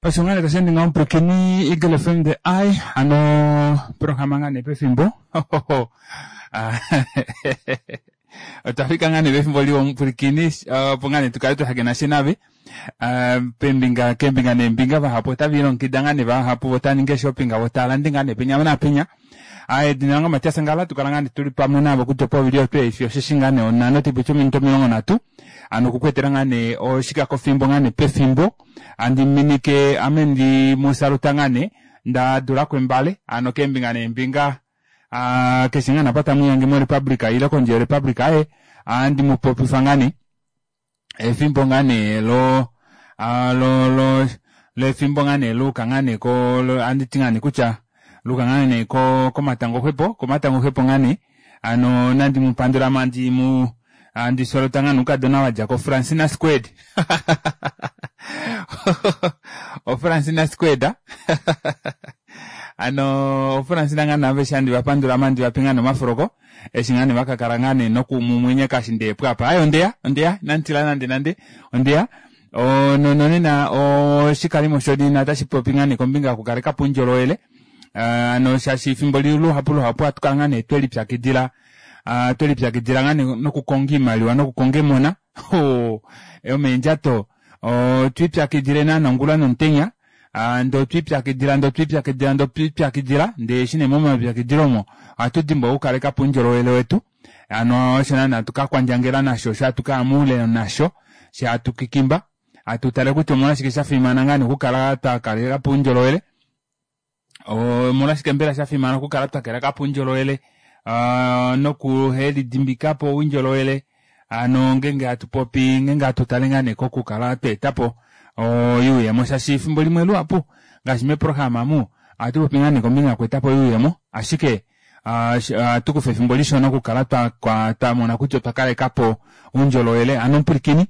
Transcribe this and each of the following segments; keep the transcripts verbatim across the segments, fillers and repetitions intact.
Osho ngaa nee tashi ende ngaho omupwilikini Eagle F M the Eye hano programa ngaa nee pefimbo otwa fika ngaa nee pefimbo liwa omupwilikini opo ngaa nee tukale twahakena she nave pembinga keembinga neembinga vahapu otava ilongekida ngaa nee vahapu otava ningi shopping vo tava lande ngaa nee penya naapenya. Edina lange Matias Ngala tukala ngaa nee tuli pamwe navo kutya povili otwe osheshi ngaa nee onhano taipiti ominute omilongo nhatu hano okukwetela ngaa nee oshikakofimbo ngaa nee pefimbo handi minike ame ndi musaluta ngaa nee ndadula kwembale hano keembinga neembinga keshe ngaa nee apa tamwiihange mo Republica ile kondje yo Republica aye handi mupopifa ngaa nee efimbo ngaa nee lo lo lo lefimbo ngaa nee luuka ngaa nee ko handiti ngaa nee kutya luuka ngaa nee ko komatango xwepo komatango xwepo ngaa nee hano nandi mupandula mandi mu andi solota ngaa noukadona wadja ko Francina Squared o Francina Squared ano Francina ngaa naaveshe handi vapandula mandi vape ngaa nomafuloko eshi ngaa nee vakakala ngaa nee nokumumwenyeka eshi ndeepo apa aye ondeya ondeya inanditila nande nande ondeya nonena oshikalimo shonena otashi popi ngaa nee kombinga yokukalekapo oundjolowele hano shaashi efimbo luhapu luhapu ohatu kala ngaa nee twelipyakidila twelipyakidila ngaa nee nokukonga oimaliwa nokukonga emona yomeendjato otwiipyakidile naana ongula nomutenya ndee otwiipyakidila ndee otwiipyakidila ndee otwiipyakidila ndee eshi nee momalipyakidilo omo ohatu dimbwa okukalekapo oundjolowele wetu hano osho naana hatu kakwandjangela nasho osho hatu kaya moule nasho she hatu kikimba hatu tale kutya omolwashike shafimana ngaa nee okukala twakalekapo oundjolowele omolwashike mbela shafimana okukala twakalekapo oundjolowele nokuhelidimbikapo oundjolowele hano ngenge hatu popi ngenge hatu tale ngaa nee kokukala tweetapo oyuuyemo shaashi efimbo limwe luhapu ngaashi meprograma amu ohatu popi ngaa nee kombinga yokweetapo oyuuyemo ashike ohatu kufa efimbo lishona okukala twamona kutya otwa kalekapo oundjolowele hano omupwilikini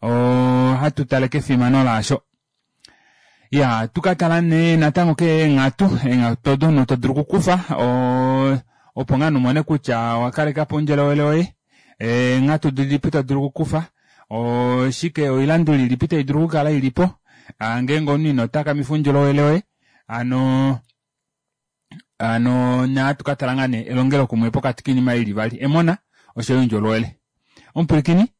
ohatu tale kefimano laasho ya tukatala nee natango keenghatu eenghatu odo omunhu todulu okukufa opo ngaa umone kutya owakalekapo oundjolowele woye eenghatu dilipi todulu okukufa oshike oilanduli ilipi taidulu okukala ilipo ngeenge omunhu ino takamifa oundjolowele woye hano hano nahatu katala ngaa nee elongelokumwe pokati koinima ili ivali emona oshoyo oundjolowele omupwilikini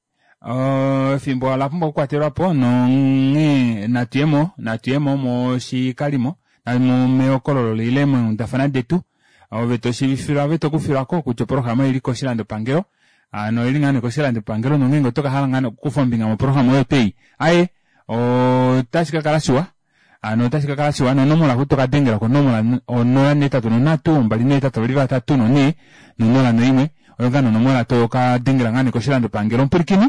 efimbo olapumbwa okukwatelwapo nonghee natuyemo natuyemo moshikalimo mehokololo ile meenghundafana detu ove toshiivifilwa ove tokufilwako kutya oprograma oili koshilandopangelo hano oili ngaa nee koshilandopangelo nongeenge otokahala ngaa nee okukufa ombinga moprograma oyo twei aye otashi kakala shiwa hano otashi kakala shiwa nonomola hu tokadengela konomola onola nehetatu nonhatu mbali nehetatu vavali vatatu nonhee nonola noimwe oyo ngaa nonomola tokadengela ngaa nee koshilandopangelo omupwilikini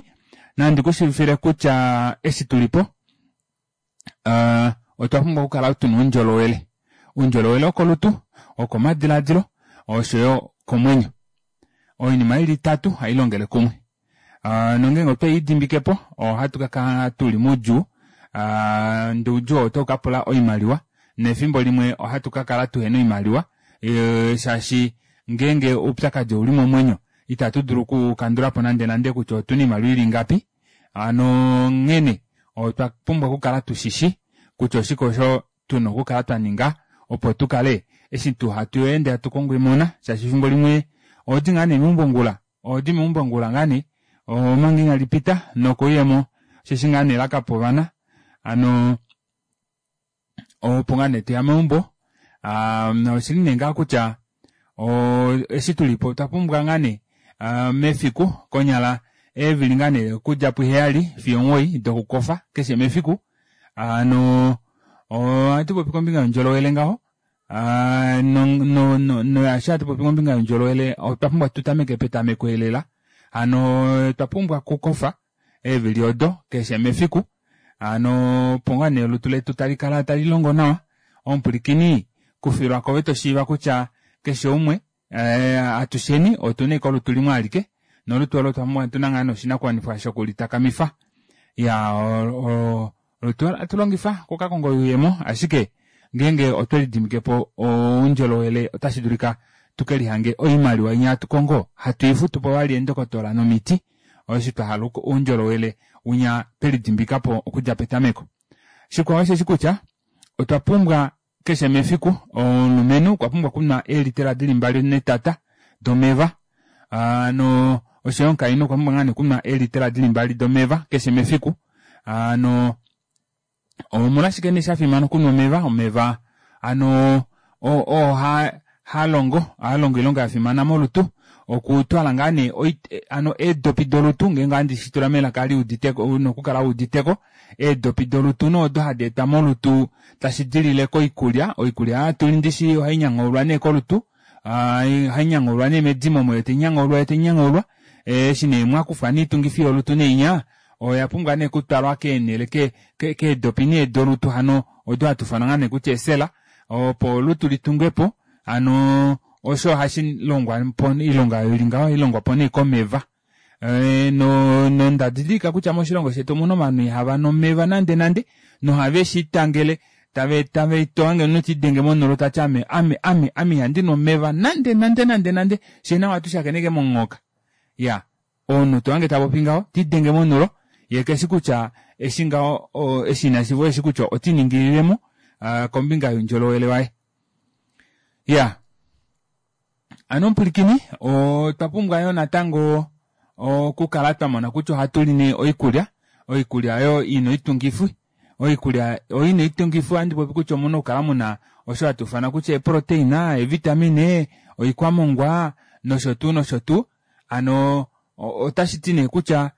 nandi kushiivifile kutya eshi tulipo otwa pumbwa okukala tuna oundjolowele oundjolowele wokolutu wokomadilaadilo oshoyo komwenyo oinima ili itatu hailongele kumwe nongeenge otweidimbikepo ohatu kakala tuli moudjuu ndee oudjuu oo otau kapula oimaliwa nefimbo limwe ohatu kakala tuhena oimaliwa shaashi ngeenge oupyakadi ouli momwenyo ita tudulu okukandulapo nande nande kutya otuna oimaliwa ili ingapi hano onghene otwa pumbwa okukala tushishi kutya oshike osho tuna okukala twaninga opo tukale eshi tuu hatu ende hatu kongo emona shaashi efimbo limwe ohodi ngaa nee meumbo ongula ohodi meumbo ongula ngaa nee omanga inali pita nokouyemo osheshi ngaa nee lakapa ovana hano opo ngaa nee toya meumbo oshili nee ngaa kutya eshi tulipo otwa pumbwa ngaa nee mefiku konyala eevili ngaa nee okudja puheyali fiyo omuwoi dokukofa keshe mefiku hano ohatu popi kombinga youndjolowele ngaho noyaashi hatu popi kombinga youndjolowele otwa pumbwa tutameke petameko elela hano otwa pumbwa okukofa eevili odo keshe mefiku hano opo ngaa nee olutu letu talikala talilongo nawa omupwilikini kufilwako ove toshiiva kutya keshe umwe atusheni otuna ashike olutu limwe alike nolutu olo otuna ngaa nee oshinakuwanifwa shokulitakamifa iya olutu olo hatu longifa okukakonga oyuuyemo ashike ngeenge otwelidimbikepo oundjolowele otashi dulika tukelihange oimaliwa inya hatu kongo hatu ifutupo vali eendokotola nomiti osho twahala oundjolowele unya twelidimbikapo okudja petameko. Shikwao osheshi kutya Otwa pumbwa keshe mefiku omulumenhu okwa pumbwa okunwa eelitela dili mbali netata domeva hano oshoyo omukainhu okwa pumbwa ngaa nee okunwa eelitela dili mbali domeva keshe mefiku hano omolwashike nee shafimana okunwa omeva omeva hano oo halongo ohalongo oilonga yafimana molutu okutwala ngaa nee hano eedopi dolutu ngeenge ohandi shitula melaka liuditeko una okukala wuuditeko eedopi dolutu nee odo hadi etwa molutu tashi dilile koikulya oikulya hatuli ndishi ohainyangaulwa nee kolutu ohainyangaulwa nee medimo omo yoo tainyangaulwa yoo tainyangaulwa eshi nee mwakufwa nee oitungifi yolutu neinya oyapumbwa nee okutwalwa keenele keedopi nee dolutu hano odo hatuufana ngaa nee kutya eesela opo olutu litungwepo hano osho ohashilongwapo oilonga oyo ili ngaho ohailongwapo nee komeva nonda didilika kutya moshilongo shetu omuna ovanhu ihavanu omeva nande nande nohave shiitangele tave tave tohange omunhu tiidenge monulo tati ame ame ame ame ihandinu omeva nande nande nande nande fyee naye ohatu shakeneke momunghoka iyaa omunhu tohange tapopi ngaho tiidenge monulo yee keshi kutya eshi ngaho eshi inashiiva osheshi kutya otiiningililemo kombinga youndjolowele waye iyaa hano omupwilikini otwa pumbwa yoo natango okukala twamona kutya ohatuli nee oikulya oikulya oyo ina oitungifi oikulya oyo ina oitungifi ohandi popi kutya omuna okukala muna osho hatuufana kutya eeproteina eevitamine oikwamongwa nosho tuu nosho tuu hano otashiti nee kutya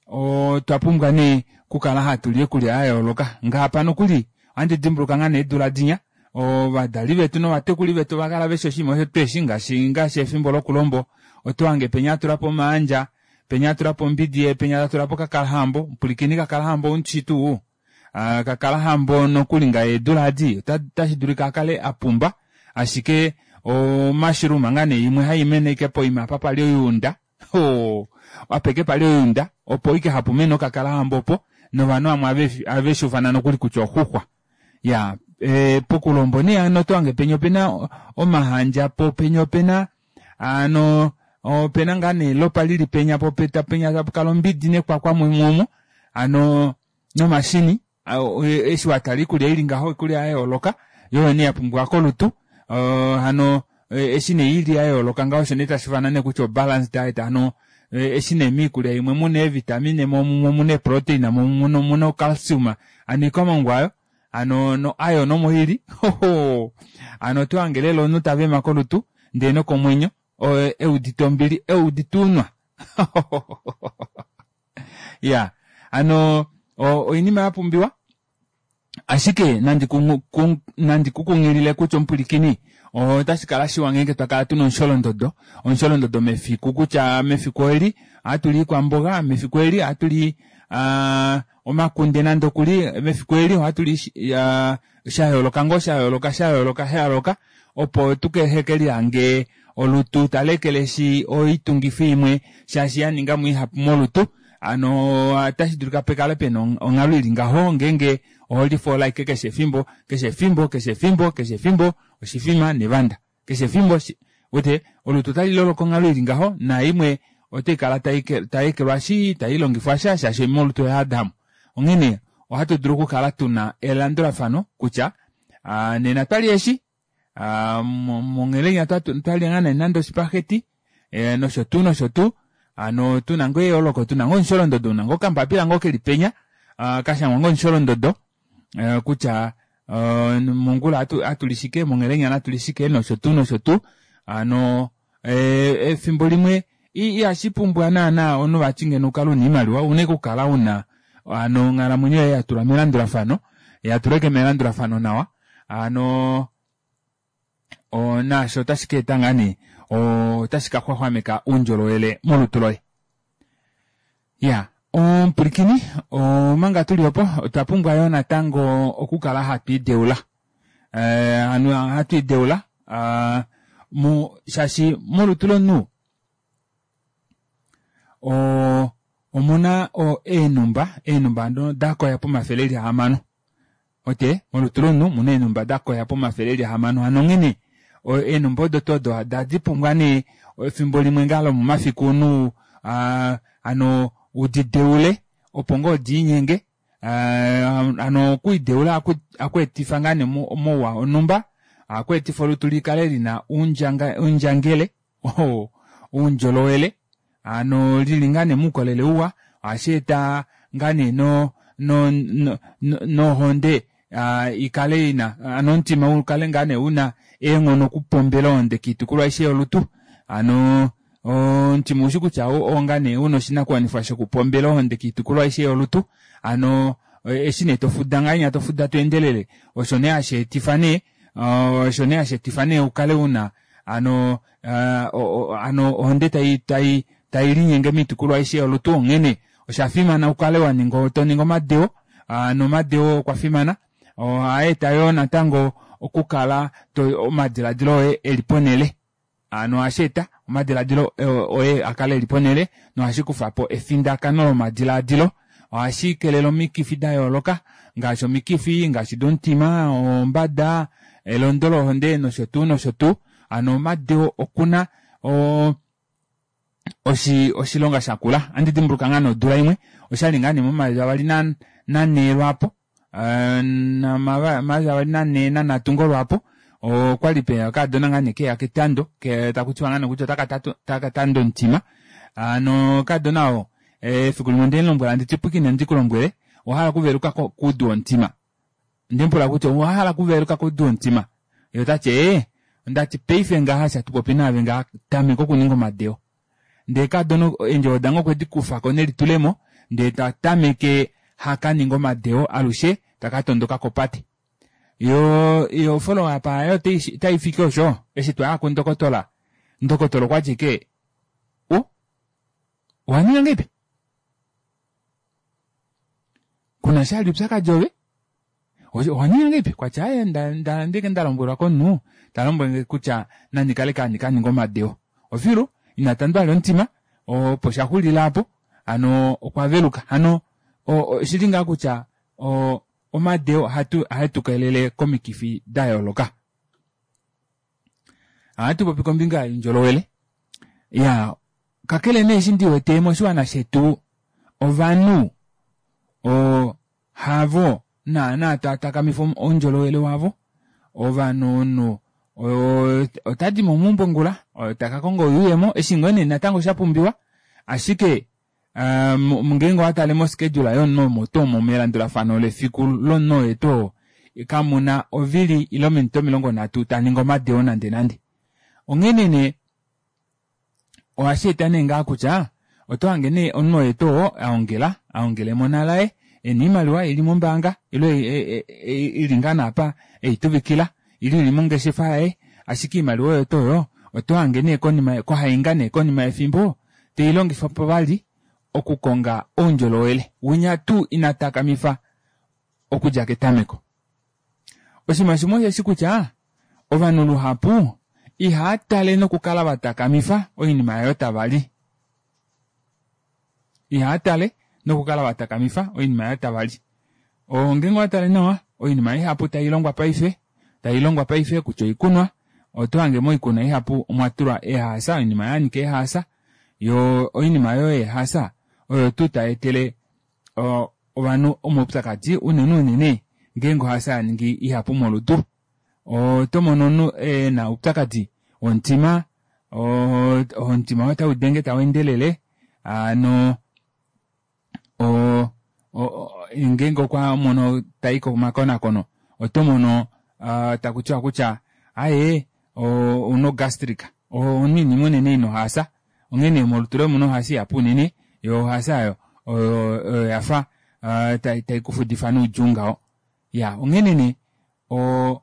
otwa pumbwa nee okukala hatuli oikulya yayooloka ngaapa nokuli ohandi dimbuluka ngoo nee eedula dinya ovadali vetu novatekuli vetu ovakala veshi oshinima osho tuheshi ngaashi ngaashi efimbo lokulombo otohange penya atulapo omaandja penya atulapo ombidi yee penya tatulapo kakalahambo mupwilikini kakalahambo oumushi tuu kakalahambo nokuli ngaashi eedula edi otashi dulika akale apumba ashike o mushroom ngaa nee imwe haimene ashike poima apa pali oyuunda oo apa ashike pali oyuunda opo ashike hapamene okakalahambo opo novanhu vamwe ohaveshuufana nokuli kutya oxuxwa iyaa pokulombo nee hano otohange penya opena omahandja poo penya opena hano opena ngaa nee elopa lili penya poo penya tapukala ombidi nekwakwa mumwe omo hano nomashini eshi watala oikulya ili ngaho oikulya yayooloka yoo oyo nee yapumbiwa kolutu hano eshi nee ili yayooloka ngaho osho nee tashuufana nee kutya o balance diet hano eshi nee moikulya imwe muna eevitamine moo mumwe omuna eeproteina moo mumwe omuna o calcium hano oikwamongwa aayo hano no iron omo ili hano otohange lela omunhu tavema kolutu ndee nokomwenyo eudite ombili eudite ounwa iyaa hano oinima yapumbiwa ashike nandi kukunghilile kutya omupwilikini otashikala shiwa ngeenge twakala tuna omusholondodo omusholondodo mefiku kutya mefiku eli ohatuli oikwamboga mefiku eli ohatuli omakunde nande okuli mefiku eli ohatuli shayooloka ngoo shayooloka shayooloka shayooloka opo tuhekelihange olutu taleekeleshi oitungifi imwe shaashi yaningamo ihapu molutu hano otashidulika pekale pena onghalo ili ngaho ngeenge oholifoola ashike keshe efimbo keshe efimbo keshe efimbo keshe efimbo oshifima nevanda keshe efimbo uwete olutu otaliloloka onghalo ili ngaho naimwe otaikala tayeekelwashi tailongifwa sha shaashi molutu oyayadamo onghene ohatu dulu okukala tuna elandulafano kutya nena otwalya eeshi monghela otwalya ngoo nee nande oshipaghetti nosho tuu nosho tuu hano tuna ngoo eyooloko tuna ngoo omusholondodo una ngoo okambapila ngoo keli penya kashangwa ngoo omusholondodo kutya mongula ohatuli shike monghelenya natuli shike nosho tuu nosho tuu hano efimbo limwe ihashipumbwa naana omunhu vati ngeno ukale una oimaliwa ouna ashike okukala una hano onghalamwenyo yoye yatulwa melandulafano yatulwa ashike melandulafano nawa hano naasho otashi kaeta ngoo nee otashi kaxwaxwameka oundjolowele molutu loye iyaa omupwilikini omanga tuli opo otwa pumbwa yoo natango okukala hatwiideula hano hatwiideula shaashi molutu lomunhu oo omuna eenhumba eenhumba hano dakoya pomafele eli ahamano uwete molutu lomunhu omuna eenhumba dakoya pomafele eli ahamano hano onghene eenhumba odo tuu odo ohadi pumbwa nee efimbo limwe ngaa lomomafiku omunhu hano udideule opo ngoo diinyenge Hano okwiideula ohakweetifa ngoo nee omauwa onumba ohakweetifa olutu likale lina oundjangele oundjolowele hano lili ngoo nee moukolele uwa ohasheeta ngoo nee no- no- nohonde ikale ina hano omutima ukale ngoo nee una eenghono okupombela ohonde koitukulwa aishe yolutu hano omutima oushi kutya oo ngoo nee una oshinakuwanifwa shoku pombela ohonde koitukulwa aishe yolutu hano eshi nee tofuda ngahenya tofuda tweendelele osho nee hasheetifa nee osho nee hasheetifa nee ukale una hano hano ohonde tayi taiyilinyenge moitukulwa aishe yolutu onghene oshafimana ukale waninga toningi omadeo hano omadeo okwafimana ohaeta yoo natango okukala omadilaadilo oye eli ponele hano ohasheeta omadilaadilo oye akale eli ponele nohashikufapo efindakano lomadilaadilo ohashikelele omikifi dayooloka ngaashi omikifi ngaashi domutima ombada elondo lohonde noshotuu noshotuu hano omadeo okuna oo oshilonga shakula ohandi dimbuluka ngoo nee odula imwe oshali ngoo nee momayovi avali nanhee lwaapo omayovi avali nanhee nanhatu ngoo lwaapo okwali peya okaadona ngoo nee keya ketando takutiwa ngoo nee kutya otaka tandwa omutima hano okadona oo efiku limwe ondemulombwela handiti pwiikina ndikulombwele owahala okuveluka koudu womutima ondemupula kutya owahala okuveluka koudu womutima yee otati ee ondati paife ngaha eshi hatupopi naave ngaha tameka okuninga omadeo ndee kaadona eendjovo dange okwedikufako nelitulemo ndee tatameke hakaningi omadeo alushe takatondoka kopate yoo o follow up aayo otaifiki osho eshi twaya kundokotola ndokotola okwati ashike oo owaninga ngahelipi kunasha vali oupyakadi ove owaninga ngahelipi okwati aaye onda ashike ndalombwelwa komunhu talombwelenge kutya nandikale ashike handi kaninga omadeo ofilu inatandwa vali omutima opo shaxulila aapo hano okwaveluka hano oshili ngaha kutya omadeo ohaetukelele komikifi dayooloka ohatupopi kombinga youndjolowele iyaa kakele nee eshi ndiwete moshiwana shetu ovanhu oo havo naana taatakamifa oundjolowele wavo ovanhu omunhu otadimo meumbo ongula takakonga oyuuyemo eshi ngoo nee natango shapumbiwa ashike ngeenge owatale mo schedule yomunhu omo tuu omo melandulafano lefiku lomunhu oye tuu oo kamuna ovili ile ominute omilongo nhatu taningi omadeo nande nande onghene nee ohasheeta nee ngaha kutya otohange nee omunhu oye tuu oo aongela aongela emona laye ena oimaliwa ili mombaanga ile ili ngoo nee aapa eituvikila ile ili mongeshefa yaye ashike oimaliwa oyo tuu oyo otohange nee konima kohainga nee konima yefimbo teilongifapo vali okukonga oundjolowele winya tuu inatakamifa okudja ketameko oshinima shimwe osheshi kutya ovanhu luhapu ihaatale nokukala vatakamifa oinima aayo tavali ihaatale nokukala vatakamifa oinima aayo tavali ngeenge owatale nawa oinima ihapu tailongwa paife tailongwa paife kutya oikunwa otohange moikunwa ihapu omwatulwa eehaasa oinima yanyika eehaasa yoo oinima aayo yeehaasa oyo tuu tayeetele ovanhu omaupyakadi unene unene ngeenge ohaasa yaningi ihapu molutu otomono omunhu ena oupyakadi womutima omutima woye otaudenge taweendelele hano oo ngeenge okwamono tayi komakonakono otomono takutiwa kutya aaye ouna o gastric ouna oinima unene ina ohaasa onghene molutu loye omuna ohaasa ihapu unene yoo ohaasa aayo oyo yafa taikufudifa noudjuu ngaho iyaa onghene nee oo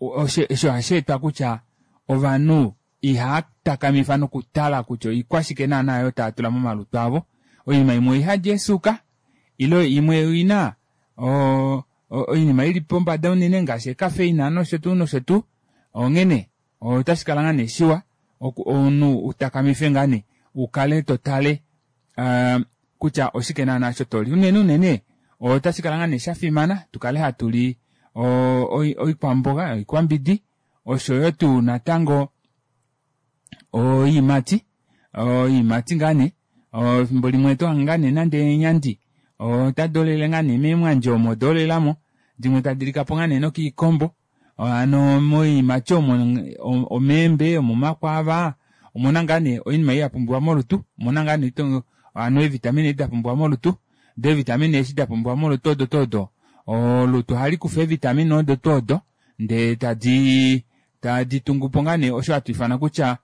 osho ohasheetwa kutya ovanhu ihaatakamifa nokutala kutya oikwashike naana aayo taatula momalutu avo oinima imwe oihadi eesuuka ile imwe oina oinima ili pombada unene ngaashi ee caffeine noshotuu noshotuu onghene otashikala ngoo nee shiwa omunhu utakamife ngoo nee ukale totale kutya oshike naana osho toli unene unene otashikala ngoo nee shafimana tukale hatuli oikwamboga oikwambidi oshoyo tuu natango oyiimati oyiimati ngoo nee efimbo limwe otohange ngoo nee nande eenyandi Otadi olele ngaa nee meemwandje omo odoolelamo dimwe tadilikapo ngaa nee nokiikombo hano moyiimati omo omeembe omomakwaava omuna ngaa nee oinima ei yapumbiwa molutu omuna ngaa nee hano eevitamine edi dapumbiwa molutu doo eevitamine eshi dapumbiwa molutu odo tuu odo olutu ohalikufa eevitamine odo tuu odo ndee tadii tadi tungupo ngaa nee osho hatu ifana kutya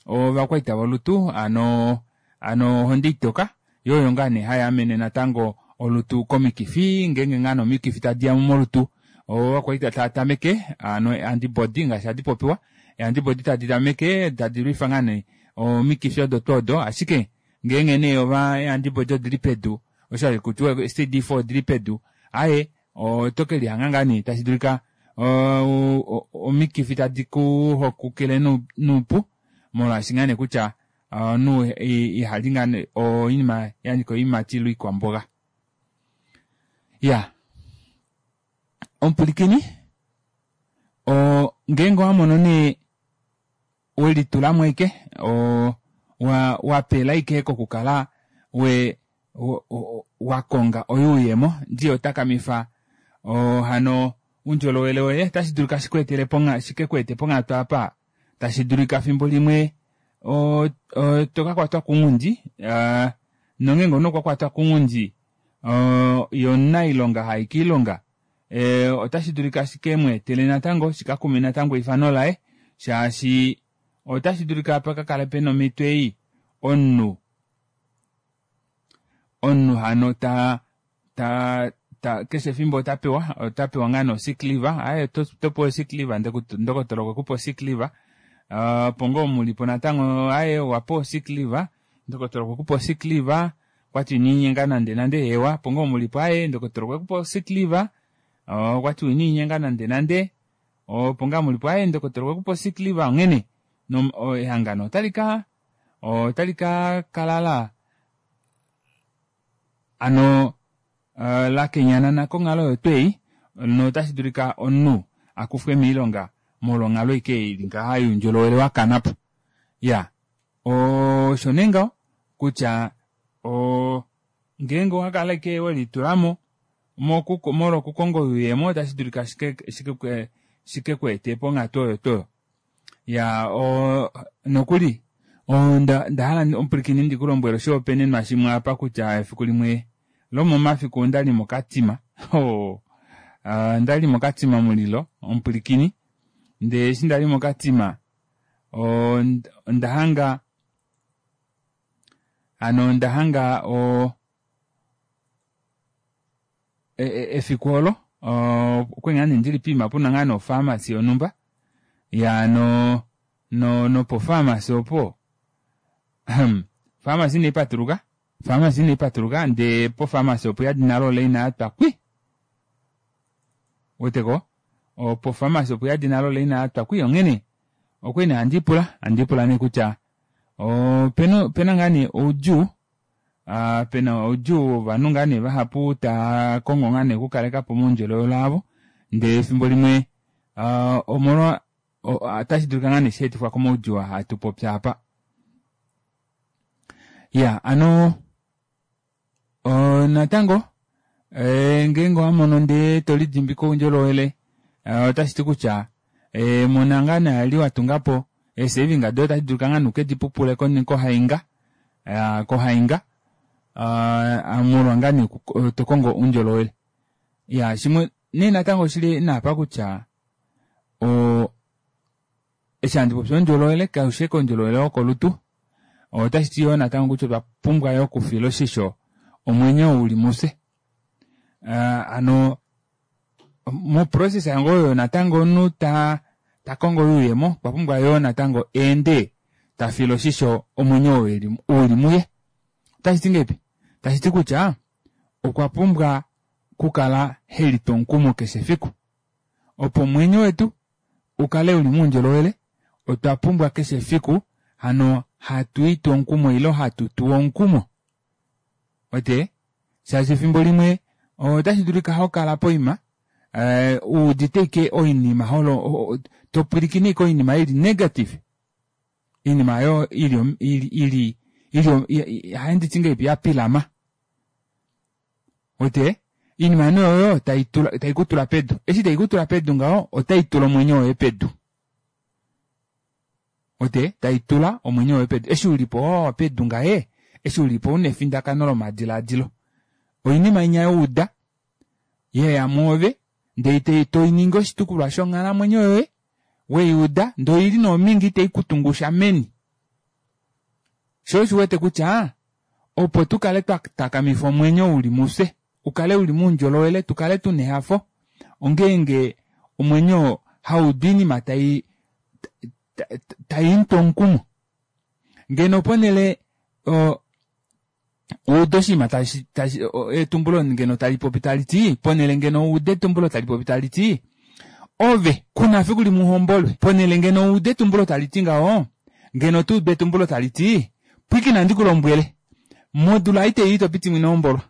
ovakwaita volutu hano hano ohonde itoka yoo oyo ngaa nee hayaamene natango olutu komikifi ngenge ngoo nee omikifi tadiyamo molutu ovakwaita taatameke hano ee antibody ngaashi hadi popiwa ee antibody tadi tameke tadi lwifa ngaa nee omikifi odo tuu odo ashike ngenge nee ee antibody odili pedu osho hakutiwa ee C D four odili pedu aaye otokelihanga ngoo nee tashidulika oo omikifi tadi kuhokukile noupu molwaashi ngaa nee kutya omunhu ihali ngaa nee oinima yanyika oyiimati ile oikwamboga. Iyaa omupwilikini oo ngeenge owamono nee welitulamo ashike oo wapela ashike kokukala wee wakonga oyuuyemo ndee ihotakamifa hano oundjolowele woye ota shidulika shikweetele shikekweete ponghatu aapa tashi dulika efimbo limwe oo tokakwatwa kounghundi aa nongeenge omunhu okwakwatwa kounghundi oo yee omunailonga hayi koilonga ee otashi dulika shikemweetele natango shikakume natango eifano laye shaashi otashi dulika pakakale pena omito ei omunhu omunhu hano taa taa keshe efimbo otapewa otapewa ngoo nee o sick leave aaye otopewa o sick leave ndokotola okwekupa o sick leave opo ngoo mulipo natango aaye owapewa o sick leave ndokotola okwekupa o sick leave okwati inolinyenga nande nande eewa opo ngoo mulipo aaye ndokotola okwekupa o sick leave okwati inolinyenga nande nande opo ngoo mulipo aaye ndokotola okwekupa o sick leave onghene ehangano otali ka otali kakala laa hano lakenyanana konghalo oyo twoo ei notashi dulika omunhu akufwe moilonga molwo onghalo ashike ei ili ngaha youndjolowele wakanapo. Iyaa osho nee ngaho kutya oo ngeenge owakala ashike welitulamo molwo okukonga oyuuyemo ota shidulika shikekweete ponghatu oyo twoo oyo. Iyaa oo nokuli ondahala omupwilikini ndikulombwele oshihopaenenwa shimwe aapa kutya efiku limwe lomomafiku ondali mo katima ohoo ondali mo katima mulilo omupwilikini ndee eshi ndali mo katima ondahanga hano ondahanga oo efiku oolo okwali ngoo nee ndili poima puna ngoo nee ofarmacy yonumba iyaa no nopo farmacy opo ofarmacy inaipatuluka ofarmacy inaipatuluka ndee po farmacy opuyadi nale olaina yatwa kwii ouweteko po farmacy opuyadi nale olaina yatwa kwii onghene okwali nee handipula handipula nee kutya opena ngoo nee oudjuu pena oudjuu wovanhu ngoo nee vahapu taakongo ngoo nee okukalekapo omaundjolowele avo ndee efimbo limwe omolwa ota shidulika ngoo nee shaetifwa komaudjuu aa hatupopi aapa. Iyaa hano natango ngeenge owamono ndee tolidimbike oundjolowele otashiti kutya mona ngoo nee ali watungapo ee saving doye ota shidulika ngoo nee ukedipupule kohainga kohainga molwa ngoo nee tokongo oundjolowele. Iyaa shimwe nee natango oshili naapa kutya oo eshi handi popi oundjolowele kaufi ashike oundjolowele wokolutu otashiti yoo natango kutya otwa pumbwa yoo okufila oshisho omwenyo ou uli mufye hano mo process ngoo oyo natango omunhu taa takongo oyuuyemo okwapumbwa yoo natango eende tafile oshisho omwenyo oo uli muye. Otashiti ngahelipi tashiti kutya okwa pumbwa okukala helitu omukumo keshe efiku opo omwenyo wetu ukale uli moundjolowele otwa pumbwa keshe efiku hano hatwiitu omukumo ile hatutuwa omukumo uwete shaashi efimbo limwe otashidulika hokala poima uudite ashike oinima topwilikine ashike oinima ili negative oinima aayo ili ili ili ohanditi ngahelipi yapilama Ote iinima nee oyo tai kutula pedu. Eshi tai kutula pedu ngaho otai tula omwenyo woye pedu. Ote taitula omwenyo woye pedu. Eshi ulipo wawa pedu ngaye eshi ulipo una efindakano lomadilaadilo. Oinima inya wauda yeya mwoove ndee toiningi oshitukulwa shonghalamwenyo yoye weyiuda ndee oili nee ominge ita ikutungusha meni. Shoo osho uwete kutya opo tukale twatakamifa omwenyo uli mufye ukale uli moundjolowele tukale tuna ehafo ongeenge omwenyo haudu oinima tai taimutu omukumo. Ngeno ponele ude oshinima tashi tashi etumbulo ngeno talipopi taliti ponele ngeno ude etumbulo talipopi taliti ove kuna efiku limwe uhombolwe ponele ngeno ude etumbulo taliti ngaho ngeno otaudu etumbulo taliti pwiikina ndikulombwele modula ei taiya itopitimo inohombolwa.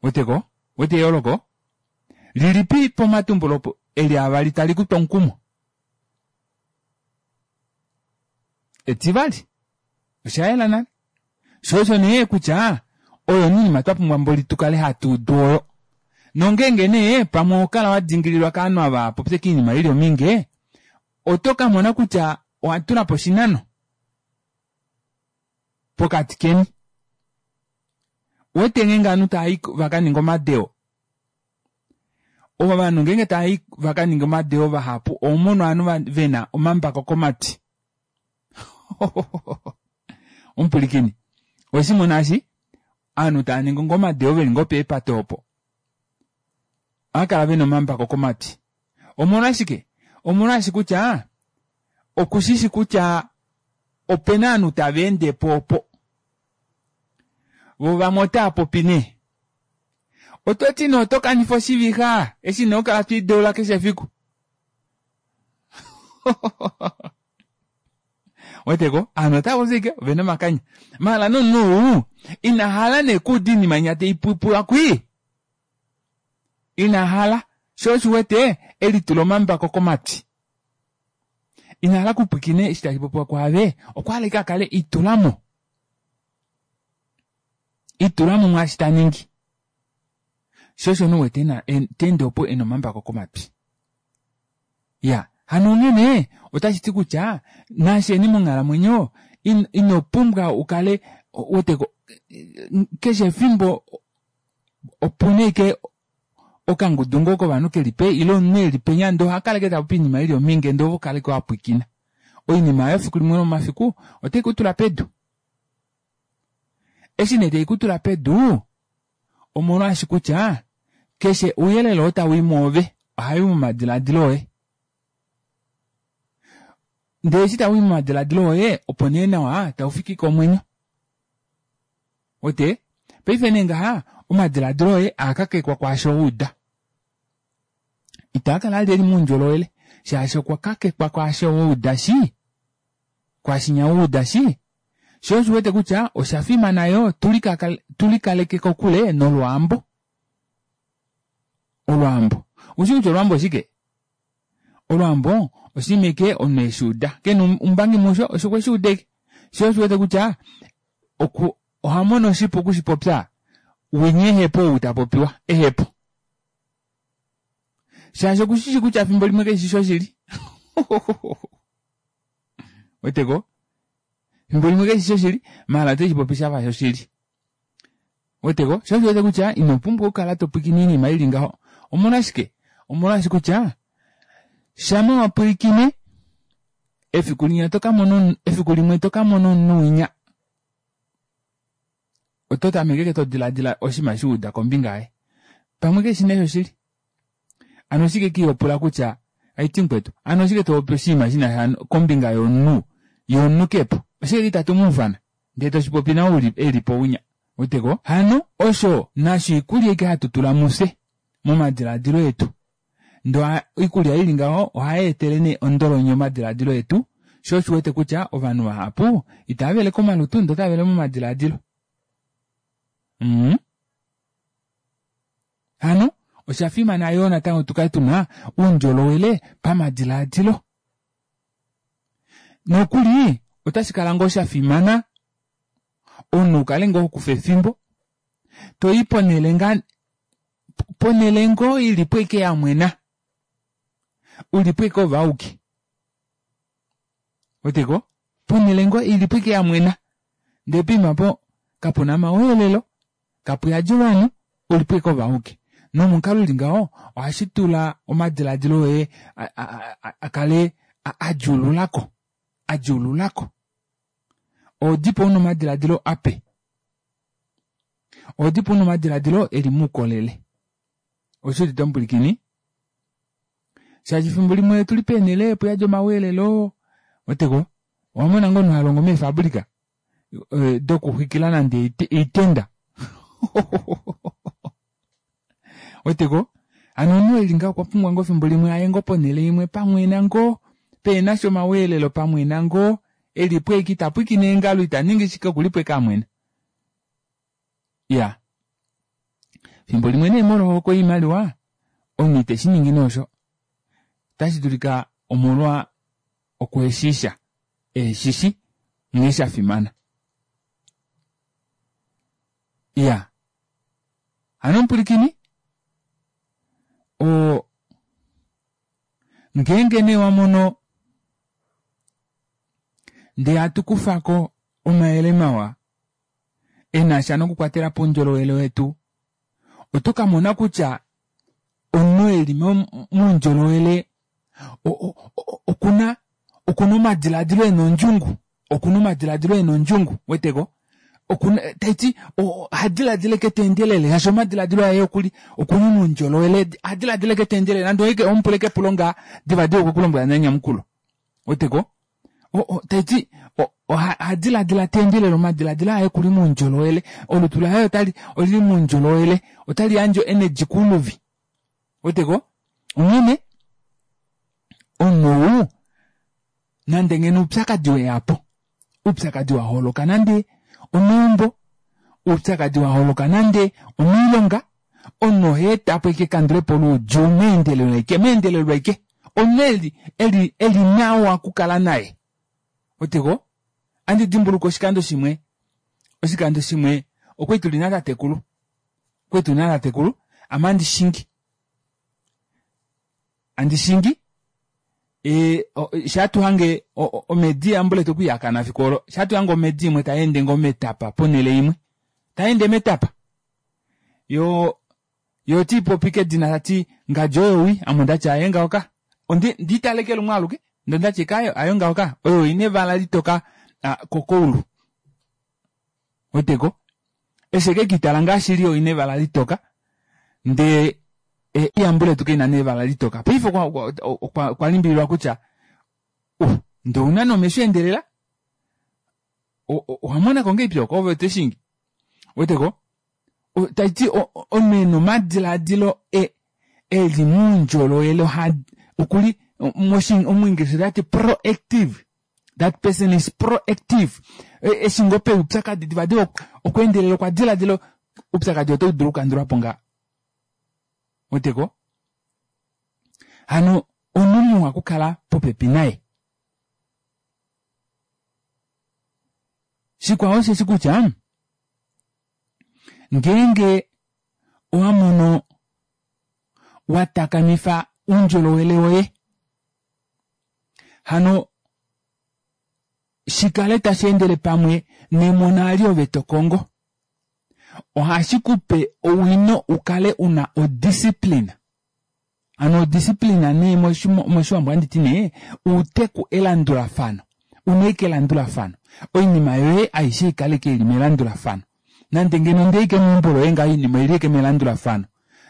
Ouweteko ouwete eyooloko lilipi pomatumbulo eli avali tali kutu omukumo? Etivali oshayela nale shoo osho nee kutya oyo oinima twapumbwa mboli tukale hatuudu oyo. Nongeenge nee pamwe ohokala wadingililwa kovanhu ava hava popi oinima ili ominge oto kamona kutya owatulapo oshinano pokati keni. Ouwete ngeenge ovanhu tavai vakaninge omadeo, ovanhu ngeenge tavai vakaninge omadeo vahapu ohomono ovanhu vena omambako komatwi. Omupwilikini oweshimona eshi ovanhu taaningi ngoo omadeo veli ngoo peepate opo ohaakala vena omambako komatwi. Omolwashike? Omolwaashi kutya okushishi kutya opena ovanhu taveendepo opo voo vamwe otaapopi nee. Ototi nee otokanifa oshivixa eshi nee hokala twiideula keshe efiku. Ouweteko ovanhu otavapopi ashike ovena omakanya maala nomunhu ou inahala nee okuuda oinima inya taipopiwa kwii inahala shoo osho uwete elitula omambako komatwi. Inahala okupwiikina eshi tashipopiwa kwaave okwahala ashike akale itulamo itulamo mwaashi taningi. Shoo osho nee uwete teende opo ena omambako komatwi. Iyaa hano onghene otashiti kutya nafyeni monghalamwenyo inopumbwa ukale uweteko keshe efimbo opuna ashike okangudu ngoo kovanhu keli ile omunhu eli penya ndee ohakala ashike tapopi oinima ili ominge ndee ove ohokala ashike wapwiikina. Oinima aayo efiku limwe lomomafiku otaikutula pedu. Eshi nee taikutula pedu omolwaashi kutya keshe ouyelele oo tawii mwoove ohawii momadilaadilo oye. Ndee eshi tawii momadilaadilo oye opo nee nawa taufiki komwenyo. Ouwete paife nee ngaha omadilaadilo oye aakakekwa kwaasho wauda. Itaakala vali eli moundjolowele shaashi okwa kakekwa kwaasho wauda shii kwaashinya wauda shii. Shoo osho uwete kutya oshafimana yoo tulikaleke kokule nolwaambo. Olwaambo oushi kutya olwaambo oshike? Olwaambo oshinima ashike omunhu eshuuda kena oumbangi musho okweshuuda ashike. Shoo osho uwete kutya ohamono shipu okushipopya winya ehepo ou tapopiwa ehepo. Shaashi okushishi kutya efimbo limwe kashishi shoshili. Ouweteko efimbo limwe kashishi shoshili maala oteshipopi shafa shoshili. Ouweteko shoo osho uwete kutya inopumbwa okukala topwiikine oinima ili ngaho. Omolwashike? Omolwaashi kutya shama wapwilikine efiku linya otokamona efiku limwe tokamona omunhu winya oto tameke ashike todilaadila oshinima eshi wauda kombinga yaye pamwe keshi nee shoshili. Hano oshike ihopula kutya haiti mukwetu hano oshike topopi oshinima shinasha kombinga yomunhu yee omunhu kepo oshike itatu muufana ndee toshipopi nawa elipo winya. Ouweteko hano osho nasho oikulya ashike hatu tula mufye momadilaadilo etu ndee oikulya ili ngaho ohayeetele nee ondolonyo omadilaadilo etu shoo osho uwete kutya ovanhu vahapu itaavele komalutu ndee otavele momadilaadilo. Mmm hano oshafimana yoo natango tukale tuna oundjolowele pamadilaadilo. Nokuli otashikala ngoo shafimana omunhu ukale ngoo hokufa efimbo toyi ponele ngaa Ponhele ngoo ilipo ashike yamwena ulipo ashike oove auke ouweteko ponele ngoo ilipo ashike yamwena ndee poima aapo kapuna omaweelelo kapuyadi ovanhu ulipo ashike ove auke nomukalo uli ngaho ohashitula omadilaadilo oye akale adjuululako adjuululako ohodipo una omadilaadilo ape ohodipo una omadilaadilo eli moukolele oushudite omupwilikini shaashi efimbo limwe otuli peenele puyadi omaweelelo ouweteko owamona ngoo omunhu halongo meefabrica dokuxwikila nande oitenda ouweteko hano omunhu eli ngaho okwapumbwa ngoo efimbo limwe aye ngoo ponele imwe pamwena ngoo pehenasha omaweelelo pamwena ngoo elipo ashike itapwiikine eengalo itaningi shike okulipo ashike amwena iyaa efimbo limwe nee molwo ohokwe yoimaliwa omunhu iteshiningi nee osho otashidulika omolwa okuheshiisha eheshishi nghee shafimana iyaa hano omupwilikini oo ngeenge nee wamono ndee hatukufako omayele mawa enasha nokukwatelapo oundjolowele wetu oto kamona kutya omunhu eli moundjolowele okuna okuna omadilaadilo ena ondjungu okuna omadilaadilo ena ondjungu ouweteko tashiti ohadilaadila ashike teendelele shaashi omadilaadilo aye okuli okuli moundjolowele ohadilaadila ashike teendelele nande owemupula ashike epulo ngaha divadiva okwekulombwela nale enyamukulo ouweteko tashiti ohadilaadila teendelele omadilaadilo aye okuli moundjolowele olutu laye otali olili moundjolowele otali yandje o energy kouluvi ouweteko onghene omunhu ou nande ngeno oupyakadi weyapo oupyakadi waholoka nande omeumbo oupyakadi waholoka nande omoilonga omunhu ohaetapo ashike ekandulepo loudjuu meendelelo ashike meendelelo ashike omunhu eli eli eli nawa okukala naye ouweteko ohandi dimbuluka oshikando shimwe oshikando shimwe okwali tuli natatekulu okwali tuli natatekulu ame handishingi handishingi shaatuhange omedi yambuletu okwiihakana efiku olo shaatuhange omedi imwe tayeende ngoo metapa ponele imwe tayeende metapa yoo yoo otaipopi kedina tati ngadi oyo wii ame ondati aaye ngaho ka ondiitala ashike lumwe aluke ndee ondati ashike aaye hayo ngaho ka oyo oina evala litoka kokoulu ouweteko eshi ekekiitala ngaa shili oina evala litoka ndee yambuletu kaina nee evala litoka paife okwa limbililwa kutya uh ndee ouna nee omesho aendelela owamonako ngahelipi oko ove toshingi ouweteko tashiti omunhu ena omadilaadilo eli moundjolowele okuli omuingilisha otati proactive that person is proactive eshi ngoo peya oupyakadi divadiva okweendelela okwa dilaadila oupyakadi ota udulu okukandulwapo ngaha ouweteko hano omunhu muwa okukala popepi naye shikwao osheshi kutya ngeenge owamono watakamifa oundjolowele woye hano shikale tasheendele pamwe nemona eli ove tokongo ohashikupe owino ukale una o discipline hano o discipline nee moshiwambo ohanditi nee outeku elandulafano una ashike elandulafano oinima yoye aishe ikale ashike ili melandulafano nande ngeno ondeya ashike meumbo loye ngaho oinima oili ashike melandulafano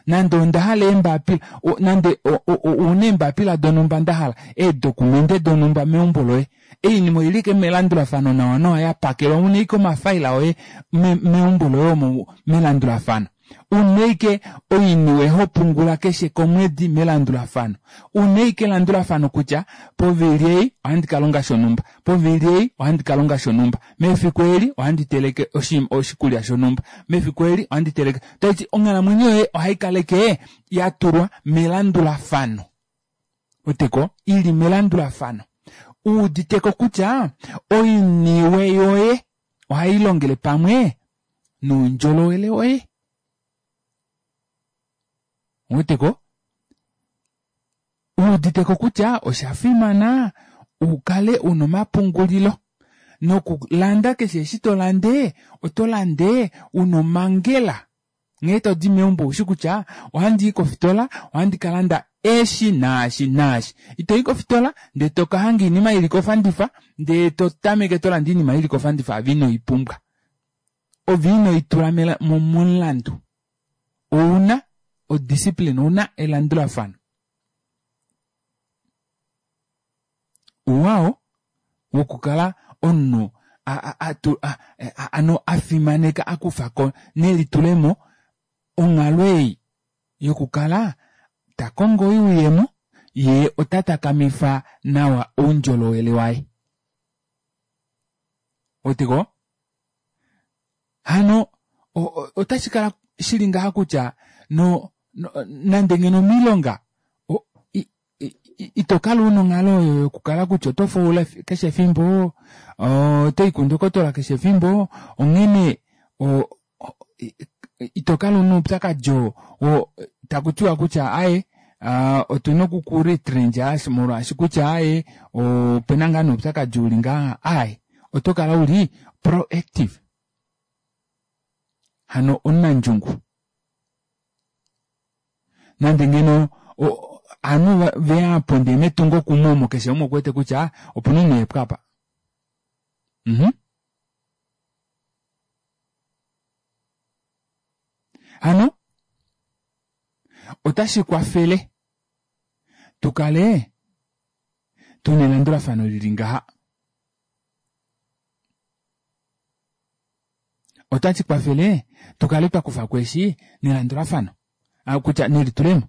nande ondahala eembapila nande ouna eembapila donumba ndahala eedocumente donumba meumbo loye oinima oili ashike melandulafano nawa nawa yapakelwa una ashike omafaila oye meumbo loye omo melandulafano una ashike oiniwe hopungula keshe komwedi melandulafano una ashike elandulafano kutya povili ei ohandi kalonga shonumba povili ei ohandi kalonga shonumba mefiku eli ohandi teleke oshikulya shonumba mefiku eli ohandi teleke tashiti onghalamwenyo yoye ohaikala ashike yatulwa melandulafano ouweteko ili melandulafano uuditeko kutya oiniwe yoye ohailongele pamwe noundjolowele woye Ouweteko Uuditeko kutya oshafimana ukale una omapungulilo nokulanda keshe eshi tolande oto lande una omangela nghee todi meumbo oushi kutya ohandii kofitola ohandi kalanda eshi naashi naashi itoyi kofitola ndee tokahanga oinima ili kofandifa ndee totameke tolande oinima ili kofandifa ove inoipumbwa ove inoitula momulandu ouna o discipline ouna elandulafano ouwa oo wokukala omunhu hano afimaneka akufako nelitulemo onghalo ei yokukala takongo oyuuyemo yee ota takamifa nawa oundjolowele waye ouweteko hano otashikala shili ngaha kutya no nande ngeno omoilonga itokala una onghalo oyo yokukala kutya otofaula keshe efimbo otoyi kundokotola keshe efimbo onghene itokala una oupyakadi oo takutiwa kutya aaye otuna oku kuretrencha molwaashi kutya aaye opena ngoo nee oupyakadi uli ngaha aaye otokala uli proactive hano omunandjungu nande ngeno ovanhu veya aapo ndee metungo kumwe omo keshe umwe okuwete kutya opena omunhu ehepo aapa mhh hano otashikwafele tukale tuna elandulafano lili ngaha otashikwafele tukale twakufako eshi nelandulafano kutya nelitulemo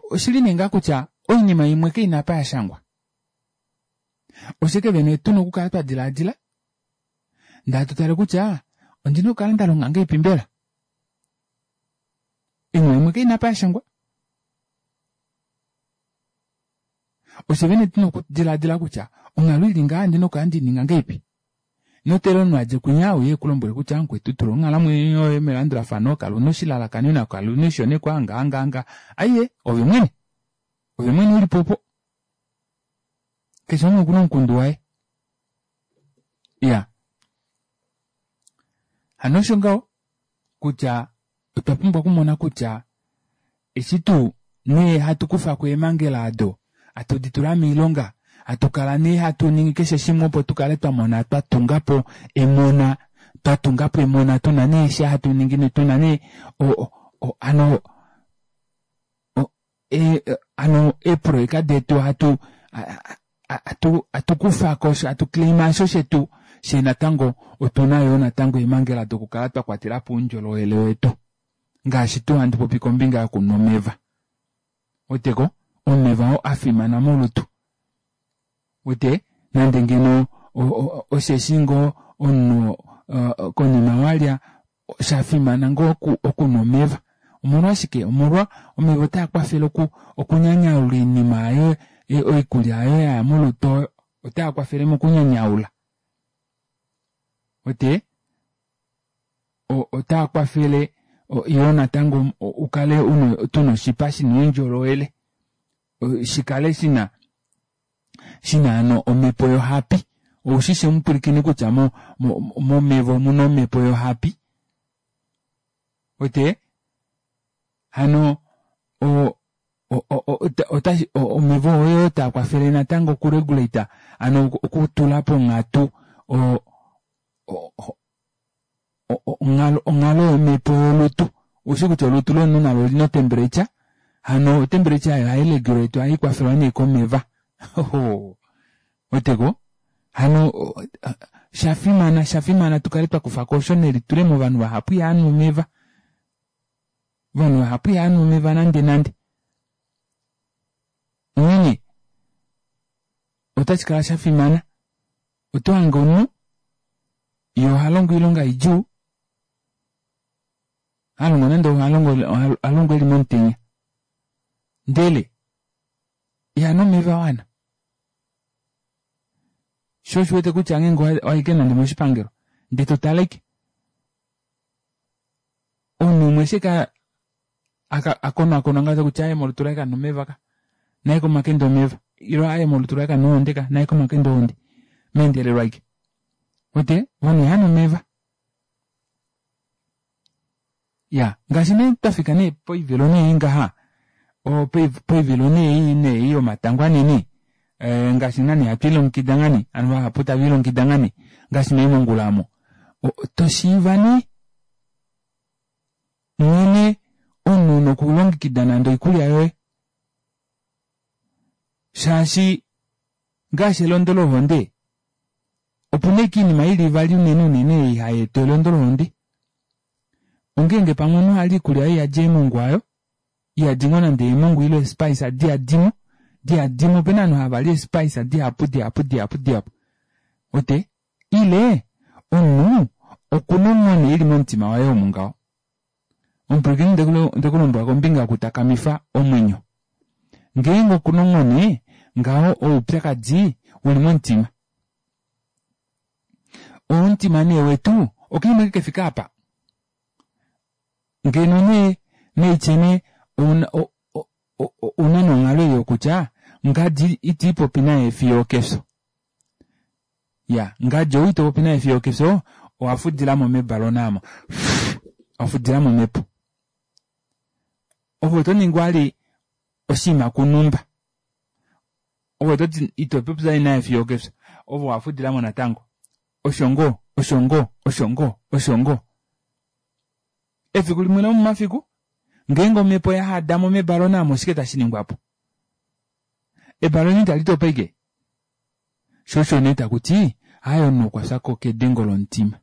oshili nee ngaha kutya oinima imwe kaina apa yashangwa oshike vene tuna okukala twadilaadila ndee hatutale kutya ondina okukala ndalonga ngahelipi mbela oinima imwe kaina apa yashangwa ofye vene tuna okudilaadila kutya onghalo ili ngaha ondina okukala ndeininga ngahelipi inoteelela omunhu adje kunya euye ekulombwele kutya mukwetu tula onghalamwenyo yoye melandulafano kala una oshilalakanenwa kala una oishonekwa ngaha ngaha ngaha aaye ove mwene ove mwene ulipo opo keshe umwe okuna omukundu waye iyaa hano osho ngaho kutya otwa pumbwa okumona kutya eshi tuu nee hatu kufako eemangela aado hatu ditula moilonga hatukala nee hatuningi keshe shimwe opo tukale twamona twatungapo emona twatungapo emona tuna nee eshi hatuningi tuna nee hano hano eeprojeka detu hatu hatukufako hatu claima osho shetu fyee natango otuna yoo natango eemangela dokukala twakwatelapo oundjolowele wetu ngaashi tuu handi popi kombinga yokunwa omeva ouweteko omeva oo afimana molutu uwete nande ngeno osheshi ngoo omunhu konima walya oshafimana ngoo okunwa omeva omolwashike omolwa omeva otaakwafele okunyanyaula oinima aayo oikulya aayo yaya molutu oyo otaakwafele mokunyanyaula uwete otaakwafele yoo natango ukale tuna oshipa shina oundjolowele shikale shina shina hano omepo yohapi oushishi omupwilikini kutya mo momeva omuna omepo yohapi uwete hano o omeva oo taakwafele natango oku regulate hano okutula ponghatu o onghalo yomepo yolutu oushi kutya olutu lomunhu nalo olina otemperature hano otemperature aayo ohairegulatwa ohaikwafelwa nee komeva ouweteko hano oshafimana oshafimana tukale twakufako osho nelitulemo ovanhu vahapu ihavanhu omeva ovanhu vahapu ihavanhu omeva nande nande onghene otashikala shafimana otohange omunhu yee ohalongo oilonga idjuu halongo nande ohalongo eli momutenya ndele ihanu omeva awana shoo osho uwete kutya ngeenge owayi ashike nande omoshipangelo ndee totale ashike omunhu umwe eshi ashike Akonakonwa ngaa kutya aaye molutu laye kamuna omeva ka naye komakende omeva ile aaye molutu laye kamuna ohonde ka naye komakende ohonde meendelelo ashike uwete ovanhu ihavanu omeva iyaa ngaashi nee twafika nee poivilo nee ei ngaha poivilo nee ei yomatango manene ee ngaashi ngaa nee hatwiilongekida ngoo nee ovanhu vahapu taviilongekida ngoo nee ngaashi meemongula aamo toshiiva nee nghene omunhu una okulongekida nande oikulya yoye shaashi ngaashi elondo lohonde opena ashike oinima ili ivali unene unene ei hayeeta elondo lohonde ongenge pamwe omunhu ali oikulya aayo iyadi eemongwa aayo iyadi ngoo nande eemongwa ile ee spice diyadimo diyadimo opena ovanhu havali ee spice dihapu dihapu dihapu dihapu uwete ile omunhu okuna onghone ili momutima waye omu ngaho omupwilikini ondekulombwela kombinga yokutakamifa omwenyo ngeenge okuna onghone ngaho oupyakadi uli momutima oo omutima nee wetu okaima ashike kefike aapa ngeno nee naitye nee ouna nee onghalo ei yokutya ngadi itiipopi naye fiyo okefyo iyaa ngadi ou itopopi naye fiyo okefyo owafudilamo mebalona aamo wafudilamo omepo ove otoningi vali oshinima kunumba ove ototi itopopi vali naye fiyo okefyo ove owafudilamo natango osho ngoo osho ngoo osho ngoo osho ngoo efiku limwe lomomafiku ngeenge omepo oyahadamo mebalona aamo oshike tashiningwapo ebalona italitopa ashike shoo osho nee takuti aaye omunhu okwafya kedengo lomutima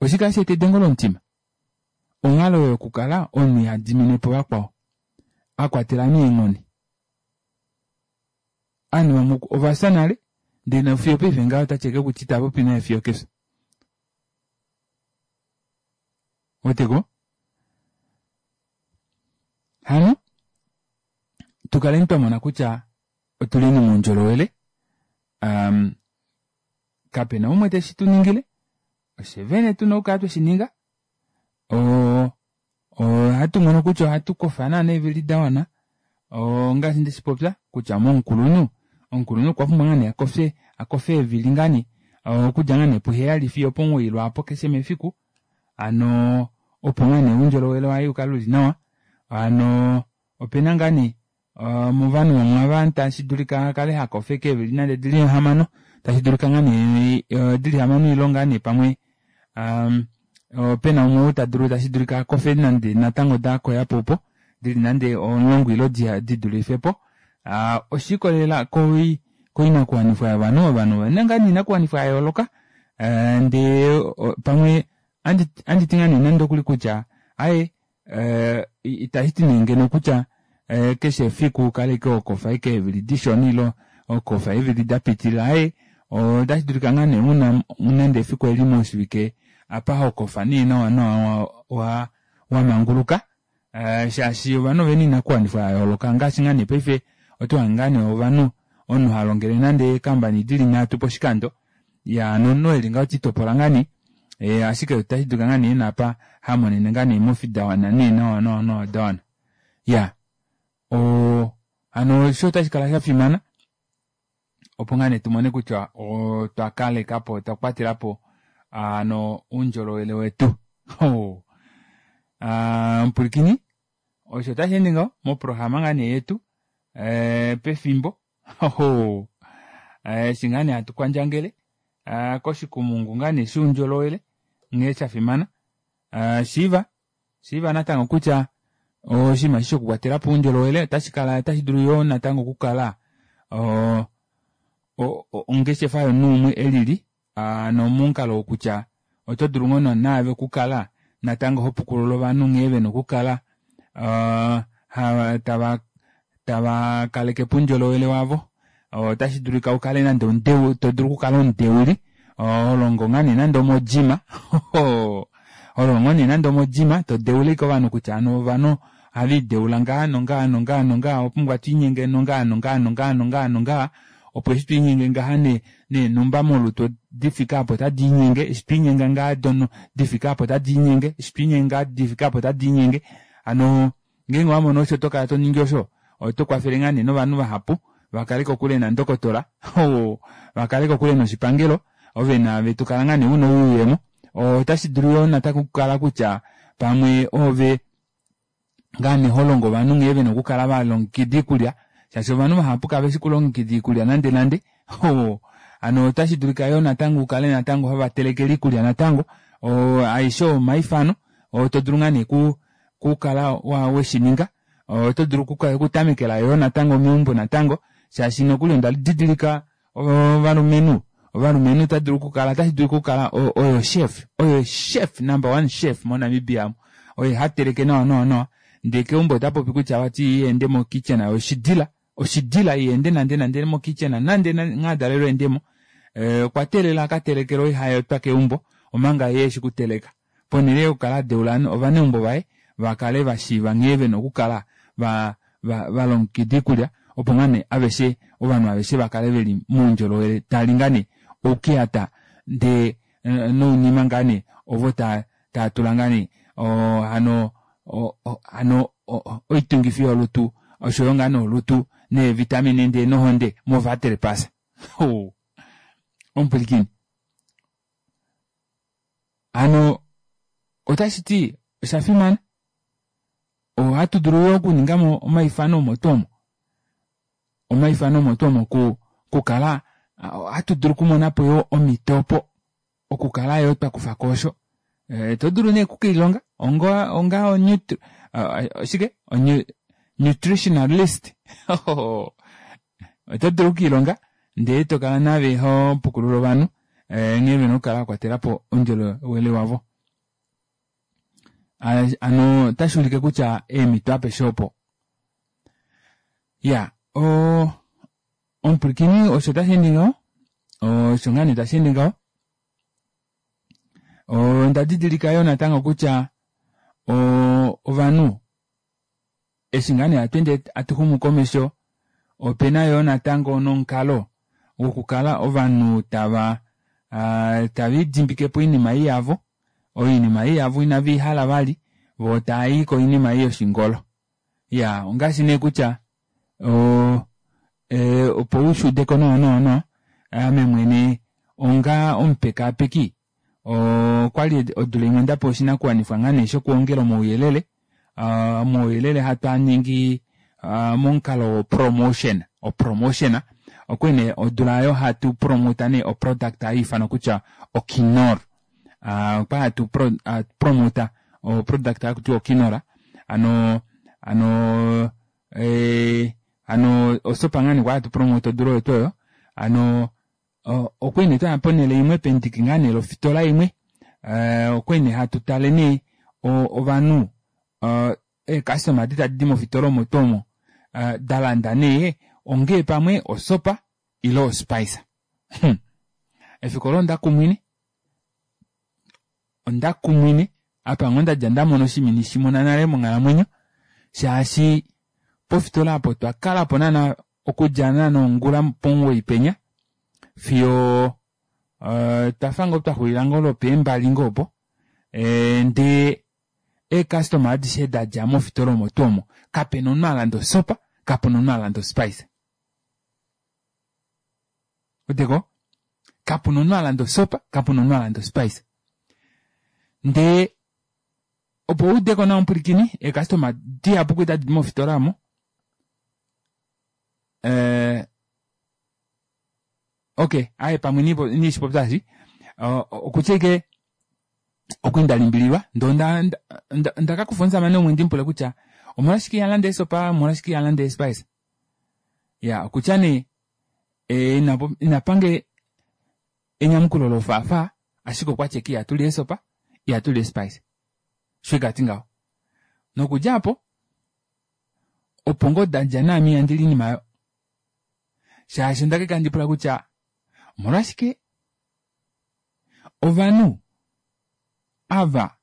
oshike hasheeta edengo lomutima onghalo oyo yokukala omunhu ihadiminepo vakwao akwatela nee ovanhu vamwe ovafya nale ndee fiyo opaife ngaha otati ashike kutya itapopi naye fiyo okefyo ouweteko hano tukaleni twamona kutya otuleni moundjolowele umm kapena umwe teshituningile ofye vene tuna okukala tweshininga oo ohatu mono kutya ohatu kofa naana eevili dawana ongaashi ndeshipopya kutya momukulunhu omukulunhu okwa pumbwa ngoo nee akofe akofe eevili ngoo nee okudja ngoo nee puheyali fiyo opomuwoi lwaapo keshe mefiku hano opo ngoo nee oundjolowele waye ukale uli nawa hano opena ngoo nee movanhu vamwe ava tashidulika akale hakofa ashike eevili nande odili hamano tashidulika ngoo nee dili hamano ile ngoo nee pamwe aa opena umwe ou tadulu tashidulika akofe nande natango dakoyapo opo dili nande omulongo ile didulifepo aa oshiikolelela koinakuwanifwa yovanhu ovanhu ovena ngoo nee oinakuwanifwa yayooloka ndee pamwe ohanditi ngoo nee nande okuli kutya aaye itashiti nee ngeno kutya keshe efiku ukale ashike hokofa ashike eevili dishona ile hokofa eevili dapitilila aaye ota shidulika ngoo nee una nande efiku eli moshivike apa hokofa nee nawa nawa wamanguluka shaashi ovanhu ovena oinakuwanifwa yayooloka ngaashi ngoo nee paife otohange ngoo nee ovanhu omunhu halongele nande ee company dili nhatu poshikando iyaa hano omunhu eli ngaho titopola ngoo nee ashike otashidulika ngoo nee ena apa hamonene ngoo nee eemofi dawana nee nawa nawa dawana iyaa oo hano osho otashikala shafimana opo ngoo nee tumone kutya otwa kalekapo otwa kwatelapo hano oundjolowele wetu omupwilikini osho tasheende ngaho moprograma ngoo nee yetu pefimbo eshi ngoo nee hatu kwandjangele koshikumungu ngoo nee shoundjolowele nghee shafimana shiiva shiiva natango kutya oshinima eshi shokukwatelapo oundjolowele otashikala otashidulu yoo natango okukala ongeshefa yomunhu umwe elili hano momukalo wokutya oto dulu ngoo naave okukala natango hopukulula ovanhu nghee vena okukala tava tava kalekepo oundjolowele wavo otashi dulika ukale nande todulu okukala omudeuli holongo ngoo nee nande omo gym holongo ngoo nee nande omo gym todeula ashike ovanhu kutya hano ovanhu ohaviideula ngaha nongaha nongaha nongaha owapumbwa twiinyenge nongaha nongaha nongaha nongaha nongaha opo eshi twiinyenge ngaha neenhumba molutu difike aapa ota diinyenge eshi twiinyenge ngaha difike aapa ota diinyenge eshi twiinyenge ngaha difike aapa ota diinyenge Hano ngeenge owamono osho tokala toningi osho oto kwafele ngaa nee novanhu vahapu vakale kokule nandokotola vakale kokule noshipangelo ove naave tokala ngaa nee una oyuuyemo. Otashidulu yoo natango okukala kutya pamwe oove ngaa nee holongo ovanhu nghee vena okukala valongekida oikulya shaashi ovanhu vahapu kaveshi okulongekida oikulya nande nande hano ota shidulika yoo natango ukale natango hovatelekele oikulya natango oo aeshe oo omaifano oo todulu ngaa nee okukala weshininga oto dulu okutamekela yoo natango meumbo natango shaashi nokuli onda didilika ovalumenhu ovalumenhu otadulu okukala otashidulika okukala oye chef oye chef number one chef mo Namibia amu oye hateleke nawa nawa nawa ndee keumbo otapopi kutya vati yee iha ende mo kitchen oshidila oshidila iha ende nande nande mo kitchen nande nghee adalelwe eendemo okwa teelela akatelekelwe oihaetwa keumbo omanga yee eshi okuteleka ponele yokukala adeula ovaneumbo vaye vakale vashiiva nghee vena okukala valongekida oikulya opo ngoo nee aveshe ovanhu aveshe vakale veli moundjolowele tali ngaa nee oukeyata ndee nounima ngaa nee ovo taatula ngaa nee hano hano oitungifi yolutu oshoyo ngaa nee olutu nee vitamine ndee nohonde movaterpasa omupwilikini hano otashiti oshafimana ohatu dulu yoo okuningamo omaifano omo tuu omo omaifano omo tuu omo okukala ohatu dulu okumonapo yoo omito opo okukala yoo twakufako osho todulu nee okukelihonga onga onga oshike nutritionalist oto dulu okukiilonga ndee tokala naave hopukulula ovanhu nghee vena okukala vakwatelapo oundjolowele wavo. Hano otashuulike kutya eemito apeshe opo. Iyaa oo omupwilikini osho tasheende ngaho osho ngaa nee tasheende ngaho onda didilika yoo natango kutya ovanhu eshi ngaa nee hatweende hatuxumu komesho opena yoo natango nomukalo wokukala ovanhu tava tave lidimbike oinima ei yavo oinima ei yavo inaveihala vali voo taayi koinima ei yoshingolo. Iyaa ongaashi nee kutya opo ushuudeko nawa nawa nawa ame mwene onga omupekaapeki okwali odula imwe ndapewa oshinakuwanifwa ngaa nee shokuongela omauyelele omauyelele hatwaaningi momukalo wo promotion opromotion okwali nee odula aayo hatu promota nee oproduct hayiifanwa kutya okinor okwali hatu promota oproduct hakutiwa okinor hano hano hano osopa ngaa nee kwali hatu promota odula oyo tuu oyo hano okwali nee twaya ponele imwe pendiki ngaa nee lofitola imwe okwali nee hatu tale nee ovanhu eecustoma edi tadidi mofitola omo tuu omo dalanda nee ongee pamwe osopa ile ospice. Efiku olo ondakumwine ondakumwine apa ngoo ndadja ndamona oshinima inandishimona nale monghalamwenyo shaashi pofitola aapo otwa kalapo naana okudja naana ongula pomuwoyi penya fiyo otwafa ngoo twaxulila ngoo lwopeembali ngoo opo ndee eecustoma adishe dadja mofitola omo tuu omo kapena omunhu alanda osopa kapena omunhu alanda ospice ouweteko kapuna omunhu alanda osopa kapuna omunhu alanda ospice ndee opo wuudeko nawa omupwilikini eecustoma dihapu kwali tadidi mofitola aamo ee okey aaye pamwe inandishipopya eshi okutya ashike okwali ndalimbililwa ndee onda ondakakufa omushamane umwe ndimupule kutya omolwashike ihalande eesopa omolwashike ihalande eespice iyaa okutya nee inapange enyamukulo lofaafaa ashike okwati ashike ihatuli eesopa ihatuli eespice osho ashike ati ngaho nokudja aapo opo ngoo dadja naame ihandili oinima aayo shaashi ondakakala handipula kutya omolwashike ovanhu ava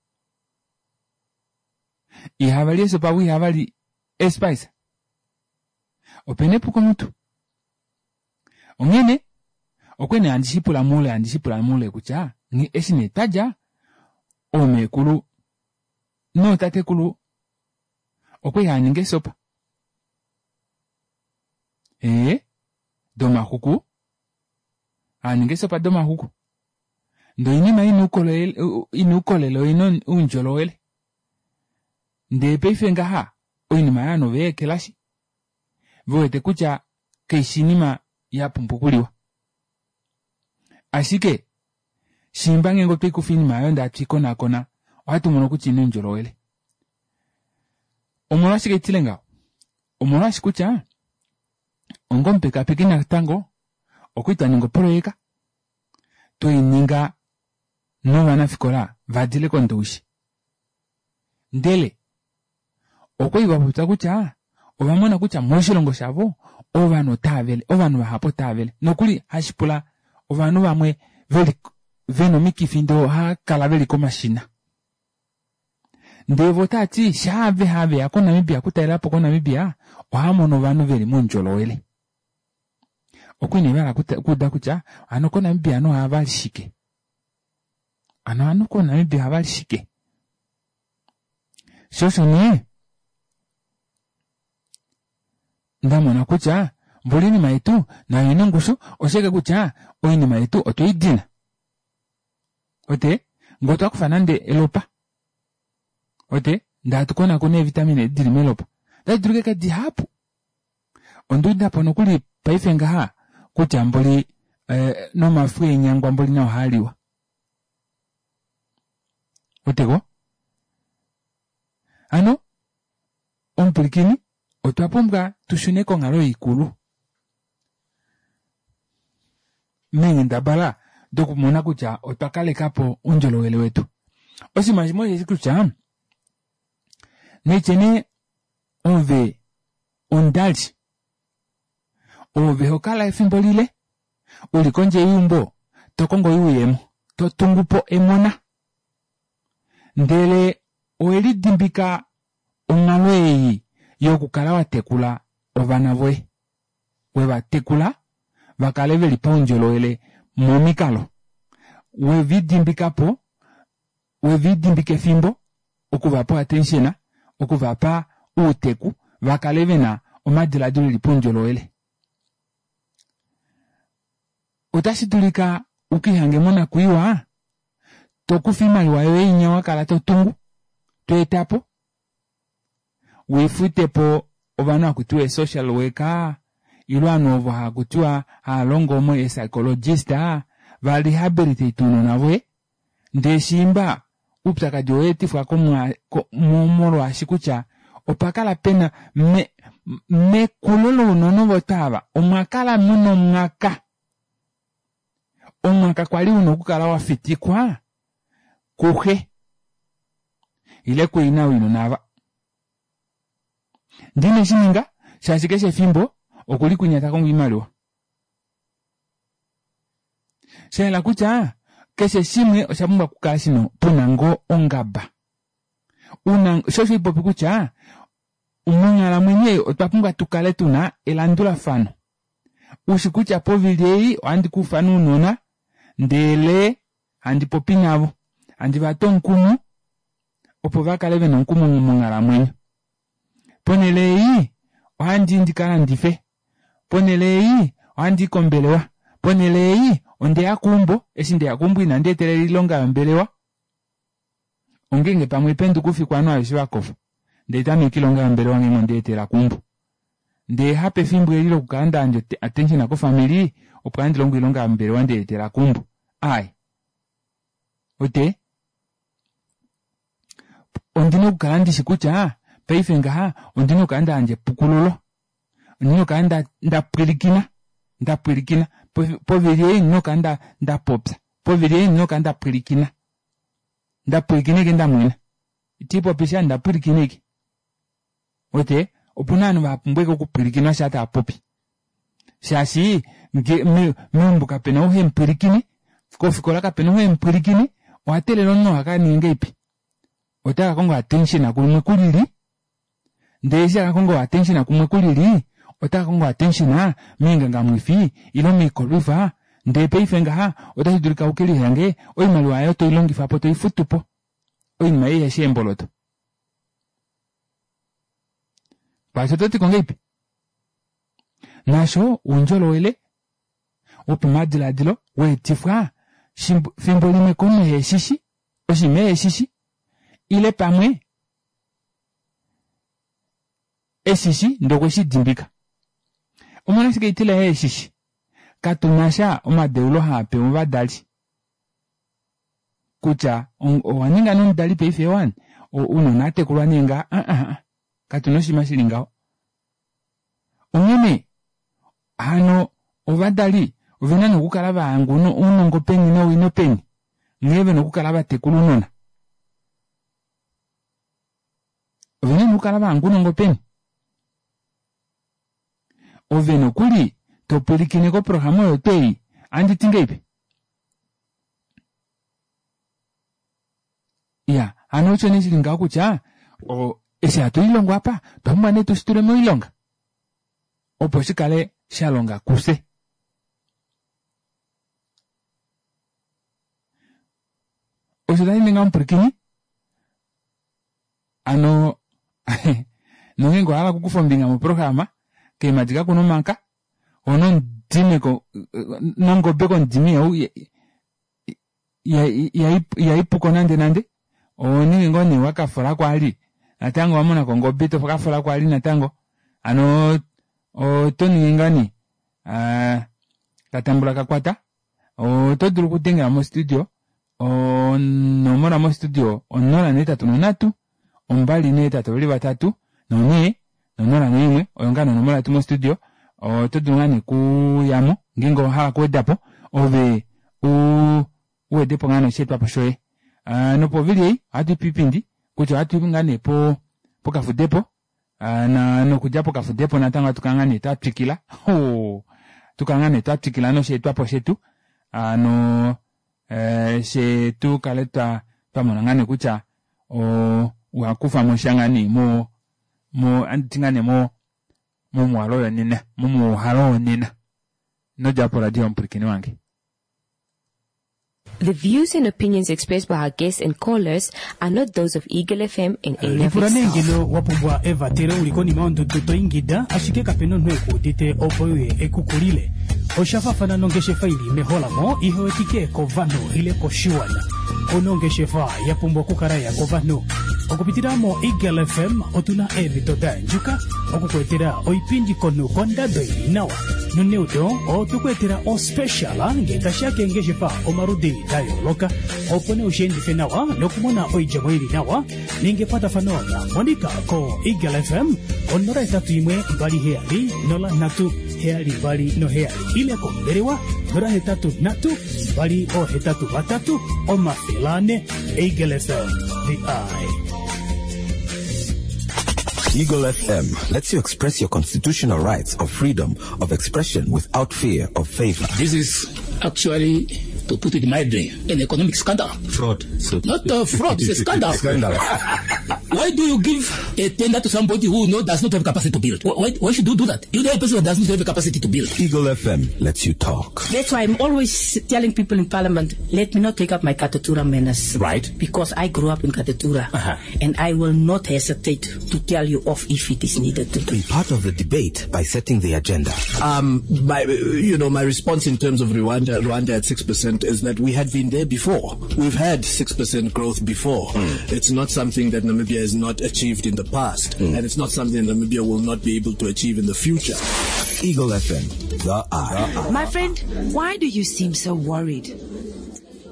ihavali eesopa vo ihavali eespice opena epuko mutu onghene okwali nee handi shipula moule handi shipula moule kutya eshi nee twadja oomekulu nootatekulu Okwali haaningi eesopa ee domaxuku haaningi eesopa domaxuku ndee oinima ina oukolele ina oukolele noina oundjolowele ndee paife ngaha oinima aayo ovanhu oveyeekelashi vewete kutya kaifi oinima yapumbwa okuliwa ashike shiimba ngenge otweikufa oinima aayo ndee hatuikonaakona ohatumono kutya oina oundjolowele omolwashike haitile ngaho omolwaashi kutya onga omupekaapeki natango okwali twaninga oproyeka tweininga novanafikola vadile ko ndowishi ndele okwali vapopya kutya ovamona kutya moshilongo shavo ovanhu otaavele ovanhu vahapu otaavele nokuli hashipula ovanhu vamwe veli vena omikifi ndee ohaakala veli komashina ndee voo otaati shaave haveya ko namibia okutalelapo ko namibia ohaamono ovanhu veli moundjolowele okwali nee vahala okuuda kutya hano ko namibia ovanhu ohavali shike hano ovanhu ko namibia ohavali shike shoo osho nee ndamona kutya mboli oinima yetu nayo oina ongushu oshike kutya oinima yetu otweidina uwete ngee otwakufa nande elopa uwete ndee hatukonakona eevitamine edi dili melopa otadi dulu okukala dihapu onduudapo nokuli paife ngaha kutya mboli nomafo eenyangwa mboli nao ohaaliwa ouweteko hano omupwilikini otwa pumbwa tushune konghalo ikulu meenghendabala dokumona kutya otwa kalekapo oundjolowele wetu oshinima shimwe osheshi kutya naitye nee ove omudali ove hokala efimbo lile uli kondje yeumbo tokongo oyuuyemo totungupo emona ndele owelidimbika onghalo ei yokukala watekula ovana voye wevatekula vakale veli paundjolowele momikalo welidimbikapo welidimbika efimbo okuvapa o attention okuvapa outeku vakale vena omadilaadilo eli paundjolowele ota shidulika ukiihange monakwiiwa tokufa oimaliwa yoye inya wakala totungu tweetapo uifutepo ovanhu hakutiwa ee social worker ile ovanhu ovo hakutiwa haalongo ee psychologist va rehabilitate ounona voye ndee shiimba oupyakadi oweetifwa molwaashi kutya opakala pena me mekulo lounona ovo twaava omwakala muna omwaka omwaka kwali una okukala wafitikwa kuxe ile kuina wounona aava ndee ineshininga shaashi keshe efimbo okuli kwinya takongo oimaliwa shayela kutya keshe shimwe oshapumbwa okukala shina puna ngoo ongaba una shoo osho haipopi kutya monghalamwenyo ei otwa pumbwa tukale tuna elandulafano ushi kutya povili ei ohandi kaufana ounona ndele handi popi navo handi vatu omukumo opo vakale vena omukumo monghalamwenyo ponele ei ohandii ndikalandife ponele ei ohandii kombelewa ponele ei ondeya keumbo eshi ndeya keumbo inandi etelela oilonga yombelewa ongenge pamwe haipenduka oufiku ovanhu aveshe vakofa ndee haitameke oilonga yombelewa ngenge ondeetela keumbo ndee hapefimbo eli lokukala ndayandja attention kofamili opo handi longo oilonga yombelewa ndeetela keumbo aaye uwete ondina okukala ndishi kutya paife ngaha ondina okukala ndayandja epukululo ondina okukala ndapwilikina ndapwilikina povili ei ondina okukala ndapopya povili ei ondina okukala ndapwilikina ndapwilikina ashike ndamwena itiipopisha ndapwilikina ashike uwete opuna ovanhu vapumbwa ashike okupwilikinwa shaa taapopi shaashi meumbo kapena ou hemupwilikine kofikola kapena ou hemupwilikine owateelela omunhu oo akaninge ngahelipi otakakonga attention kumwe kulili ndee eshi takakonga attention kumwe kulili otakakonga attention moingangamwifi ile moikolwifa ndee paife ngaha ota shidulika ukelihange oimaliwa aayo toilongifapo toifutupo oinima ei ihefi eemboloto Kwaasho oto ti ko ngahelipi? Naasho oundjolowele wopamadilaadilo weetifwa fimbo limwe komunhu eheshishi oshinima eheshishi ile pamwe eshishi ndee okweshidimbika. Omolwashike haitila eeshishi? Katunasha omadeulo haapewa ovadali kutya owaninga nee omudali paife wani ounona ohatekulwa nee ngaha aahaa katuna oshinima shili ngaho. Onghene hano ovadali ovena nee okukala vahanga ounongo peni nowino peni nghee vena okukala vatekula ounona. Ovena nee okukala vahanga ounongo peni. Ove nokuli topwilikine koprograma oyo twei ohanditi ngahelipi? Iya hano osho nee shili ngaho kutya eshi hatu lilongo apa otwa pumbwa nee tushitule moilonga opo shikale shalonga kufye. Osho tashi ningi omupwilikini hano nongeenge owahala okukufa ombinga moprograma keemadi kakuna omanka hono omudime nongobe komudime ihaipuko nande nande ohoningi ngoo nee wakafolako vali natango owamonako ongobe tokafolako vali natango hano otoningi ngoo nee katambula kakwata oto dulu okudengela mo studio onomola mo studio onola nohetatu nonhatu ombali nohetatu veli vatatu nonhee nonola noimwe oyo ngaa nee onomola yetu mo studio oto dulu ngoo nee okuyamo ngeenge owahala okuwedapo ove uu uwedepo ngoo nee osheetwapo shoye. Nopovili ei ohatuipe oipindi kutya ohatui ngoo nee pokafudepo nokudja pokafudepo natango ohatukala ngoo nee twatwikila oo hatukala ngoo nee twatwikila nosheetwapo shetu hano fyee tukale twamona ngoo nee kutya owakufamosha ngoo nee mo mo ohanditi ngoo nee mo momuhalo yonena momuuhalo wonena inodjapo poradio omupwilikini wange. The views and opinions expressed by our guests and callers are not those of Eagle F M in any of Lipula its nee staff. ngeno wa pumbwa evatelo u li konima yondudu to ingida ashike kape na omunhu e ku udite opo e uye e ku kulile. Osha faafana nongeshefa i li meholamo ihe wetike kovanhu ile koshiwana. Ouna ongeshefa ya pumbwa okukala ya kovanhu. Okupitila moEagle F M otu na eemhito da yandjuka oku ku etela oipindi komunhu kondado i li nawa. Noneudo otwe ku etela ospecial ngee tashi ya keengeshefa omaludi da yooloka opo nee ushi endife nawa nokumona oidjemo i li nawa. Ninga ekwatafano naMonica koEagle F M onola hetatu imwe mbali heyali nola nhatu heyali mbali noheyali ile kombelewa nola hetatu nhatu mbali ohetatu vatatu omafele ane. Eagle F M, the eye. Eagle F M lets you express your constitutional rights of freedom of expression without fear of favor. This is actually, to put it mildly, an economic scandal. Fraud. So Not a fraud, it's a scandal. Scandal. Why do you give a tender to somebody who no, does not have capacity to build? Why, why should you do that? You know a person who does not have capacity to build. Eagle F M lets you talk. That's why I'm always telling people in Parliament, let me not take up my Katutura manners. Right. Because I grew up in Katutura. Uh-huh. And I will not hesitate to tell you off if it is needed to. Be part of the debate by setting the agenda. Um, my, you know, my response in terms of Rwanda, Rwanda at six percent is that we had been there before. We've had six percent growth before. Mm. It's not something that Namibia has not achieved in the past, Mm. and it's not something Namibia will not be able to achieve in the future. Eagle F M, the eye. My friend, why do you seem so worried?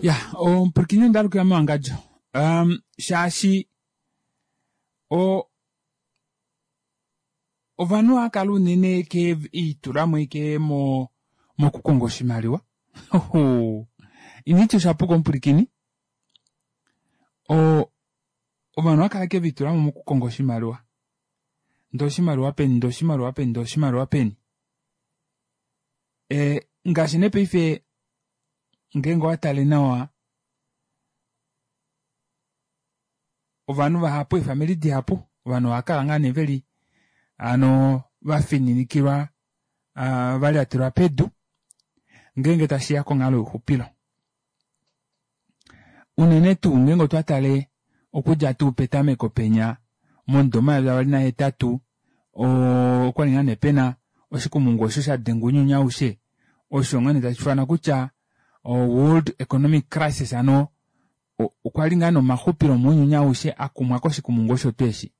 Ya, omupwilikini onda alukila mowangadjo. Um, shaashi o ovanhu ohava kala unene ke itulamo ike mo mokukonga oshimaliwa. Initi oshapuka omupwilikini. O ovanhu ohava kala ke vitulamo mokukonga oshimaliwa. Ndee oshimaliwa peni, ndee oshimaliwa peni, ndee oshimaliwa peni. E, ngaashi nee paife ngeenge owatale nawa ovanhu vahapu eefamili dihapu ovanhu ohakala ngoo nee veli hano vafininikilwa uh, valyatelwa pedu ngeenge tashiya konghalo youxupilo. Unene tuu ngeenge otwa tale okudja tuu petameko penya momudo omayovi avali nahetatu Okwali ngaa nee pena oshikumungu osho shadenga ounyuni aushe osho ngaa nee tashiufanwa kutya o world economic crisis hano okwali ngaa nee omaxupilo mounyuni aushe akumwa koshikumungu osho tuu eshi.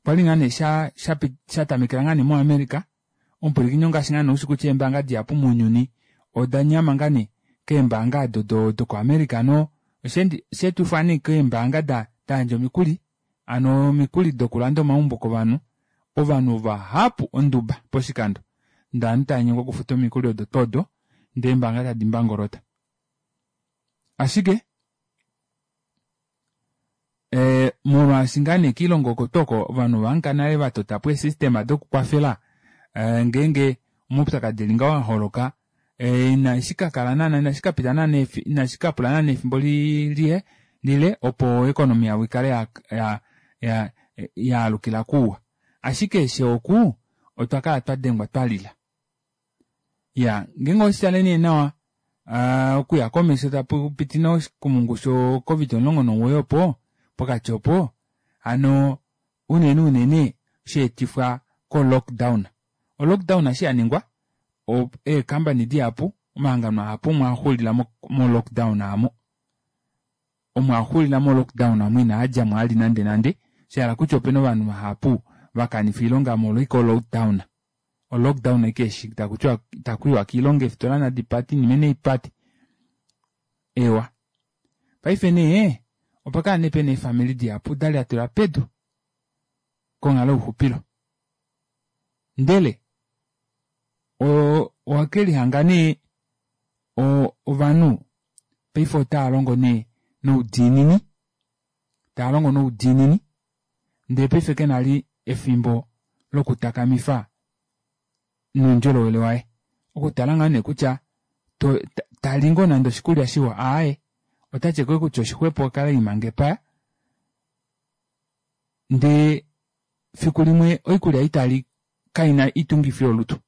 Okwali ngaa nee sha shatamekela ngaa nee mo America omupwilikini ongaashi ngaa nee ushi kutya eembaanga dihapu mounyuni odanyama ngaa nee keembaanga odo doko America no osheetifwa nee keembaanga dayandja omikuli hano omikuli dokulanda omaumbo kovanhu ovanhu vahapu onduba poshikando ndee ovanhu tavanyengwa okufuta omikuli odo twoo odo ndee eembaanga tadi mbangolota. Ashike ee molwaashi ngaa nee koilongo oko tuu oko ovanhu ovahangika nale vatotapo ee system dokukwafela ngeenge omaupyakadi eli ngaho aholoka inashikakala naana inashikapita naana inashikapula naana efimbo lile opo economy yavo ikale ya ya yaalukila kouwa. Ashike fyee oku otwakala twadengwa twalila. Iyaa ngeenge oweshitale nee nawa okuya komesho tapupiti nee oshikumungu sho covid omulongo nomugoyi opo pokati opo hano unene unene shaetifwa ko lockdown. O lockdown eshi yaningwa ee company dihapu omahangano mahapu omo axuulila mo lockdown aamo. Omo axuulila mo lockdown aamo inaadjamo vali nande nande shahala kutya opena ovanhu vahapu vakanifa oilonga molwa ashike o lockdown. O lockdown ashike eshi takutiwa itakuyiwa koilonga eefitola nadipate oinima naipate. Eewa paife nee opakala nee pena eefamili dihapu dalyatelwa pedu konghalo youxupilo ndele owekelihanga nee ovanhu paife otaalongo nee noudiinini taalongo noudiinini ndee paife kena vali efimbo lokutakamifa noundjolowele waye okutala ngoo nee kutya tali ngoo nande oshikulya shiwa aaye otati ashike kutya oshixwepo akale elimanga epaya ndee fiku limwe oikulya ei tali kaina oitungifi yolutu.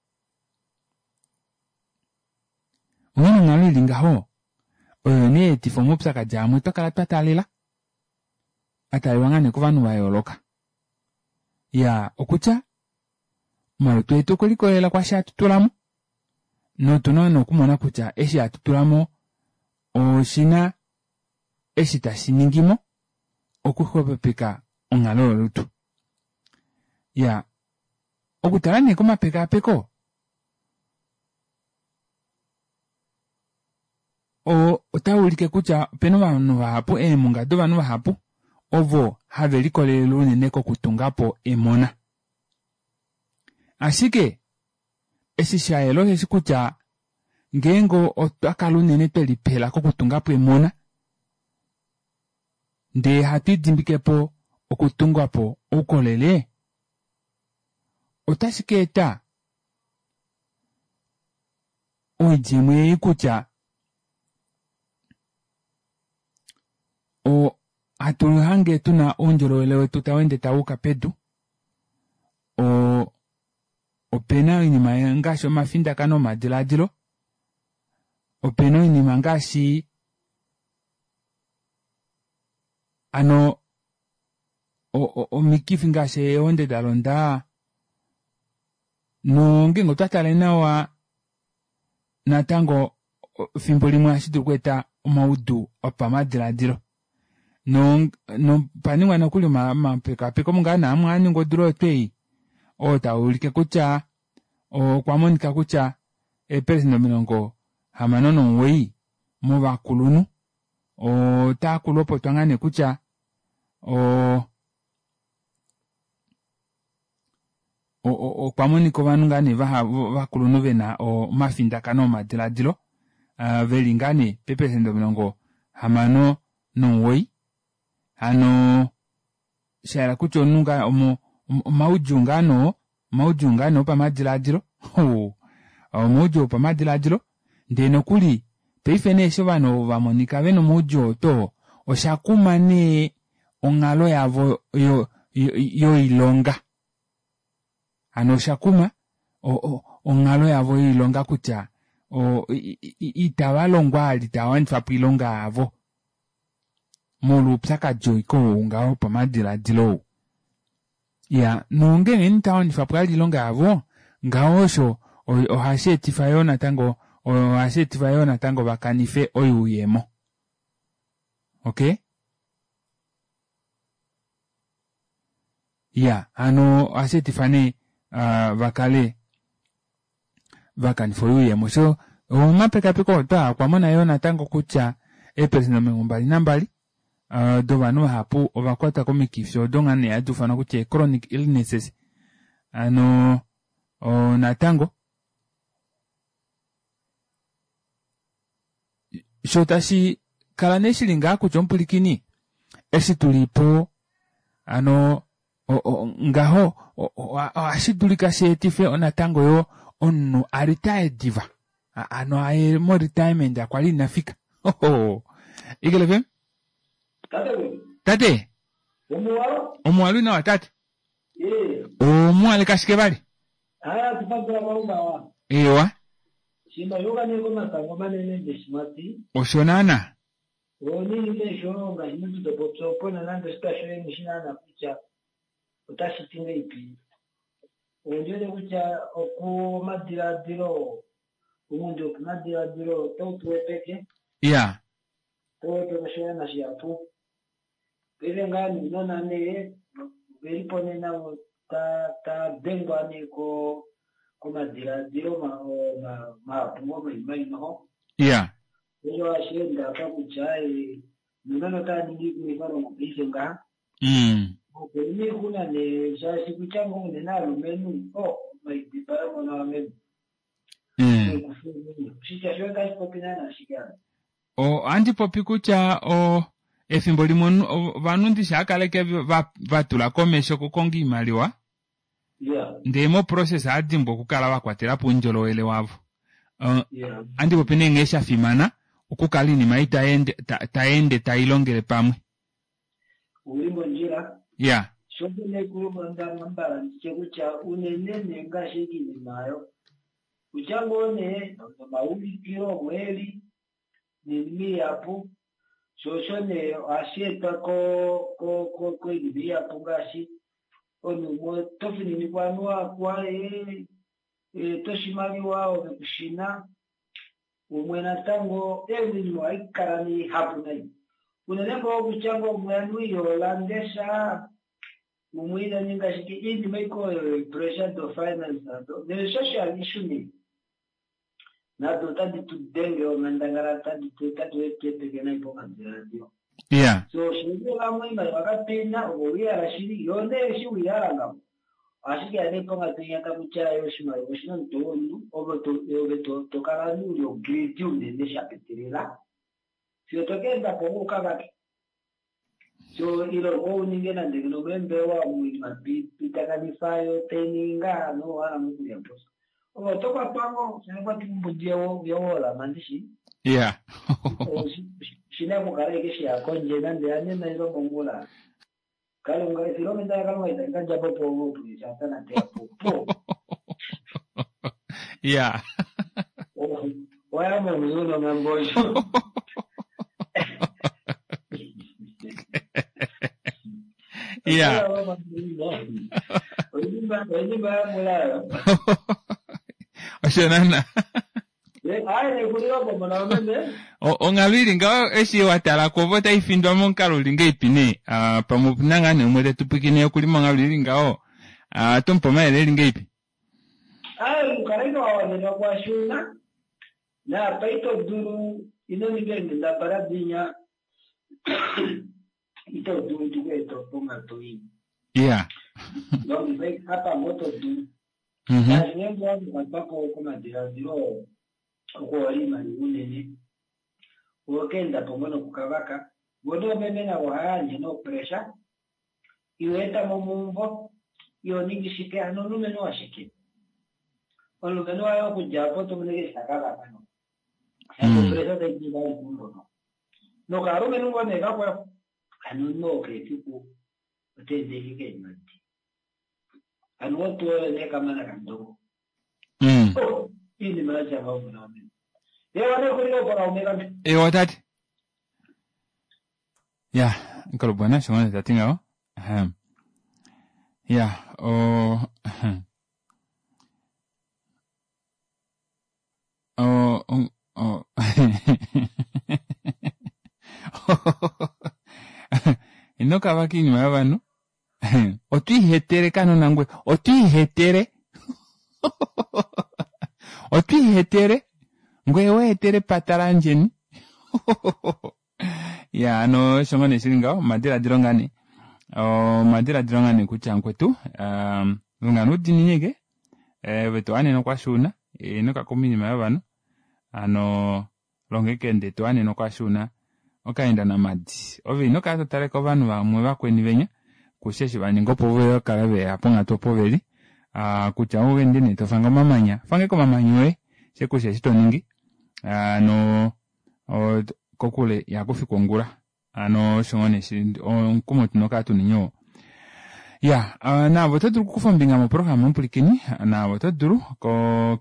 Onghee onghalo ili ngaho oyo nee yaetifa omaupyakadi amwe twakala twataalela ataalelwa ngaa nee kovanhu vayooloka. Iyaa okutya omalutu etu okwelikolelela kwaashi hatu tulamo notuna nee okumona kutya eshi hatu tulamo oshina eshi tashiningimo okuxwepopeka onghalo yolutu. Iyaa okutala nee komapekaapeko otaulike kutya opena ovanhu vahapu eemunga dovanhu vahapu ovo have likolelele unene kokutungapo emona. Ashike eshi shayela osheshi kutya ngeenge otwakala unene twelipela kokutungapo emona ndee hatu lidimbikepo okutungapo oukolele otashi kaeta oidjemo ei kutya hatu lihange tuna oundjolowele wetu taweende tawuuka pedu oo opena oinima ngaashi omafindakano omadilaadilo opena oinima ngaashi hano omikifi ngaashi eehonde dalonda nongeenge otwa tale nawa natango efimbo limwe ohashidulu okweeta omaudu opamadilaadilo nopaningwa nokuli omapekaapeko ngaa nee amwe aningwa odula oyo tuu ei oo taulike kutya okwa monika kutya eepelesenda omilongo hamano nomugoyi movakulunhu otakulopotwa ngaa nee kutya oo okwa monika ovanhu ngaa nee ovakulunhu vena omafindakano omadilaadilo veli ngaa nee peepelesenda omilongo hamano nomugoyi hano shayela kutya omunhu ngaa omaudjuu ngaa nee omaudjuu ngaa nee opamadilaadilo omaudjuu opamadilaadilo ndee nokuli paife nee eshi ovanhu ovo vamonika vena omaudjuu oo too oshakuma nee onghalo yavo yoilonga hano oshakuma onghalo yavo yoilonga kutya itavalongo vali tavawanifapo oilonga yavo. Molwoupyakadi oiko ou ngaho pamadiladilo ou. Ya, nongenge nitawanifa po ilonga yavo, ngaho osho ohashi etifa yoo natango ohashi etifa yoo natango vakanife oyuuyemo. Okay? Ya, hano ohashi etifa nee uh, vakale vakanifa oyuuyemo. So omapekapeko otwa okwa mona yoo natango kutya eeperesenda omilongo mbali nambali uh, dovanhu vahapu ovakwatwa komikifi odo nga nee hadi ufanwa kutya chronic illnesses. Ano o, natango sho tashi kala nee shili ngaa kutya omupulikini eshi tulipo ano o, o, ngaho ohashi dulika shi etife natango yo omunhu a retire diva. Ano aye mo retirement akwali inafika. Eagle F M? Tate. Omuwalu nawa tate. Omuwale kashike vali? Haya tupandula mauma. Ewa. Shima yoga neko matango manene ndeshimati. Osho nana. Oni nesho ngashi to popyo nande stasho mishina na kutya otashi tinga ipi. Onjele kutya oku madiladilo umundu okumadiladilo tautuwepeke. Yeah. Tauwepeke shoya shiyapu. Pele ngani nona ne velipo nena ta ta dengwa ne ko komadiladilo ma ma mapungo maimaino. Yeah. Ejo ashenda pa kutya e nona ta ningi kuifaro ngopise nga. Mm. Okuni kuna ne shashi kutya ngone na lumenu o maidipa mona menu. Mm. Shitya shoka shipopina na shikana. O andi popi kutya o efimbo limwe ovanhu ndishakaleke vatula komesho kukonga iimaliwa. Yeah. Ndee mo process adimbwa okukala vakwatela po oundjolowele wavo. Uh, yeah. Andi popi nee nghee shafimana okukala iinima ei taende taende tailongele pamwe. Uli mondjila. Yeah. Shoko nekulonda mbala nditye kutya unene ngaashi iinima ayo. Kutya ngoo nee nomaulikilo omweli niinima ihapu. Shosho nee ohashi etwa ko ko ko koinima ihapu ngaashi omunhu tofininikwa anuwa e toshimaliwa ove kushina umwe natango einima ohayi kala niihapu nayi. Unene ngoo kutya ngoo umwe anu iyolandesha umwe ina ninga shike iinima iko pressure do finance nado ne social issue ne nado otadi tu denge onghandangala tadi tu tadi nayi pomadiladilo. Yeah. So shingela iimaliwa kapena opo wiyala shili yo nee shi wiyala ngaho. Ashike ane pongatunyaka kutya yo oshimaliwa oshina omutwe womunhu ove to kala uli ogridi unene shapitilila. Fiyo tokeenda po ukavake. So ilo ouninge nande nomembewa omuima pitakanifa yo taininga no wala mukulya poso. Opo tokwatwa ngo kwati mbudi yowola mandishi. Yeah. Shina kukala ike shiyakondje nande anena ilo mongula. Kalunga efilomenda kalunga itanika djapo po po shatana te po po. Yeah. Oya mo mzuno ngambosho. Yeah. Oyimba oyimba mulayo. Osho nana. Onghalo ili ngaho eshi watala ko taifindwa momukalo uli ngeipi nee pamwe opuna ngaa nee umwe tetupwikine okuli monghalo ili ngaho tomupe omayele eli ngeipi? Ayi mukala ino wawanenwa kwashuna naapa ito dulu ino ninga eenghendabala dinya ito dulu tikueta ponghatu ii. Yeah. Longifa apa ngoo to dulu. Ngaashi ngeenge wakwatwa komadiladilo okuhola iimaliwa unene okeenda po ngoo nokukavaka vo noomeme navo ohayandje nopressure iho etamo mumvo iho ningi shike ano omulumenhu washike omulumenhu waye okudja apo tomoneke eshi takavaka no opressure taidinga kumbono nokalumenhu ngoo nee kakwao ano nooke efiku oteendeke keemadi ano otuoyo nee kamana kandongo iinima yatya ngaho muna wamene. Ewa nekulilo kaume kambe. Ewa tate. Ya nkolobwana osho tati ngaho. Ahem. Ya o o o ino kavaka oinima yovanhu. Otwiihetele kanona ngwe otwiihetele otwiihetele ngweye weetele epata laandjeni. Ya hano osho ngoo nee shili ngaho omadilaadilo ngaa nee omadilaadilo ngaa nee kutya mukwetu longa noudiinini ashike ove towanene okwashuuna ino kakuma oinima yovanhu hano longa ashike ndee towanenwa kwaasho una okaenda namadi ove inokala totale kovanhu vamwe vakweni venya kusha eshi vaninga opo vakale veya ponghatu opo veli aa kutya owende nee tofange omamanya fanga ashike omamanya oye shee kusha eshi toningi hano kokule ihakufikwa ongula hano osho ngoo nee omukumo tuna okukala tuneni oo. Ya naave oto dulu okukufa ombinga moprograma omupwilikini naave oto dulu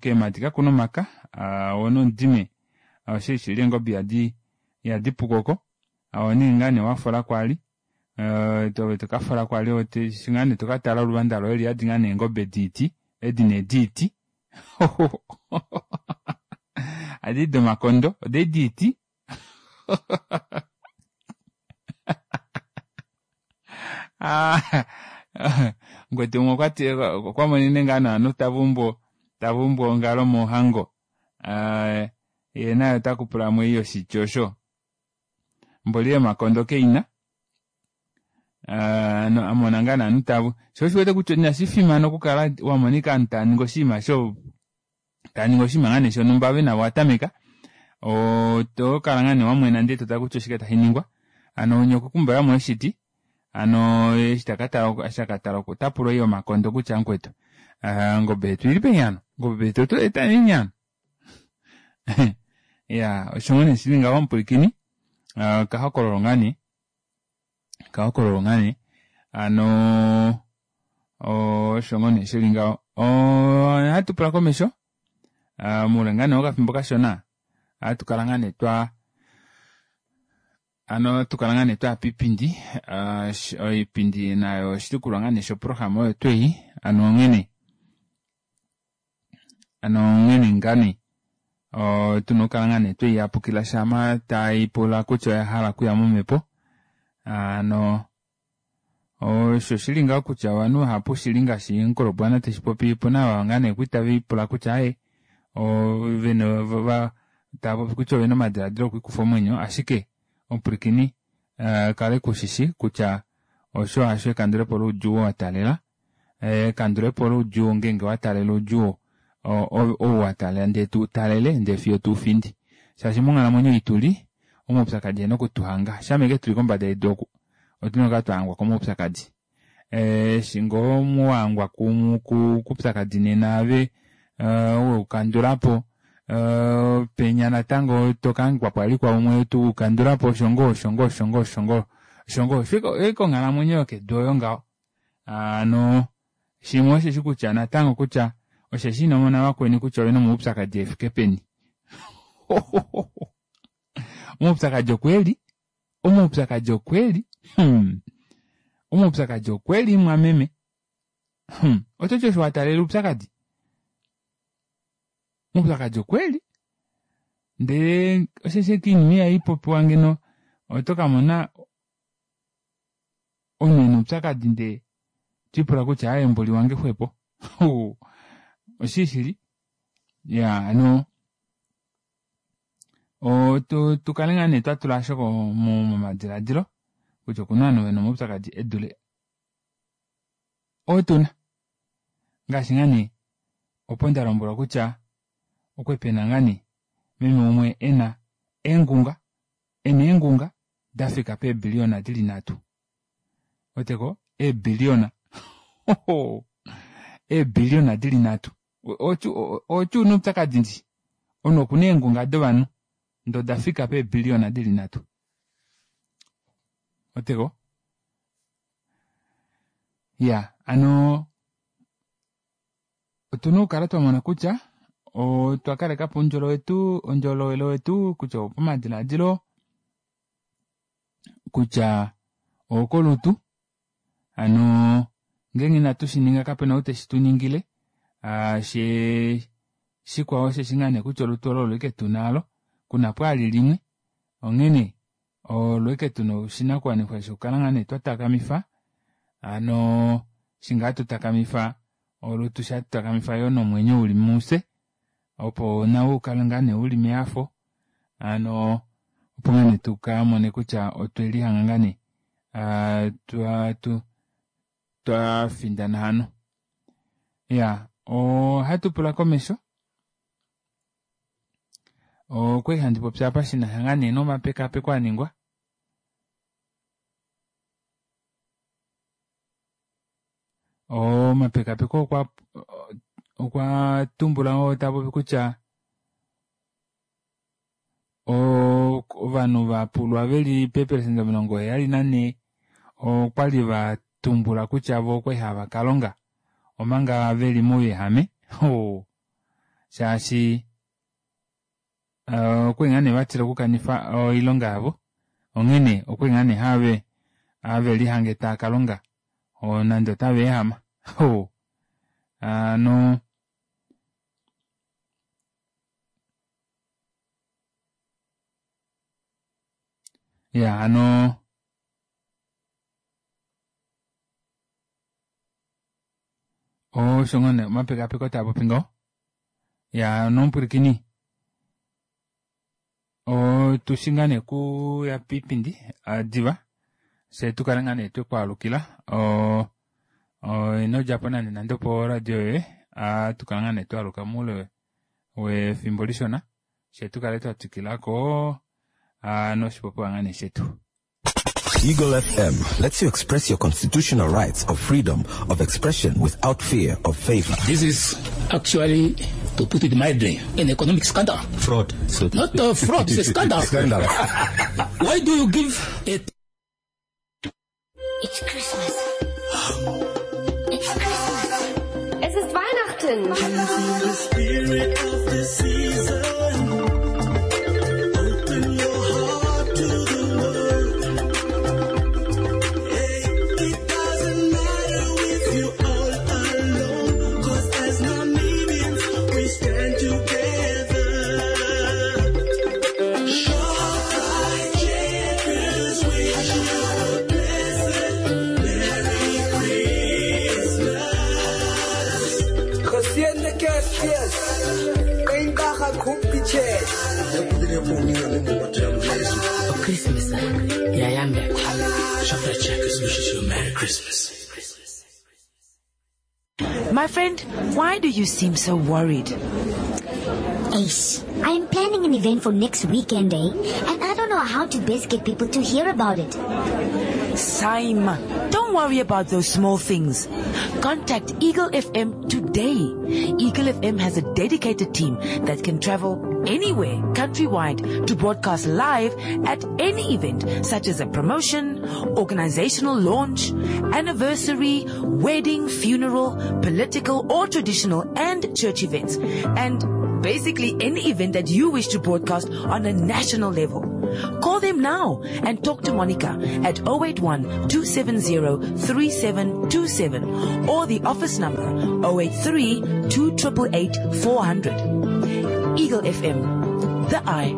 keemadi kakuna omaka woo nomudime oshili shili eengobe ihadi ihadi puko ohoningi ngaa nee wafola kwali ove tokafola kwali eshi ngaa nee tokatala oluvanda loye oliyadi ngaa nee eengobe diiti edi nee diiti hadi domakondo odedi diiti mukwetu umwe okwati okwamonene ngaa nee ovanhu tavaumbu tavaumbu ongalo mohango yee naye otakupulamo ei yoshiti osho mboli yomakondo keina amona ngaa nee ovanhu tava shoo osho uwete kutya inashifimana okukala wamona ashike ovanhu tavaningi oshinima sho tavaningi oshinima ngaa nee shonumba ove navo owatameka otokala ngaa nee wamwena ndee totale kutya oshike tashiningwa hano winya okwakumbaulamo oshiti hano eshi takatala otapula ei yomakondo kutya mukwetu ongobe yetu oilipeni hano ongobe yetu otweeta neni hano iyaa osho ngoo nee shili ngaho omupwilikini okahokololo ngaa nee okahokololo ngaa nee hano osho ngoo nee shili ngaho ohatupula komesho moule ngaa nee wokafimbo kashona ohatukala ngaa nee twaa hano ohatukala ngaa nee twaya piipindi oipindi nayo oshitukulwa ngaa nee shoprograma oyo tuu ei hano onghene hano onghene ngaa nee tuna okukala ngaa nee tweiyapukila shama taipula kutya oyahala okuya momepo hano osho shili ngaho kutya ovanhu vahapu shili ngaashi mukulobwana teshipopi opena ava ngaa nee kwali tavipula kutya aaye ovena tavapopi kutya ovena omadilaadilo okwiikufa omwenyo ashike omupwilikini kala kushishi kutya osho hasho ekandulepo loudjuu oo wataalela ekandulepo loudjuu ngeenge wataalela oudjuu ou wataalela ndee tuutalele ndee fiyo tuufindi shaashi monghalamwenyo ei tuli omaupyakadi eena okutuhanga shama ashike tuli kombada yedu oku otuna okukala twahangwa komaupyakadi eshi ngoo wahangwa koupyakadi nena ove weukandulapo penya natango tokahangikwapo vali kwaumwe tuukandulapo osho ngoo osho ngoo osho ngoo osho ngoo osho ngoo ashike onghalamwenyo yokedu oyo ngaho hano shimwe osheshi kutya natango kutya osheshi inomona vakweni kutya ovena omaupyakadi efike peni omaupyakadi okweli omaupyakadi okweli hmm omaupyakadi okweli mwameme hmm ototi osho wataalela oupyakadi omaupyakadi okweli ndee osheshi ashike oinima ihaipopiwa ngeno otokamona omunhu ena oupyakadi ndee twiipula kutya aaye mboli wange xwepo oshili shili iyaa hano tukale ngaa nee twatula aasho momadilaadilo kutya okuna ovanhu vena omaupyakadi edule oo tuna ngaashi ngaa nee opo ndalombwelwa kutya okwali pena ngaa nee meme umwe ena eengunga ena eengunga dafika peebilliona dili nhatu ouweteko eebilliona eebilliona dili nhatu oti una oupyakadi ndishi omunhu okuna eengunga dovanhu ndee odafika peebilliona dili nhatu ouweteko iyaa hano otuna okukala twamona kutya otwa kalekapo oundjolo wetu oundjolowele wetu kutya opomadilaadilo Kutya okolutu hano ngeenge inatu shininga kapena ou teshi tuningile shee shikwao osheshi ngaa nee kutya olutu olo olo ashike tuna alo kuna pwaali limwe onghene olo ashike tuna oshinakuwanifwa shokukala ngaa nee twatakamifa hano eshi ngaa tutakamifa olutu sha tutakamifa yoo nomwenyo uli mufye opo nawo ukale ngaa nee uli mehafo hano opo ngaa nee tukamone kutya otwelihanga ngaa nee twafindana hano. Iya ohatupula komesho okwali handi popi apa shinasha ngaa nee nomapekapeko aningwa omapekapeko okwa okwa tumbula oo tapopi kutya ovanhu vapulwa veli peepelesenda omilongo heyali nanhee okwali vatumbula kutya voo okwali hava kalonga omanga veli mouyehame oo shaashi okwali ngaa nee vatila okukanifa oilonga yavo onghene okwali ngaa nee have havelihange taakalonga nande otava ehama oo hano iya hano osho ngoo nee omapekapeko taapopi ngaho iya nomupwilikini otushi ngaa nee okuya piipindi diva fyee tukale ngaa nee twekwaalukila inodjapo nande nande opo radio yoye ohatukala ngaa nee twaaluka moule wefimbo lishona fyee tukale twatwikilako noshipopiwa ngaa nee shetu. Eagle F M lets you express your constitutional rights of freedom of expression without fear of favor. This is actually, to put it mildly, an economic scandal. Fraud. So Not a fraud, it's a scandal. Scandal. Why do you give a... It's Christmas. It's Christmas. Es ist Weihnachten. Can you feel the spirit of the season? Open your heart to the world. Hey, it doesn't matter if you're all alone, 'cause as Namibians we stand together. Shoprite Checkers wish you a blessed Merry Christmas. Geseënde Kersfees. Eendag koppie. Christmas, yeah, Shoprite Checkers wishes you a Merry Christmas. My friend, why do you seem so worried? Ace, I am planning an event for next weekend, eh? And I don't know how to best get people to hear about it. Saima, don't worry about those small things. Contact Eagle F M today. Eagle F M has a dedicated team that can travel anywhere countrywide to broadcast live at any event, such as a promotion, organizational launch, anniversary, wedding, funeral, political or traditional and church events, and basically any event that you wish to broadcast on a national level. Call them now and talk to Monica at oh eight one, two seven zero, three seven two seven or the office number oh eight three, two triple eight, four hundred. Eagle F M, the eye.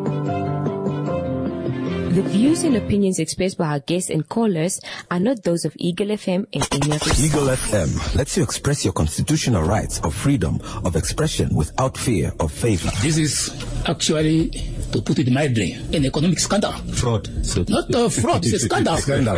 The views and opinions expressed by our guests and callers are not those of Eagle F M and any of its Eagle F M lets you express your constitutional rights of freedom of expression without fear of favor. This is actually, to put it mildly, an economic scandal. Fraud. So Not a fraud, it's a scandal. Scandal.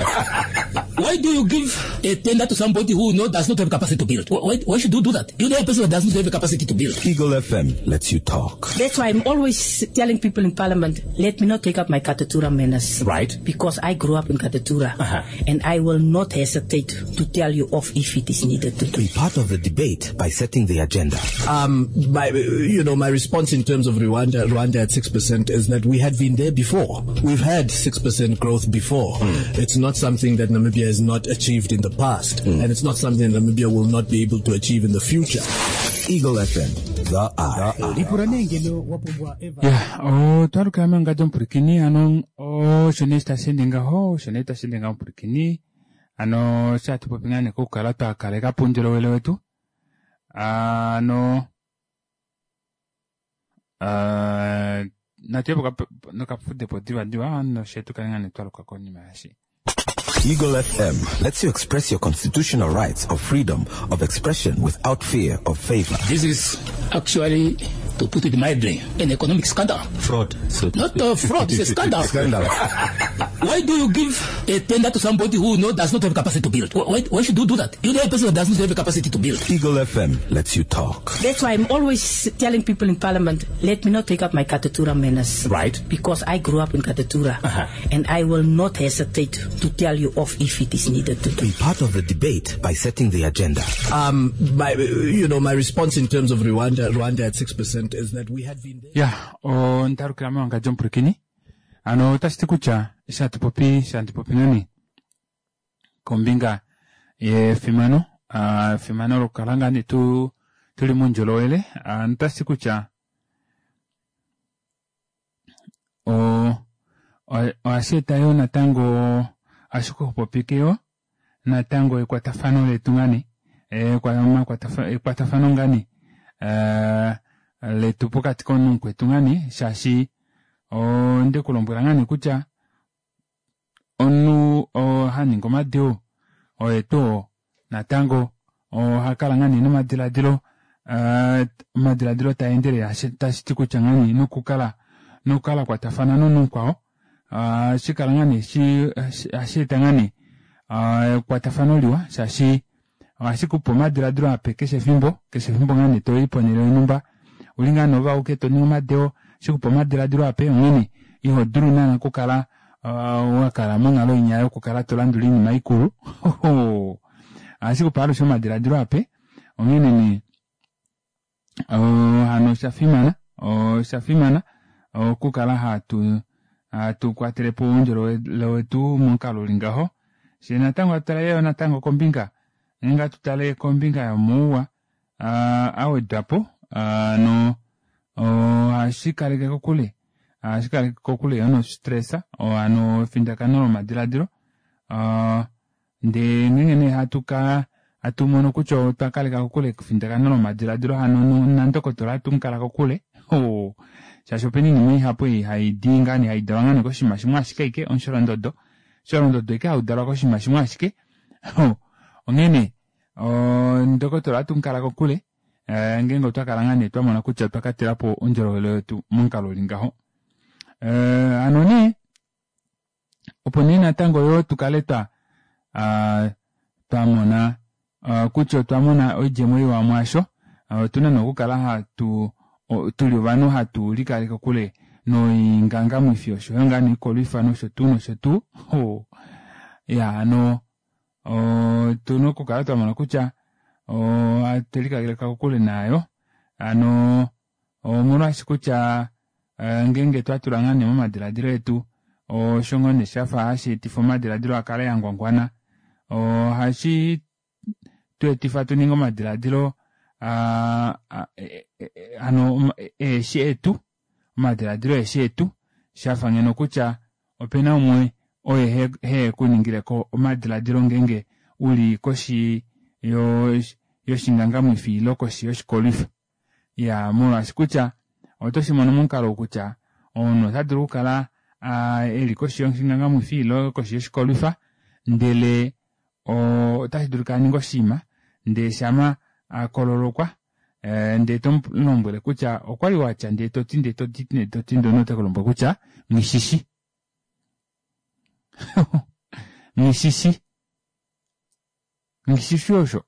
Why do you give a tender to somebody who no, does not have capacity to build? Why, why should you do that? You know a person who does not have the capacity to build. Eagle F M lets you talk. That's why I'm always telling people in Parliament, let me not take up my Katutura manners. Right. Because I grew up in Katutura. Uh-huh. And I will not hesitate to tell you off if it is needed to. Be part of the debate by setting the agenda. Um, my, you know, my response in terms of Rwanda, Rwanda at six percent is that we had been there before. We've had six percent growth before. Mm. It's not something that Namibia has not achieved in the past, Mm. and it's not something Namibia will not be able to achieve in the future. Eagle F M, The Eye. Lipula nee ngeno wa pumbwa eva Ya, otwalukila mangadi omupulikini ano osho nee tashi ende ngaho osho nee tashi ende ngaho omupulikini ano shatu popi ngaa nee kokukala twa kaleka po uundjolowele wetu ano ah, natu ye po nokafudepo divadiva noshe tukale ngaa nee twaluka konima yashi. Eagle F M lets you express your constitutional rights of freedom of expression without fear of favor. This is actually, to put it mildly, an economic scandal. Fraud. So to Not speak. a fraud, it's a scandal. Scandal. Why do you give a tender to somebody who no, does not have capacity to build? Why, why should you do that? You know a person who does not have the capacity to build. Eagle F M lets you talk. That's why I'm always telling people in parliament, let me not take up my Katutura manners. Right. Because I grew up in Katutura. Uh-huh. And I will not hesitate to tell you off if it is needed to do. Be part of the debate by setting the agenda. Um, my, you know, my response in terms of Rwanda, Rwanda at six percent is that we had been there. Ya, ondalukila mewangandjo omupulikini ano otashi ti kutya shatu popi shatu popi nani kombinga yefimano ah, efimano lokukala ngaa nee tu tuli muundjolowele ah, notashi ti kutya o- o- ohashi eta yo natango ohashi kuxupopike yo natango ekwatafano letu ngani ekwatafano ngani eh, letu pokati komunhu mukwetu ngani shaashi onde kulombwela ngani kutya omunhu oo haningi omadeo oye tuu natango ohakala ngani nomadiladilo eh, omadiladilo taendelele tashi ti kutya ngani nokukala nokukala kwatafana nomunhu mukwao ohashi kala ngani hashi eta ngani ekwatafano liwa shaashi ohashi kupe omadiladilo ape keshe efimbo keshe efimbo ngani toyi ponhele yonhumba uli ngaa novauke toningi omadeo ohashi kupe omadiladilo ape onghene iho dulu naana okukala wakala monghalo inya yokukala tolandula oinima ikulu ohashi kupe alushe omadiladilo ape onghene nee hano oshafimana oshafimana okukala hatu hatu kwatelepo oundjolowele wetu momukalo uli ngaho shee natango atu tale yoo natango kombinga ngeenge atu tale kombinga yomauwa awedwapo ano ohashi kaleke kokule ohashi kaleke kokule yoo nostress ano efindakano lomadiladilo ndee ngeenge nee hatu ka hatu mono kutya otwa kaleka kokule efindakano lomadiladilo hano nandokotola ohatu mukala kokule shaashi opena oinima ihapu ei haidi ngaa nee haidalwa ngaa nee koshinima shimwe ashike ashike omusholondodo omusholondodo ashike haudalwa koshinima shimwe ashike onghene ndokotola ohatu mukala kokule ngeenge otwa kala ngaa nee twamona kutya otwa katelapo oundjolowele wetu momukalo uli ngaho. Hano nee opo nee natango yoo tukale twa twamona kutya otwa mona oidjemo iwa mwaasho otuna nee okukala hatu tuli ovanhu hatu likaleke kokule noingangamwifi oshoyo ngaa noikolwifa nosho tuu nosho tuu iya hano otuna okukala twamona kutya otwelikaleka kokule nayo hano omolwaashi kutya ngeenge twatula ngaa nee momadiladilo etu osho ngoo nee shafa hashi etifa omadiladilo akale angwangwana ohashi tu etifa tuninge omadiladilo hano eeshi etu omadiladilo eeshi etu shafa ngeno kutya opena umwe oye hekuningileko omadiladilo ngeenge uli koshi yoshingangamwifi ile koshi yoshikolwifa iya molwaashi kutya otoshimono momukalo kutya omunhu ota dulu okukala eli koshi yoshingangamwifi ile koshi yoshikolwifa ndele otashi dulika aninge oshinima ndee shama akololokwa ndee tomulombwele kutya okwali watya ndee toti ndee toti ndee toti ndee omunhu otekulombwele kutya nghishishi nghishishi nghishishi osho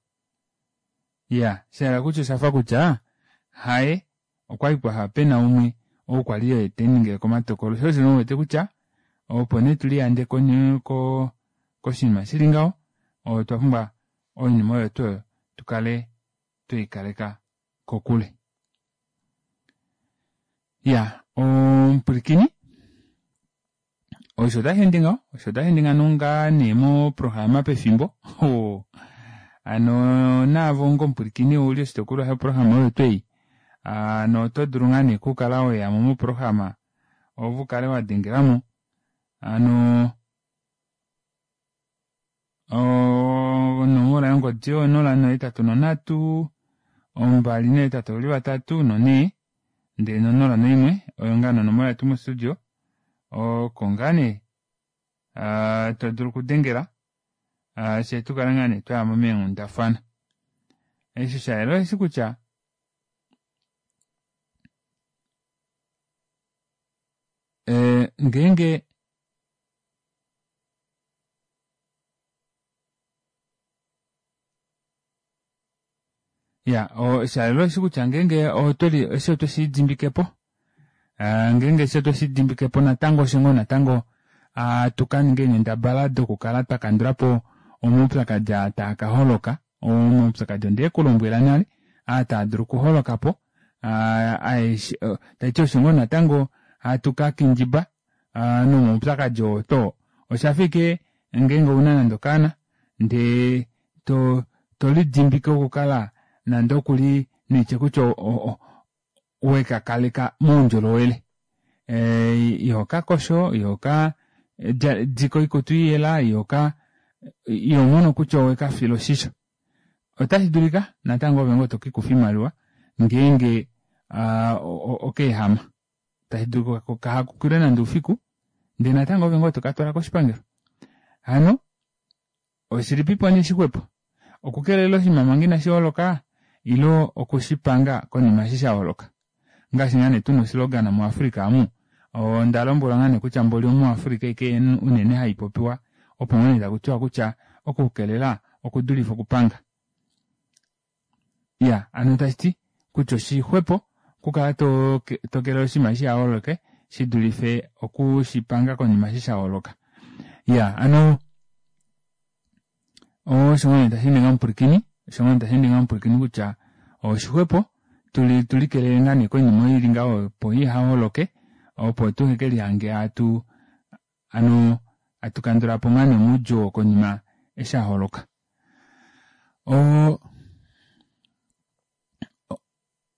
iya shahala kutya oshafa kutya haye okwali pwafa pena umwe ou kwali oye teningileko omatokolo sho osho nee uwete kutya opo nee tuliyande koshinima shili ngaho otwa pumbwa oinima oyo tuu oyo tukale tweikaleka kokule. Iya omupwilikini osho otashi ende ngaho osho otashi ende ngano ngaa nee moprograma pefimbo hano naavo onga omupwilikini ouli oshitukulwa shoprograma oyo tuu ei Noto dulu ngaa nee okukala weyamo moprograma ove ukale wadengelamo hano onomola yongodi oyo onola nohetatu nonhatu ombali noohetatu veli vatatu nonhee ndee nonola noimwe oyo ngaa nee onomola yetu mo studio oko ngaa nee todulu okudengela fyee tukale ngaa nee twayamo meenghundafana. Eshi shayela osheshi kutya ngeenge iya shayela osheshi kutya ngeenge otweli eshi otwe shidimbikepo ngeenge eshi otwe shidimbikepo natango fyee ngoo natango atukaninga eenghendabala dokukala twakandulapo omaupyakadi aa taakaholoka omaupyakadi ondekulombwela nale aa taadulu okuholokapo tashiti osho ngoo natango hatu kakindjiba nomaupyakadi oo too oshafa ashike ngeenge ouna nande okaana ndee to tolidimbike okukala nande okuli nitye kutya wekakaleka moundjolowele ihokakosho ihoka dike oikutu iyela ihoka ihomono kutya owekafila oshisho otashidulika natango oove ngoo tokiikufa oimaliwa ngeenge okaehama tashidulika kahakukilwe nande oufiku ndee natango oove ngoo tokatwala koshipangelo hano oshilipipo nee shixwepo okukelela oshinima manga inashiholoka ile okushipanga konima eshi shaholoka ngaashi ngaa nee tuna oslogan mu africa aamu ondalombwelwa ngaa nee kutya mboli omu africa ashike unene haipopiwa opo ngoo nee takutiwa kutya okukelela okudulife okupanga iya hano tashiti kutya oshixwepo okukala tokelele oshinima shihaholoke shidulife okushipanga konima eshi shaholoka iya hano osho ngoo nee tashiningi omupwilikini osho ngoo nee tashiningi omupwilikini kutya oshixwepo tulikelele ngaa nee koinima oyo ili ngaho opo ihaholoke opo tuhekelihange hatu hano hatukandulapo ngaa nee omaudjuu oo konima eshi aholoka. Oo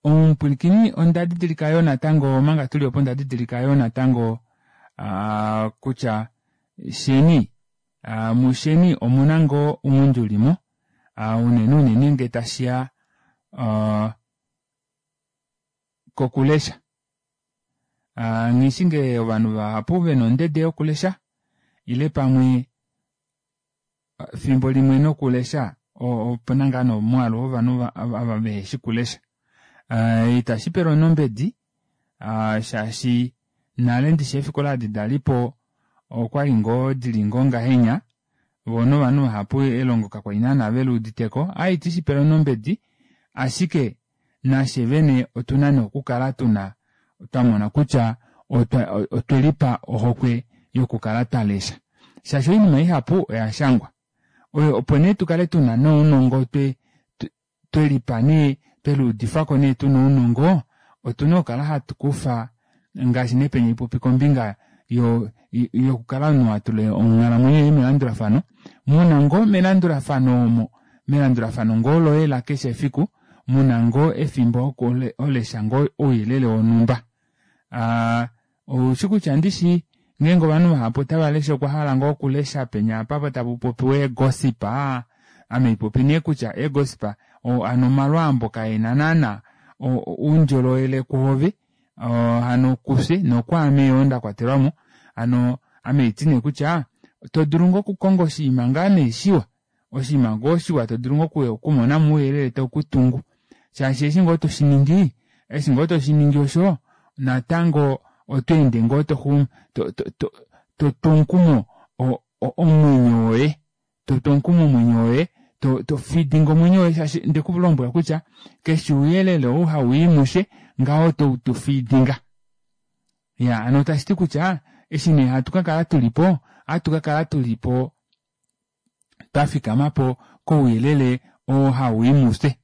omupwilikini onda didilika yoo natango omanga tuli opo onda didilika yoo natango kutya sheni musheni omuna ngoo ounghundi ulimo unene unene ngee tashiya kokulesha nghishi ngee ovanhu vahapu vena ondede yokulesha ile pamwe efimbo limwe nokulesha opena ngaa nee omwaalu wovanhu ava veheshi okulesha itashipelwa omunhu ombedi shaashi nale ndishi eefikola edi dalipo okwali ngoo dili ngoo ngahenya voo novanhu vahapu elongo kakwali naana veluuditeko aaye iti shipele omunhu ombedi ashike nafye vene otuna nee okukala tuna twamona kutya otwelipa ohokwe yokukala twalesha shaashi oinima ihapu oyashangwa opo nee tukale tuna nounongo twelipa nee tweluudifako nee tuna ounongo otuna okukala hatukufa ngaashi nee penya haipopi kombinga yokukala omunhu watula onghalamwenyo yoye melandulafano muna ngoo melandulafano omo melandulafano ngoo loye lakeshe efiku muna ngoo efimbo holesha ngoo ouyelele wonhumba oushi kutya ndishi ngeenge ovanhu vahapu otavalesha okwahala ngoo okulesha penya apa tapupopiwa eegossip ame haipopi nee kutya eegossip hano omalwaambo kaena naana oundjolowele kwoove hano kufye nokwaame yoo ndakwatelwamo hano ame haiti nee kutya todulu ngoo okukonga oshinima ngaa nee shiwa oshinima ngoo shiwa todulu ngoo okumonamo ouyelele taukutungu shaashi eshi ngoo toshiningi eshi ngoo toshiningi osho natango otweende ngoo totu omukumo omwenyo woye totu omukumo omwenyo woye tofidinga omwenyo woye shaashi ndekulombwela kutya keshe ouyelele ou hauyi mushe ngaho toutufidinga iya hano tashiti kutya eshi nee hatu kakala tulipo ohatu kakala tulipo twafikamapo kouyelele oo hauyi mufye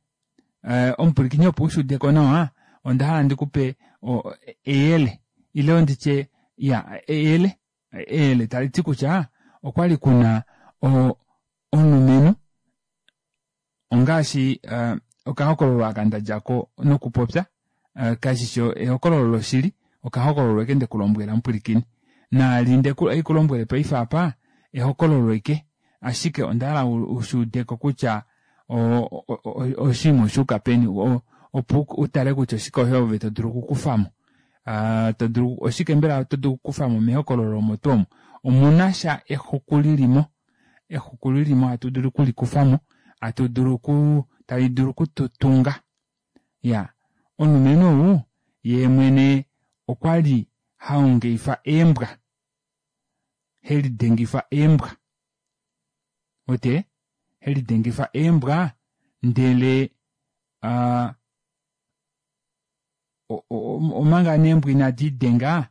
omupwilikini opo ushuudeko nawa ondahala ndikupe eyele ile nditye iya eyele eyele taliti kutya okwali kuna omulumenhu ongaashi okahokololo aka ndadjako nokupopya Uh, kashishi ehokololo loshili, okahokololo eke ndekulombwela mupwilikini. Naali ndeku haikulombwele paife apa ehokololo eke, ashike onda hala ushuudeko kutya oshinima oshuuka peni, opo utale kutya oshike osho ove to dulu okukufamo. To dulu oshike mbela to dulu okukufamo mehokololo omo tuu omo. Omuna sha exuku lilimo, exuku lilimo hatu dulu okulikufamo, hatu dulu oku tali dulu okututunga. Iya, omulumenhu ou yeemwene okwali haongeifa eembwa, helidengifa eembwa. Ote helidengifa eembwa ndele uh, omanga neembwa inadi denga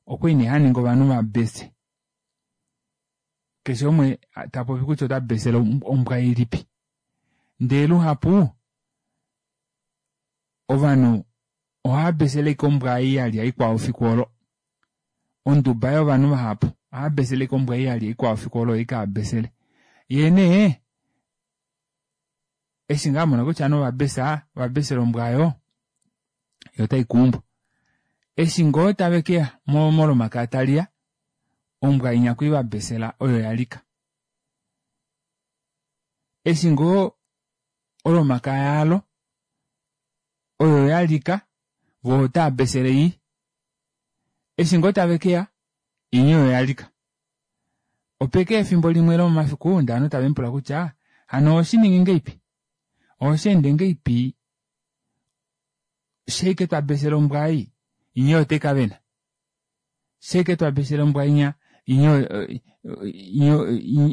okwali nee haningi ovanhu vabese. Keshe umwe tapopi kutya ota besele ombwa ilipi. Ndele luhapu ovanhu ohava besele ashike ombwa ei yalya ikwao efiku olo. Onduba yovanhu vahapu ohava besele ashike ombwa ei yalya ikwao efiku olo oyo abesele. Yee nee eshi ngaa amona kutya ovanhu ovabesa, ovabesela ombwa oyo, yo otai kuumbo. Eshi ngoo tave keya molomakaya taliya, ombwa inya kwali vabesela oyo yalika. Eshi ngoo olomakaya alo oyo yalika, vo otava besele ei. Eshi ngoo tave keya, inya oyo yalika. Opeke efimbo limwe lomomafiku ndee ovanhu tave mupula kutya hano oshiningi ngeipi? Osheende ngeipi? Sheike twa besela ombwa ei, inya oyo otai kavena. Sheike twa besela ombwa inya, inya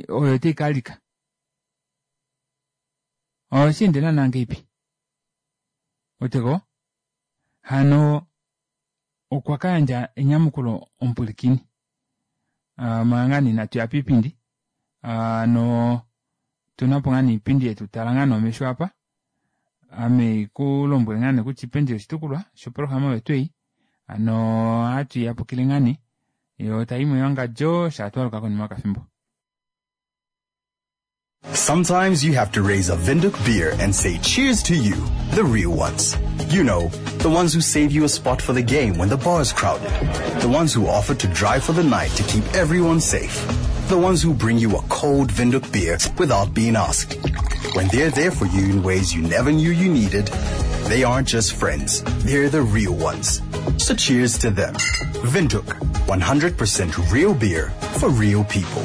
oyo otai kalika. Osheende naana ngeipi? Oteko? Hano okwa ka yandja enyamukulo omupwilikini. Manga nee inatu ya piipindi, hano tunapo ngaa nee iipindi yetu tala ngaa nee omesho apa. Ame kulombwele ngaa nee kutya iipindi yoshitukulwa shoprograma oyo tuu ei. Hano ohatu yapukile ngaa nee yo tayi mewangadjo shatwaluka konima yokafimbo. Sometimes you have to raise a Windhoek beer and say cheers to you, the real ones. You know, the ones who save you a spot for the game when the bar is crowded. The ones who offer to drive for the night to keep everyone safe. The ones who bring you a cold Windhoek beer without being asked. When they're there for you in ways you never knew you needed, they aren't just friends, they're the real ones. So cheers to them. Windhoek, one hundred percent real beer for real people.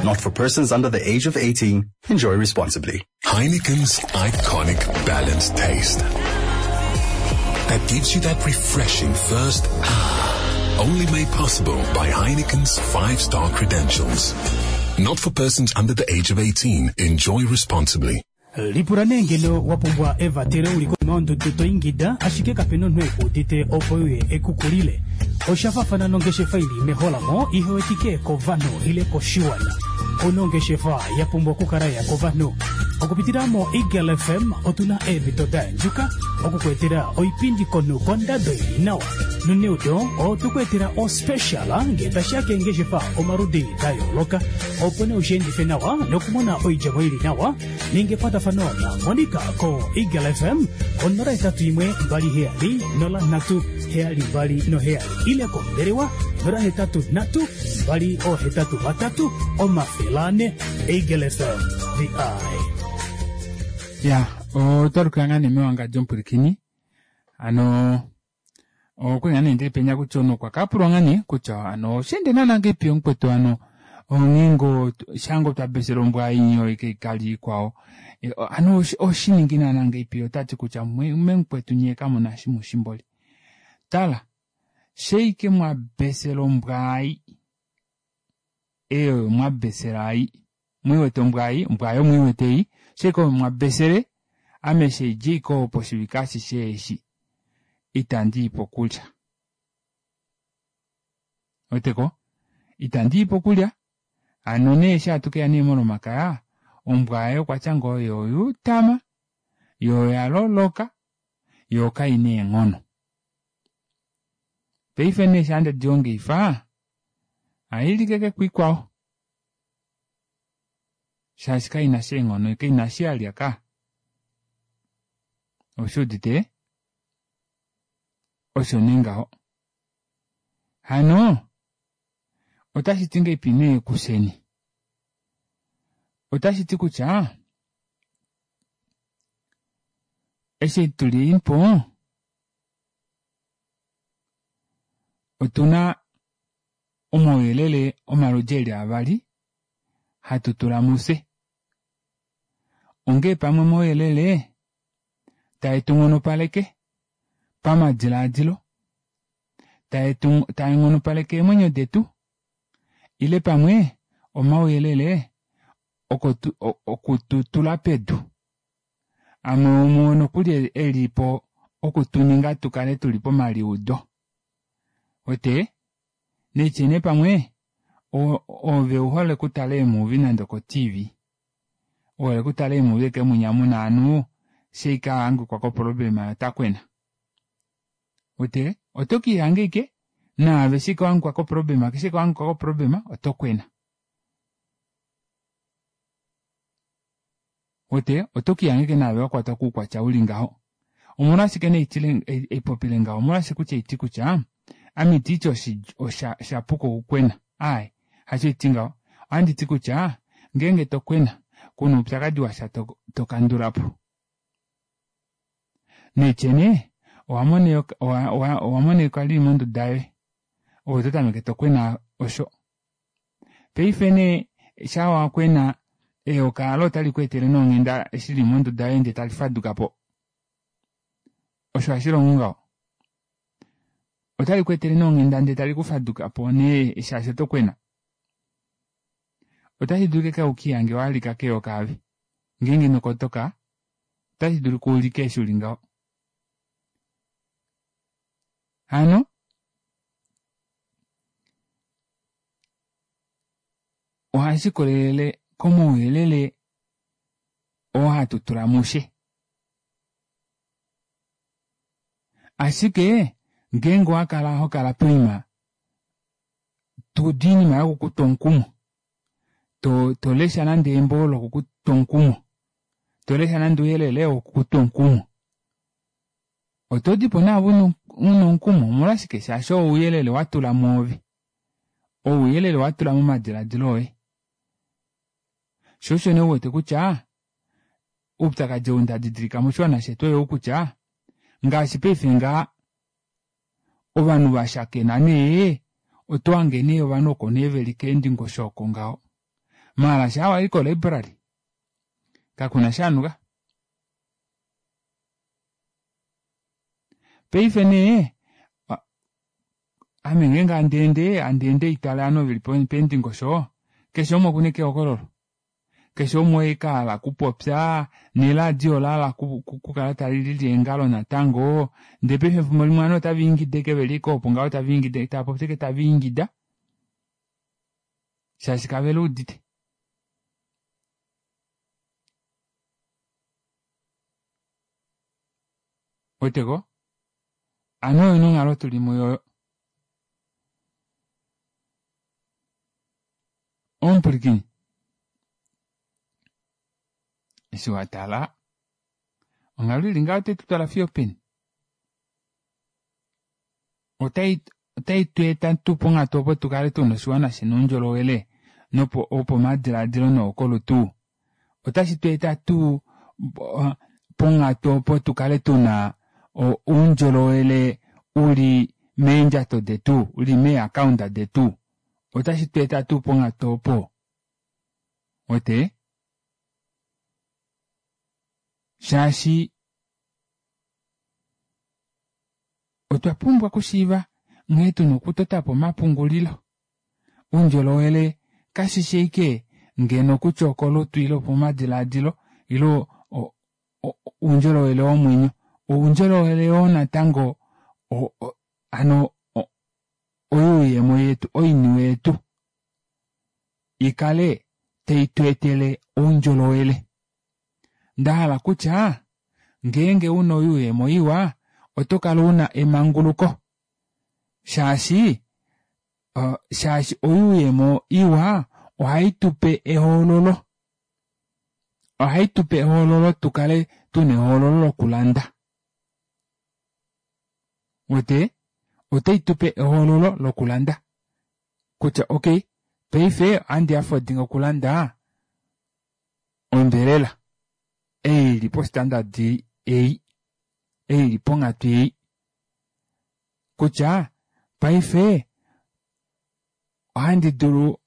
Not for persons under the age of eighteen. Enjoy responsibly. Heineken's iconic balanced taste that gives you that refreshing first ah, only made possible by Heineken's five-star credentials. Not for persons under the age of eighteen. Enjoy responsibly. Lipula nee ngeno wa pumbwa evatelo uli konima yondudu to ingida, ashike kapena omunhu ekuudite opo uye ekukulile. Osha faafana nongeshefa ili meholamo ihewetike kovanhu ile koshiwana. Ouna ongeshefa ya pumbwa okukala ya kovanhu. Okupitila mo Eagle F M otuna eemhito da yandjuka okukweetela oipindi komunhu kondado ili nawa. Noneudo otukuetela o special ngee tashiya keengeshefa omaludi da yooloka, opo nee ushiendife nawa nokumona oidjemo ili nawa. Ninga ekwatafano na Monica ko Eagle F M ko nola hetatu imwe mbali heyali nola nhatu heyali mbali noheyali ile kombelewa nola hetatu nhatu mbali ohetatu vatatu omafele ane. Eagle F M, the eye. Ya, otwa nga nee mewangadjo omupwilikini. Hano okwali nga nee ndili penya kutya omunhu okwa kapulwa nga nee kutya hano osheende naana ngeipi omukwetu hano ongheengo shango twa besela ombwa inyo ike ikali ikwao. Hano oshiningi naana ngeipi otati kutya memukwetu nye kamuna shimushimboli. Tala, sheike mwa besela ombwa ai. Eyo mwa besela ai. Mwiwete ombwa ai, ombwa ayo mwiwete ei. Sheike mwa besele, ame sheijiko opo shivika shishe eshi. Itandi ipo kulya. Oteko? Itandi ipo kulya. Ano nee eshi hatu keya nee molomakaya, ombwa ayo kwatya ngoo yo yutama, yo ya loloka, yo kaina eenghono. Paife nee eshi handi diongifa, ohai like kwiikwao. Shaashi kaina sha eenghono, kaina shi yalya ka. Oshuudite? Osho nee ngaho. Hano otashi ti ngeipi nee kusheni? Otashi ti kutya eshi tuli po otuna omauyelele omaludi eli avali hatu tula mufye. Ongee pamwe omauyelele tae tu nghonopaleke pamadilaadilo, tae tu taanghonopaleke eemwenyo detu ile pamwe omauyelele okututula pedu. Amwe omuo nokuli elipo okutuninga tukale tuli pomaliudo. Wete neitye nee pamwe ove uhole okutala eemuvi nande oko T V. Uhole okutala eemuvi eke munya muna ovanhu sheike ahangikwa koproblema otakwena. Wete oto kiihange ike naave shike wahangikwa koproblema shike wahangikwa koproblema oto kwena. Wete oto kiihange ike naave wakwatwa koukwatya uli ngaho. Omolwashike nee eipopile ngaho? Omolwashike kutya iti kutya ame iti osha shapuka okukwena. Ai, hasho iti ngaho. Ohandi ti kutya ngeenge to kwena kuna oupyakadi washa tokandula po. Neitye nee owamona eyoka lili monduda yoye ove oto tameke tokwena osho. Paife nee shaa wakwena eyoka alo otali ku etele nee onghenda eshi lili monduda yoye ndee tali faduka po. Osho hashi longo ngaho. Otali ku etele nee onghenda ndee tali ku faduka po nee shaashi oto kwena. Otashi dulika ukihange walika keyoka ave. Ngeenge ino kotoka otashi dulika ulike eshi uli ngaho. Hano ohashi kolelele komauyelele oo hatu tula mushe. Ashike ngeenge owakala hokala poima tuudu oinima yokukutwa omukumo, tolesha nande embo lokukutwa omukumo, tolesha nande ouyelele wokukutwa omukumo, oto dipo naave una omukumo. Omolwashike? Shaashi oo ouyelele watula mwoove, ouyelele watula momadiladilo oye. Sho osho nee uwete kutya oupyakadi ou ndadidilika moshiwana shetu oyou kutya ngaashi paife ngaa ovanhu vashakena nee oto hange nee ovanhu oko nee veli keendingosho oko ngaho. Maala shaa wai ko library kakuna shaanuka. Paife nee ame ngeenge handeende handeende haitale ovanhu veli peendingosho keshe umwe okuna ashike ehokololo. Keshe umwe oye ashike ahala okupopya neladio olahala okukala talilili eengalo natango ndee paife efimbo limwe ovanhu otava ingida ashike veli ashike opo ngaho tava ingida tavapopi ashike tava ingida shaashi kaveluudite. Weteko? Hano oyo nee onghalo tuli muyo. Omupulikini eshi watala onghalo ili ngaho otai tutwala fiyo openi? Otai otai tweeta tuu ponghatu opo tukale tuna oshiwana shina oundjolowele nopo wopomadilaadilo nowokolutu? Otashi tweeta tuu ponghatu opo tukale tuna oundjolowele uli meendjato detu, uli mee-account detu? Otashi tweeta tuu ponghatu opo? Wete? Shaashi otwa pumbwa okushiiva nghee tuna okutotapo omapungulilo. Oundjolowele kashishi ashike ngeno kutya okolutu ile opomadilaadilo ile oundjolowele womwenyo. Oundjolowele yoo natango hano oyuuyemo yetu, oiniwe yetu ikale tai tu etele oundjolowele. Ndahala kutya ngeenge una oyuuyemo iwa oto kala una emanguluko shaashi shaashi oyuuyemo iwa ohai tupe ehoololo. Ohai tupe ehoololo tukale tuna ehoololo lokulanda. Wete otai tupe ehoololo lokulanda kutya okay paife ohandi affordinga okulanda ombelela ei ili postandard ei ei ili ponghatu ei kutya paife ohandi dulu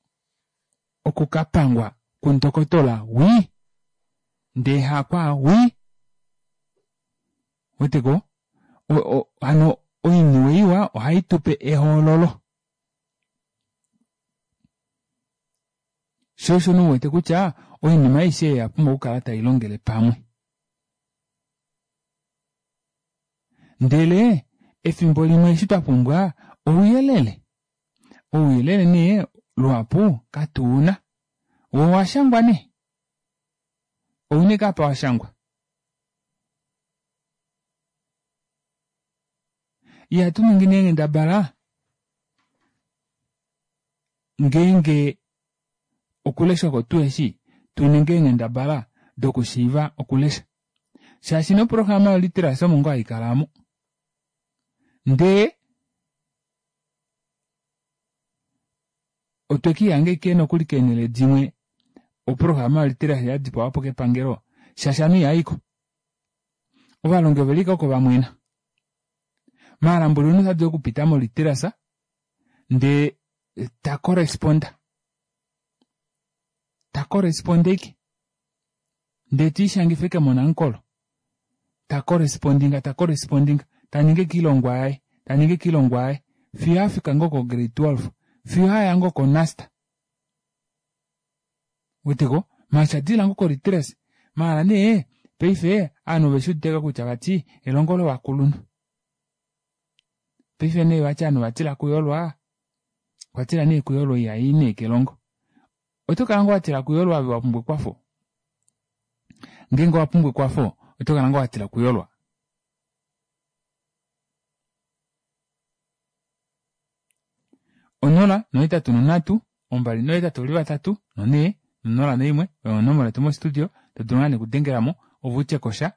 okukapangwa kundokotola wii ndee hakwa wii weteko hano oiniwe iwa ohai tupe ehoololo sho osho nouwete kutya oinima aishe oya pumbwa okukala tailongele pamwe ndele efimbo limwe eshi twapumbwa ouyelele ouyelele nee luhapu katuuna wo owashangwa nee oune kapa washangwa ihatu ningi nee nghendabala ngeenge okulesha oko tuheshi tuninge eenghendabala dokushiiva okulesha shaashi noprograma yoliteracy omo ngoo haikalamo ndee otwe kiihanga ashike nokuli keenhele dimwe oprograma yoliteracy yadipawapo kepangelo shaashi ovanhu ihaiko ovalongi ovelika oko vamwena maala mboli omunhu otadulu okupita moliteracy ndee ta corresponda ta corresponde ashike ndee tiishangifa ashike monamukolo ta correspondinga ta correspondinga taningi ashike oilongwa yaye taningi ashike oilongwa yaye fiyo afika ngoo ko grade twelve fiyo aya ngoo ko NUST weteko maala shadilila ngoo ko literacy maala nee paife ovanhu oveshiuditeko kutya vati elongo lovakulunhu paife nee vati ovanhu ovatila okuyolwa okwatila nee kuyolwa ihai nee kelongo oto kala ngoo watila kuyolwa ove wapumbwa ekwafo ngeenge owapumbwa ekwafo oto kala ngoo watila okuyolwa onola nohetatu nonhatu ombali nohetatu ovali vatatu nonhee nonola noimwe oyo onomola yetu mostudio todulu ngaa nee okudengelamo ove utyekosha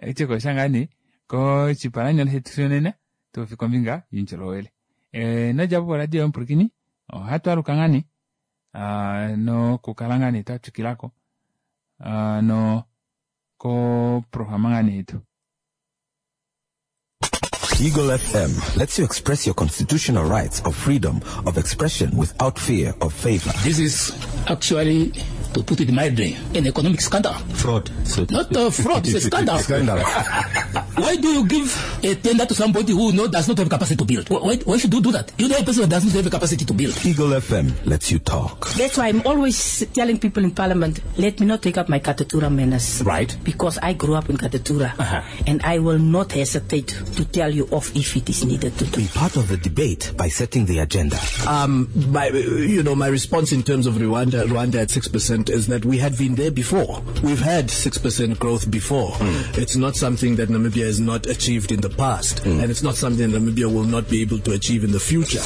utyekosha ngaa nee koshipalanyole shetu shonena topopi kombinga youndjolowele nodjapo poradio yomupwilikini ohatu aluka ngaa nee nokukala ngaa nee twatwikilako no koprograma ngaa nee yetu. Eagle F M lets you express your constitutional rights of freedom of expression without fear of favor. This is actually, to put it mildly, an economic scandal. Fraud. Not a fraud, it's a scandal. Scandal. Why do you give a tender to somebody who no, does not have capacity to build? Why, why should you do that? You know a person who does not have capacity to build. Eagle F M lets you talk. That's why I'm always telling people in Parliament, let me not take up my Katutura manners. Right. Because I grew up in Katutura. Uh-huh. And I will not hesitate to tell you off if it is needed to do. Be part of the debate by setting the agenda. Um, my, you know, my response in terms of Rwanda, Rwanda at six percent is that we had been there before. We've had six percent growth before. Mm. It's not something that Namibia has not achieved in the past, mm. and it's not something that Namibia will not be able to achieve in the future.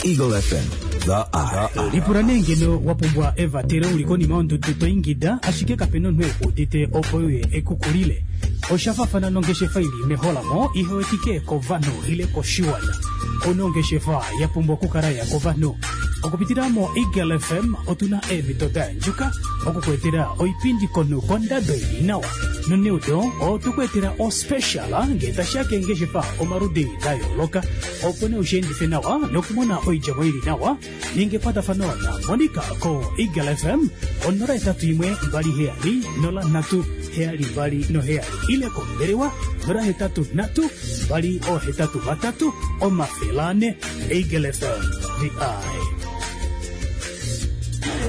Eagle F M, the eye. Lipula nee ngeno wapumbwa evatelo uli konima yondudu to ingida ashike kapena omunhu ekuudite opo uye ekukulile. Oshafafana nongeshefa ili meholamo ihewetike kovanhu ile koshiwana. Ono ongeshefa ya pumbwa okukala ya kovanhu. Okupitila mo Eagle F M otuna eemhito da andjuka okukuetela oipindi kono kondado ili nawa. Noneudo otukuetela ospecial ngee tashiya keengeshefa omaludi da yooloka opo nee ushiendife nawa nokumona oidjemo ili nawa. Ninga ekwatafano na Monica ko Eagle F M onola etatu imwe mbali heyali nola nhatu heyali mbali noheyali ile kombelewa nola hetatu nhatu mbali ohetatu vatatu omafele ane. Eagle F M, the eye.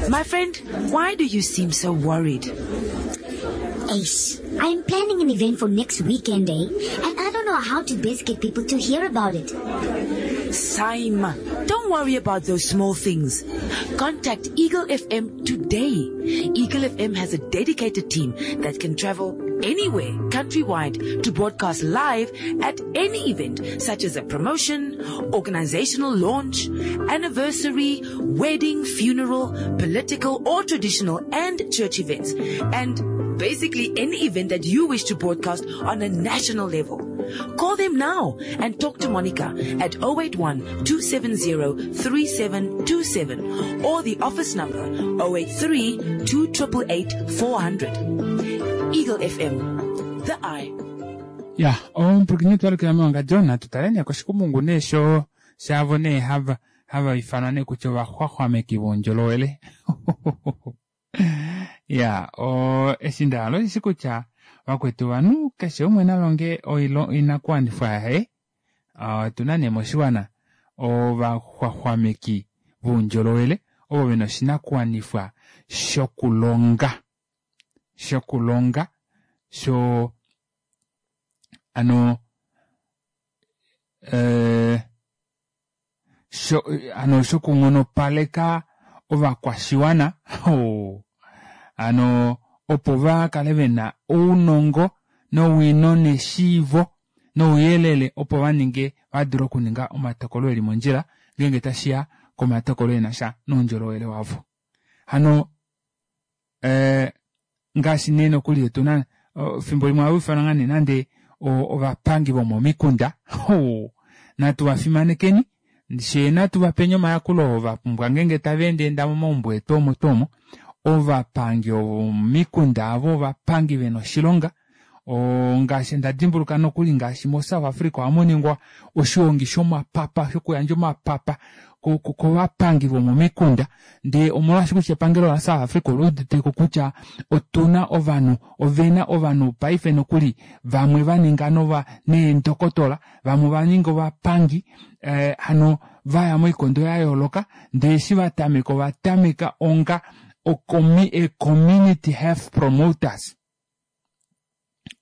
My friend, why do you seem so worried? Ace, I'm planning an event for next weekend, eh? And I don't know how to best get people to hear about it. Saima, don't worry about those small things. Contact Eagle F M today. Eagle F M has a dedicated team that can travel anywhere, countrywide, to broadcast live at any event, such as a promotion, organizational launch, anniversary, wedding, funeral, political or traditional and church events. And Basically, any event that you wish to broadcast on a national level. Call them now and talk to Monica at oh eight one, two seven zero, three seven two seven or the office number oh eight three, two triple eight, four hundred. Eagle F M, the eye. Ya, omupulakeni twalukila mewangandjo natu tale nee koshikumungu nee sho shavo nee hava, hava ifanwa nee kutya ovaxwaxwameki voundjolowele. Ya, o, eshi nda hala oshishi kutya vakwetu ovanhu keshe umwe na longe oilo-, oinakuwanifwa yaye. Ah, otuna nee moshiwana ovaxwaxwameki voundjolowele ovo vena oshinakuwanifwa shokulonga, shokulonga sho ano, eh, sho, ano shokunghonopaleka ovakwashiwana. Oh, ano opo va kale vena ounongo nowino neshiivo nouyelele opo va ninge, va dule okuninga omatokolo eli mondjila ngeenge tashiya komatokolo ena sha noundjolowele wavo. Hano, eh, ngaashi nee nokuli otuna, oh, fimbo limwe ohava ifanwa ngaa nee nande o-, ovapangi vomomikunda. Oh, natu va fimanekeni, she natu va peni omayakulo oo va pumbwa ngeenge tava endaenda momaumbo etu omo tuu omo. Ovapangi vomomikunda avo ovapangi vena oshilonga. O, ngaashi nda dimbuluka nokuli ngaashi mo South Africa ohamu ningwa oshihongi shomapapa, shokuyandja omapapa ko-, ko-, kovapangi vomomikunda. Ndee omolwaashi kutya epangelo la South Africa oli udite ko kutya otuna ovanhu, ovena ovanhu paife nokuli vamwe va ninga nova neendokotola, vamwe va ninga ovapangi, eh, hano vaya moikondo ya yooloka, ndee eshi va tameka, ova tameka onga okomi-, e community health promoters.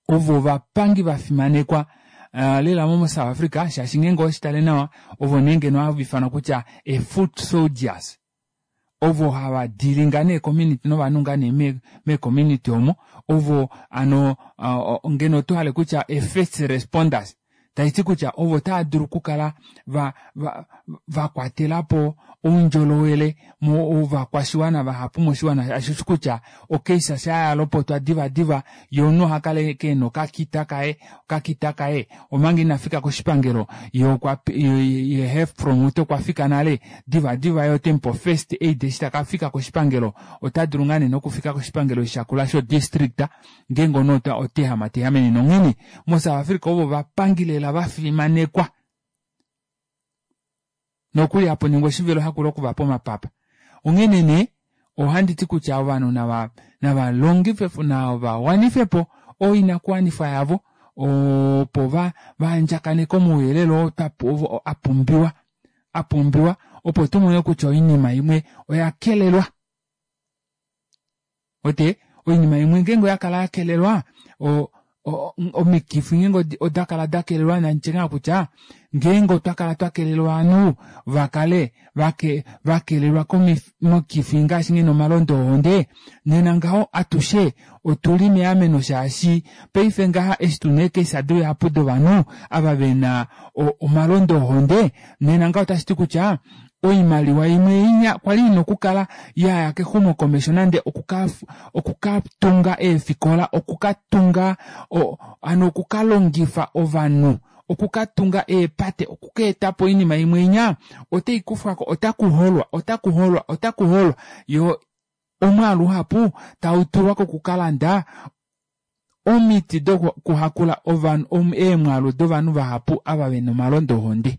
Ovo ovapangi va fimanekwa, eh, lela mo South Africa, shaashi ngeenge oweshi tale nawa, ovo nee ngeno hava ifanwa kutya e foot soldiers. Ovo hava dealinga nee community novanhu ngaa nee me-, me community omo, ovo ano, eh, ngeno oto hale kutya e first responders. Tashi ti kutya ovo tava dulu okukala va, va, va kwatela po oundjolowele mo ovakwashiwana vahapu moshiwana. Ashi shi kutya okeisa sha ya lopotwa diva diva, ye omunhu oha kala ke na okakita kaye, okakita kaye, omanga ina fika koshipangelo, ye okwa pe-, ye, ye, ye health promoter okwa fika nale, diva diva ye ote mu pe first aid eshi taka fika koshipangelo, ota dulu ngaa nee nokufika koshipangelo shakula sho district, ngeenge omunhu ota, ota ehama, ta ehamene nonghene. Mo South Africa ovo vapangi lela va fimanekwa. Nokuli hapo ningwa oshivilo hakula okuvapa omapapa. Onghene nee, ohandi ti kutya ovanhu nava, nava longife po, nava wanife po oinakuwanifwa yavo, opo va, va andjakaneke omauyelele oo twa pu-, ovo a pumbiwa, a pumbiwa, opo tu mone kutya oinima imwe oya kelelwa. Ote, oinima imwe ngeenge oya kala ya kelelwa, o, o, omikifi ngeenge odi-, oda kala da kelelwa, na nitye ngaa kutya, ngeenge otwa kala twa kelelwa ovanhu, va kale, va ke-, va kelelwa komi-, mokifi ngaashi ngeno omalondo ohonde, nena ngaho atushe otuli meameno, shaashi paife ngaha eshi tuna eekesa dihapu dovanhu ava vena o-, omalondo ohonde, nena ngaho otashi ti kutya oimaliwa imwe inya kwali ina okukala yaya kexumokomesho, nande okuka, okukatunga eefikola, okukatunga, o, ano okukalongifa ovanhu, okukatunga eepate, okukeetapo oinima imwe inya, otai kufwako, otaku holwa, otaku holwa, otaku holwa. Yo omwaalu uhapu tau tulwa kokukalanda omiti dokuhakula ovanhu, om-, eemwaalu dovanhu vahapu ava vena omalondo ohonde.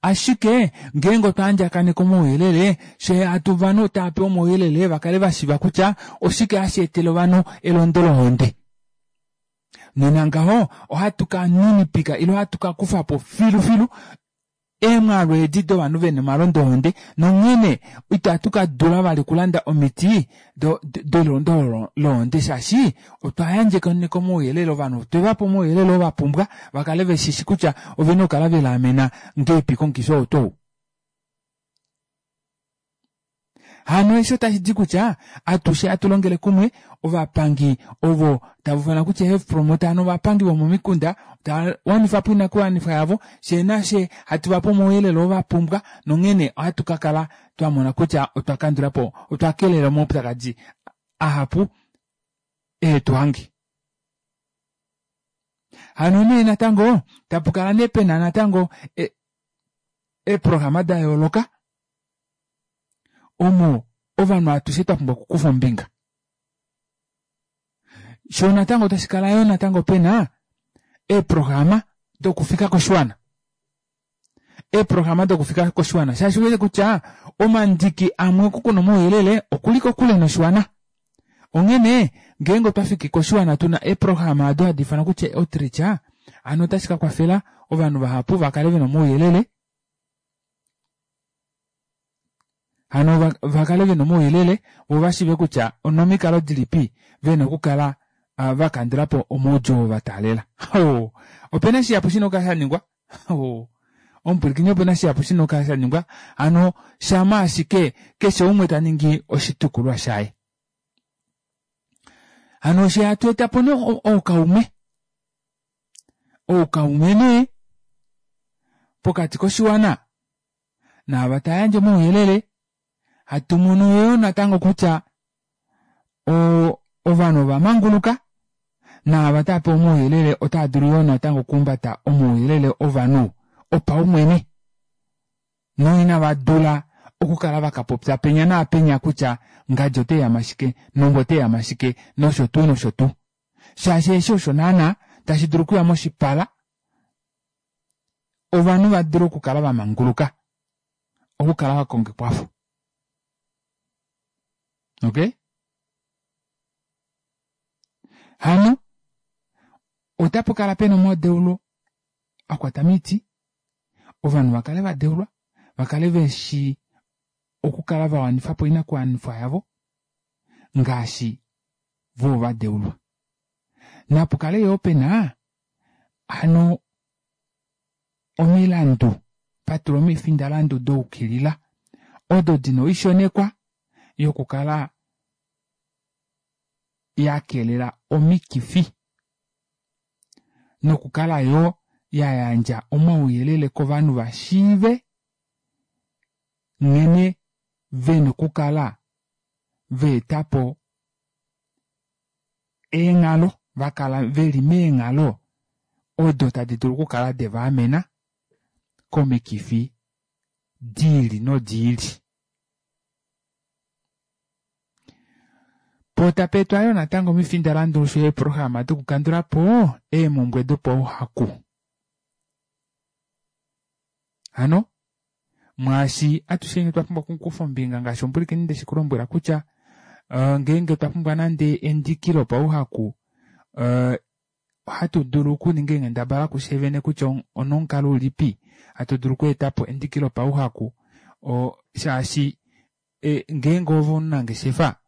Ashike ngeenge otwa andjakaneka omauyelele, she hatu vanhu tava pewa omauyelele va kale va shiiva kutya oshike hashi etele ovanhu elondo lohonde. Nena ngaho ohatu ka ninipika ile ohatu ka kufa po filufilu eemwaalu edi dovanhu vena omalondo ohonde, nonghene itatu ka dula vali okulanda omiti do-, do-, delondo lohonde, shaashi otwa yandjekaneka omauyelele ovanhu, otwe va pa omauyelele oo va pumbwa va kale ve shishi kutya ove na okukala ve liamena ngeepi komukifi oo tuu. Hano eshi otashi ti kutya atushe atu longele kumwe, ovapangi ovo tava ufana kutya health promoter, hano ovapangi vomomikunda tava wanifa po oinakuwanifwa yavo, she nashe hatu va pe omauyelele oo va pumbwa, nonghene ohatu ka kala twa mona kutya otwa kandula po, otwa kelela omaupyakadi ahapu Ehe tu hange. Hano nee natango tapukala nee pena natango eeprograma da yooloka omo ovanhu atushe twapumbwa okukufa ombinga. Shoo natango tashikala yoo natango pena eeprograma dokufika koshiwana. Eeprograma dokufika koshiwana shaashi uwete kutya omandiki amwe oku kuna omauyelele okuli kokule noshiwana. Onghene ngeenge otwafiki koshiwana tuna eeprograma odo hadi ifanwa kutya outreach, hano otashi kakwafela ovanhu vahapu vakale vena omauyelele, hano vakale vena omauyelele voo vashiive kutya onomikalo dilipi vena okukala vakandulapo omaudjuu oo vataalela. Opena shihapu shina okukala shaningwa, omupwilikini opena shihapu shina okukala shaningwa, hano shama ashike keshe umwe taningi oshitukulwa shaye. Hano eshi hatu etapo nee oukaume, oukaume nee pokati koshiwana naava tayandje omauyelele, hatu mono yoo natango kutya ovanhu ovamanguluka naava tavapewa omauyelele otava dulu yoo natango okuhumbata omauyelele ovanhu opaumwene noina vadula okukala vakapopya penya naapenya kutya ngadi oteyama shike nombwa oteyama shike nosho tuu nosho tuu. Shaashi eshi osho naana tashi dulu okuya moshipala ovanhu vadule okukala vamanguluka okukala vakonga ekwafo. Okey? Hano otapukala pena omadeulo akwata moiti, ovanhu vakale vadeulwa, vakale veshi okukala vawanifapo oinakuwanifwa yavo ngaashi voo vadeulwa. Napukale yoo pena hano omilandu, patulwa omifindalandu daukilila odo dina oishonekwa yokukala yakelela omikifi nokukala yoo yayandja omauyelele kovanhu vashiive nghene vena okukala vaetapo eenghalo, vakala veli meenghalo odo tadi dulu okukala devaamena komikifi diili nodiili. Poo tapeetwa yoo natango omifindalandu osho yo eeprograma dokukandulapo eemumbwe dopauhaku. Hano mwaashi atusheni otwa pumbwa okukufa ombinga ngaashi omupwilikini ndeshi kulombwela kutya ngeenge otwa pumbwa nande endiki lopauhaku, ohatu dulu okuninga eenghendabala kufye vene kutya onomukalo ulipi hatu dulu okweetapo endiki lopauhaku, shaashi ngeenge ove omunangeshefa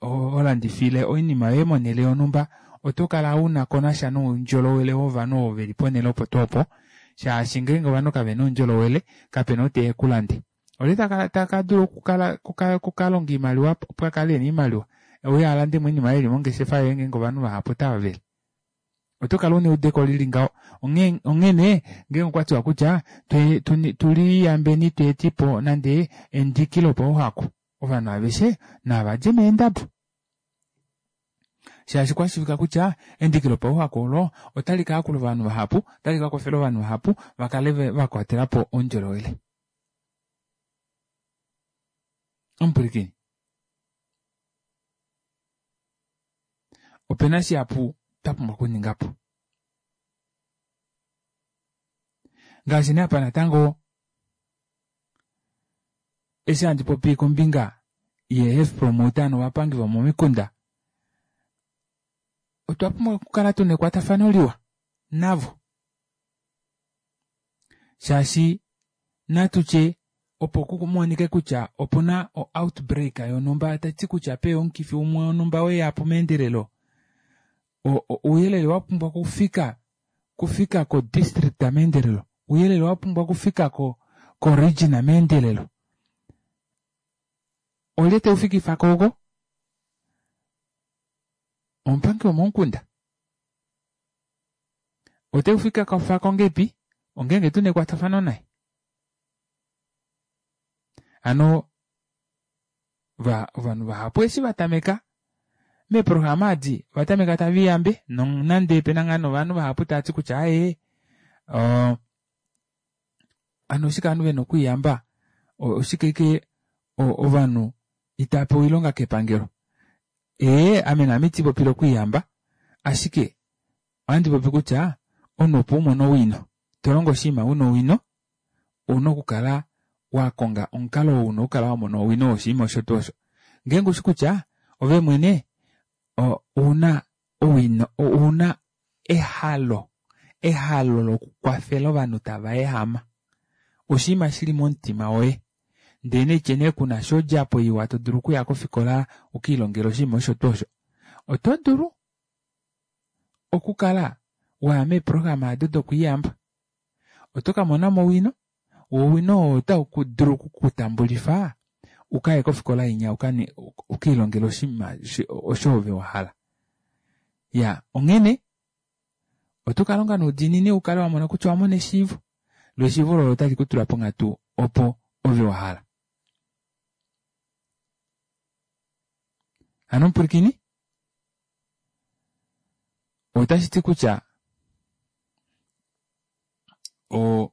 holandifile oinima yoye monhele yonhumba, oto kala una konasha noundjolowele wovanhu ovo veli ponhele opo tuu opo, shaashi ngeenge ovanhu kavena oundjolowele kapena ou teya ekulande. Olye takadula okukala okukalonga oimaliwa opo akale ena oimaliwa euye alandemo oinima oyo ili mongeshefa yoye ngeenge ovanhu vahapu otava vele. Oto kala una eudeko lili ngaho. Onghene ngeenge okwatiwa kutya tuliyambeni tweetipo nande endiki lopauhaku, ovanhu aveshe navadje meendabo. Shaashi kwashivika kutya endiki lopauhaku olo otali kayakula ovanhu vahapu, otali kakwafela ovanhu vahapu vakale vakwatelapo oundjolowele. Omupwilikini, opena shihapu twapumbwa okuningapo. Ngaashi nee apa natango eshi handi popi kombinga ye health promoter novapangi vomomikunda, otwa pumbwa okukala tuna ekwatafano liwa navo. Shaashi natutye opo kumonike kutya opuna o outbreak yonhumba tati kutya peya omukifi umwe wonhumba weyapo meendelelo, ouyelele wapumbwa okufika kufika ko district meendelelo, ouyelele wapumbwa okufika ko ko region meendelelo. Olye teufikifako oko? Omupangi womomukunda. Oteufikafako ngepi? Ongeenge tuna ekwatafano naye. Hano ovanhu vahapu eshi vatameka Meeprograma adi ovatameka taviyambe nonande pena ngaa novanhu vahapu taati kutya aaye hano oshike ovanhu vena okwiiyamba oshike ashike ovanhu itapewa oilonga kepangelo ee ame naame itipopile okwiiyamba ashike ohandi popi kutya omunhu opo umone owino tolongo oshinima una owino ouna okukala wakonga omukalo oo una okukala wamona owino woshinima osho tuu osho ngeenge ushi kutya ove mwene ouna owino ouna ehalo ehalo lokukwafela ovanhu tava ehama oshinima shili momutima woye ndee naitye nee kunasha odjapo iwa todulu okuya kofikola ukiilongele oshinima osho tuu osho oto dulu okukala waya meeprograma aado dokwiiyamba oto kamonamo owino woo owino oo otaudulu okukutambulifa ukaye kofikola inya ukiilongele oshinima osho ove wahala iyaa onghene oto kalonga noudiinini ukale wamona kutya owamona eshiivo loo eshiivo olo otali kutula ponghatu opo ove wahala hano omupwilikini otashiti kutya oo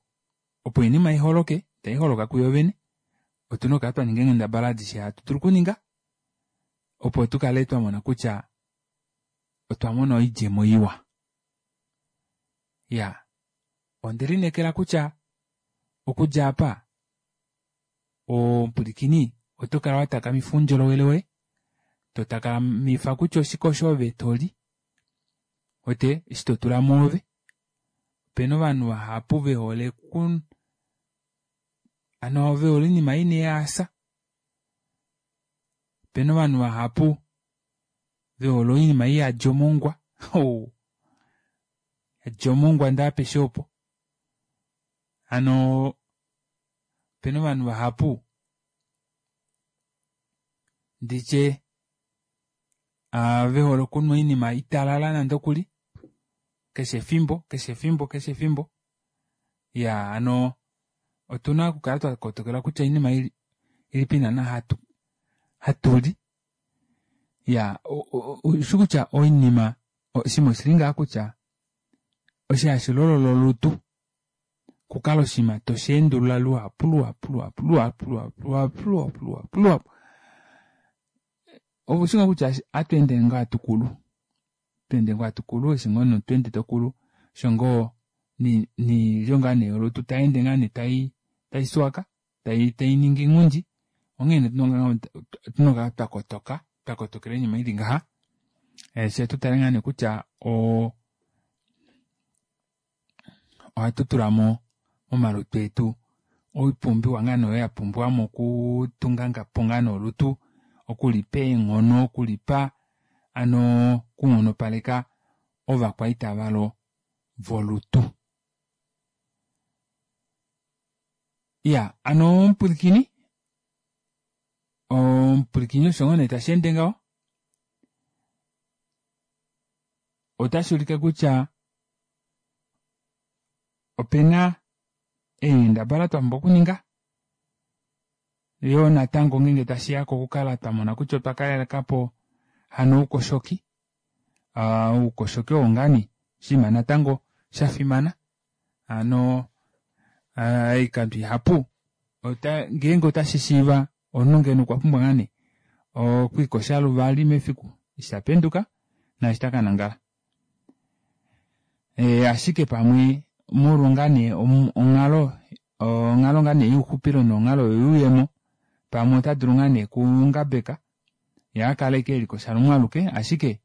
opo oinima iholoke itaiholoka kuyo vene otuna okukala twaninga eenghendabala adishe hatu dulu okuninga opo tukale twamona kutya otwamona oidjemo iwa iyaa ondelineekela kutya okudja aapa omupwilikini otokala watakamifa oundjolowele woye totakamifa kutya oshike osho ove toli uwete eshi totula mwoove opena ovanhu vahapu vehole oku hano vehole oinima ina eehaasa opena ovanhu vahapu vehole oinima iyadi omongwa oo iyadi omongwa ndee apeshe opo hano opena ovanhu vahapu nditye vehole okunwa oinima italala nande okuli keshe efimbo keshe efimbo keshe efimbo iyaa hano otuna okukala twakotokela kutya oinima ilipi naana hatu hatuli iyaa oushikutya oinima oshinima oshili ngaha kutya osho hashilolola olutu okukala oshinima tosheendulula luhapu luhapu luhapu luhapu luhapu luhapu luhapu luhapu oushi ngoo kutya ohatweende ngoo hatukulu hatweende ngoo hatukulu eshi ngoo nee tweende tokulu osho ngoo noilyo ngaa nee yolutu tayeende ngoo nee taiswaka tainingi inghundi onghee nee otuna okukala twakotoka twakotokela oinima ili ngaha fyee tutale ngoo nee kutya oo ohatu tulamo momalutu etu oipumbiwa ngoo nee oyo yapumbiwamo okutungapo ngoo nee olutu okulipa eenghono okulipa hano okunghonopaleka ovakwaita valo volutu. Iyaa hano omupwilikini omupwilikini osho ngoo nee tasheende ngaho otashuulike kutya opena eenghendabala twapumbwa okuninga yoo natango ngenge tashiya kokukala twamona kutya otwa kalekapo hano oukoshoki aa oukoshoki oo ngoo nee oshinima natango shafimana hano oikando ihapu ngeenge otashishiiva omunhu ngeno okwa pumbwa ngoo nee okwiikosha luvali mefiku eshi tapenduka naashi takanangala ashike pamwe molwa ngaa nee onghalo onghalo ngaa nee youxupilo nonghalo yoyuuyemo pamwe otadulu ngoo nee okungabeka yee akale ashike elikosha lumwe aluke ashike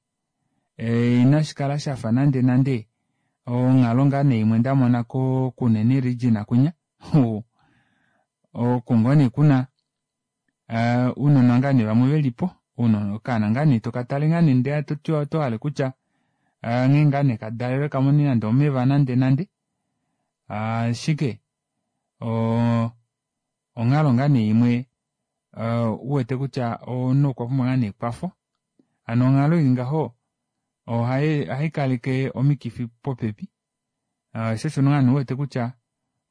inashikala shafa nande nande onghalo ngoo nee imwe ndamona ko kunene region kwinya oko ngoo nee kuna ounona ngoo nee vamwe velipo okaana ngoo nee tokatale ngoo nee ndee otohale kutya nghee ngoo nee kadalelwe kamone nande omeva nande nande ashike onghalo ngoo nee imwe uwete kutya omunhu okwa pumbwa ngoo nee ekwafo hano onghalo ili ngaho ohaikaleke omikifi popepi shoo osho ngoo nee uwete kutya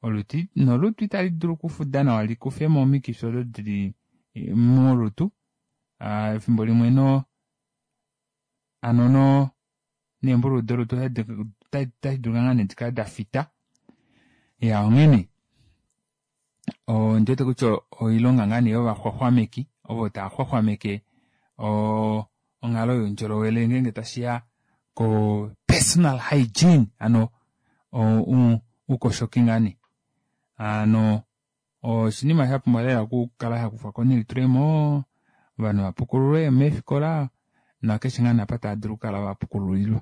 olutu nolutu italidulu okufuda nawa likufemo omikifi odo dili molutu efimbo limwe noo Hano no neembululu dolutu otashi dulika ngaa nee dikale dafita. Ya onghene ondiwete kutya oilonga ngaa nee yovaxwaxwameki ovo tava xwaxwameke onghalo youndjolowele ngeenge tashiya ko personal hygiene hano oukoshoki ngaa nee. Hano oshinima shapumbwa lela okukala shakufwako nelitulemo, ovanhu vapukululwe meefikola nakeshe ngaa nee apa tava dulu okukala vapukululilwa.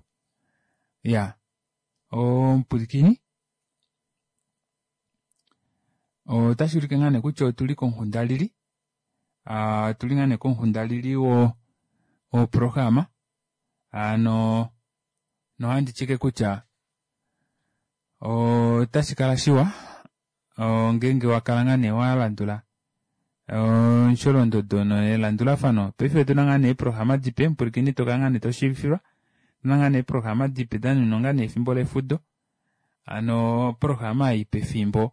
Iya omupwilikini otashi ulike ngaa nee kutya otuli komuxundalili, otuli ngaa nee komuxundalili woprograma hano nohandi tyike kutya otashi kala shiwa ngeenge wakala ngaa nee walandula omusholondodo nelandulafano. Paife otuna ngaa nee eeprograma dipe, mupwilikini tokala ngaa nee toshiivifilwa, otuna ngaa nee eeprograma dipe danuninwa ngaa nee efimbo lefudo. Hano oprograma ei pefimbo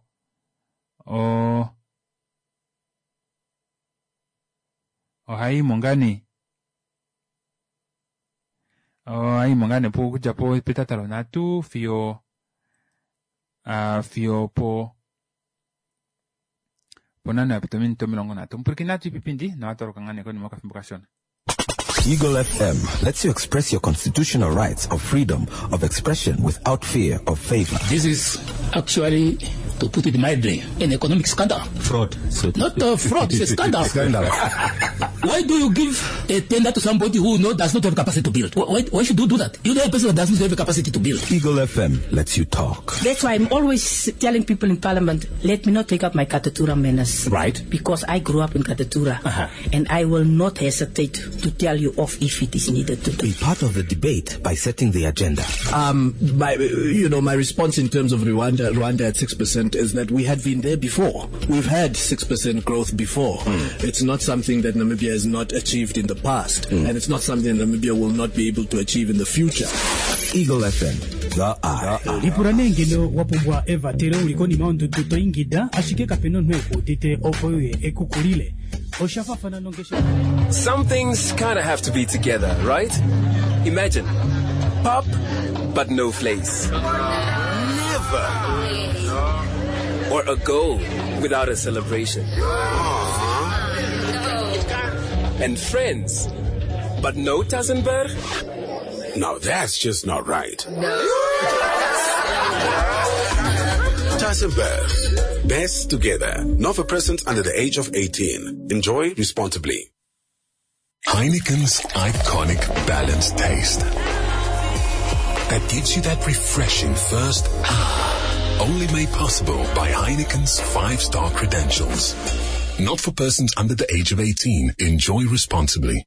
ohayiimo ngaa nee ohayiimo ngaa nee okudja petata lonhatu fiyo fiyo po ponhano yapita ominute omilongo nhatu. Mupwilikini natu ipipindi nohatu ngaa nee konima yokafimbo kashona. Eagle F M lets you express your constitutional rights of freedom of expression without fear of favor. This is actually, to put it mildly, an economic scandal. Fraud. So Not a fraud, it's a scandal. Scandal. Why do you give a tender to somebody who no, does not have capacity to build? Why, why should you do that? You know a person that does not have capacity to build. Eagle F M lets you talk. That's why I'm always telling people in Parliament, let me not take up my Katutura manners. Right. Because I grew up in Katutura. Uh-huh. And I will not hesitate to tell you off if it is needed to do. Be part of the debate by setting the agenda. Um, my, you know, my response in terms of Rwanda, Rwanda at six percent is that we had been there before. We've had six percent growth before. Mm. It's not something that Namibia has not achieved in the past, mm. and it's not something that Namibia will not be able to achieve in the future. Eagle F M, the eye. Lipula nee ngeno wapumbwa evatelo uli konima yondudu to ingida, ashike kapena omunhu ekuudite opo uye ekukulile. Some things kinda have to be together, right? Imagine, pop, but no flakes. Never. Or a goal without a celebration. And friends, but no Tassenberg? Now that's just not right. No. Tassenberg. Best together. Not for persons under the age of eighteen. Enjoy responsibly. Heineken's iconic balanced taste that gives you that refreshing first ah, only made possible by Heineken's five-star credentials. Not for persons under the age of eighteen. Enjoy responsibly.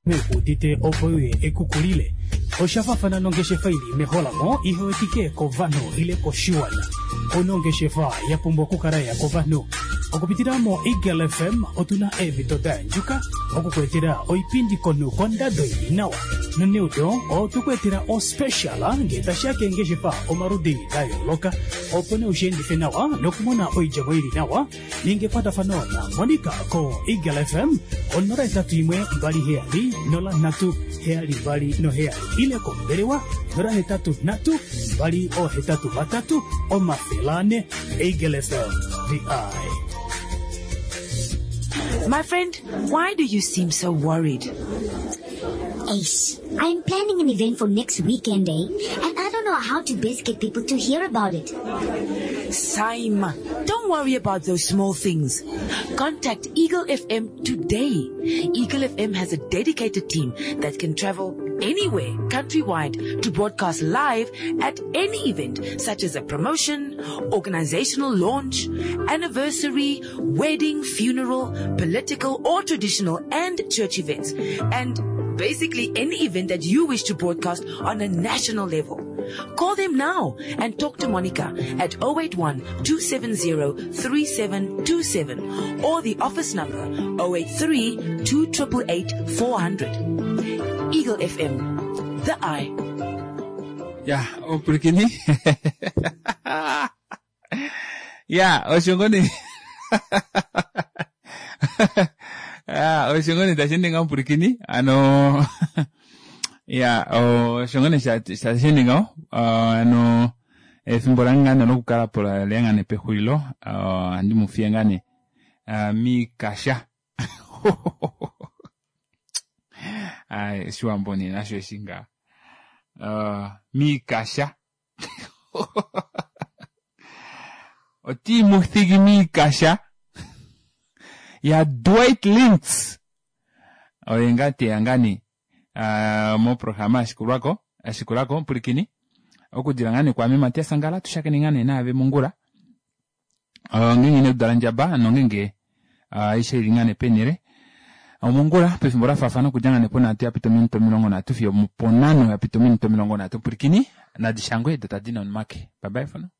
Oshafafana nongeshefa ili meholamo ihewetike kovanhu ile koshiwana. Onongeshefa yapumbwa okukala ya kovanhu. Okupitila mo Eagle F M otuna eemhito da andjuka okukwetela oipindi konu kondado ili nawa. Noneudo otukwetela ospecial ngee tashiya keengeshefa omaludi da yooloka opo nee ushiendife nawa nokumona oidjemo ili nawa. Ninga ekwatafano na Monica ko Eagle F M onola etatu imwe mbali heyali nola nhatu heyali mbali noheyali ile kombelewa nola hetatu nhatu mbali ohetatu vatatu omafele ane. Eagle F M, the eye. My friend, why do you seem so worried? Ace, I'm planning an event for next weekend, eh? And I don't know how to best get people to hear about it. Saima, don't worry about those small things. Contact Eagle F M today. Eagle F M has a dedicated team that can travel anywhere countrywide to broadcast live at any event, such as a promotion, organizational launch, anniversary, wedding, funeral, political or traditional and church events, and basically any event that you wish to broadcast on a national level. Call them now and talk to Monica at oh eight one, two seven zero, three seven two seven or the office number oh eight three, two triple eight, four hundred. Eagle F M, the eye. Ya, opulikini. Ya, oshongoni. Ya, oshongoni tashi ninga omupulikini. Ano, ya, Ya osho ngoo nee sha shende ngaho hano efimbo lange ngaa nee lokukala po leya ngaa nee pexulilo ohandi mufiye ngaa nee miikasha oshiwambo nee nasho eshi ngaa miikasha otii mu thigi miikasha ya Dwight Links oye ngaa teya ngaa nee moprograma ashikulwako ashikulako pulikini okudila ngaa nee kwaame Matias Angala tushakene ngaa nee naave mongula ngenge inodala ndjaba nongenge aishe ili ngaa nee penele omongula pefimbo lafaafana okudja ngaa nee ponhatu yapita ominute omilongo nhatu fiyo ponhano yapita ominute omilongo nhatu pulikini nadishangwe do tadi nomake. Bye bye for now.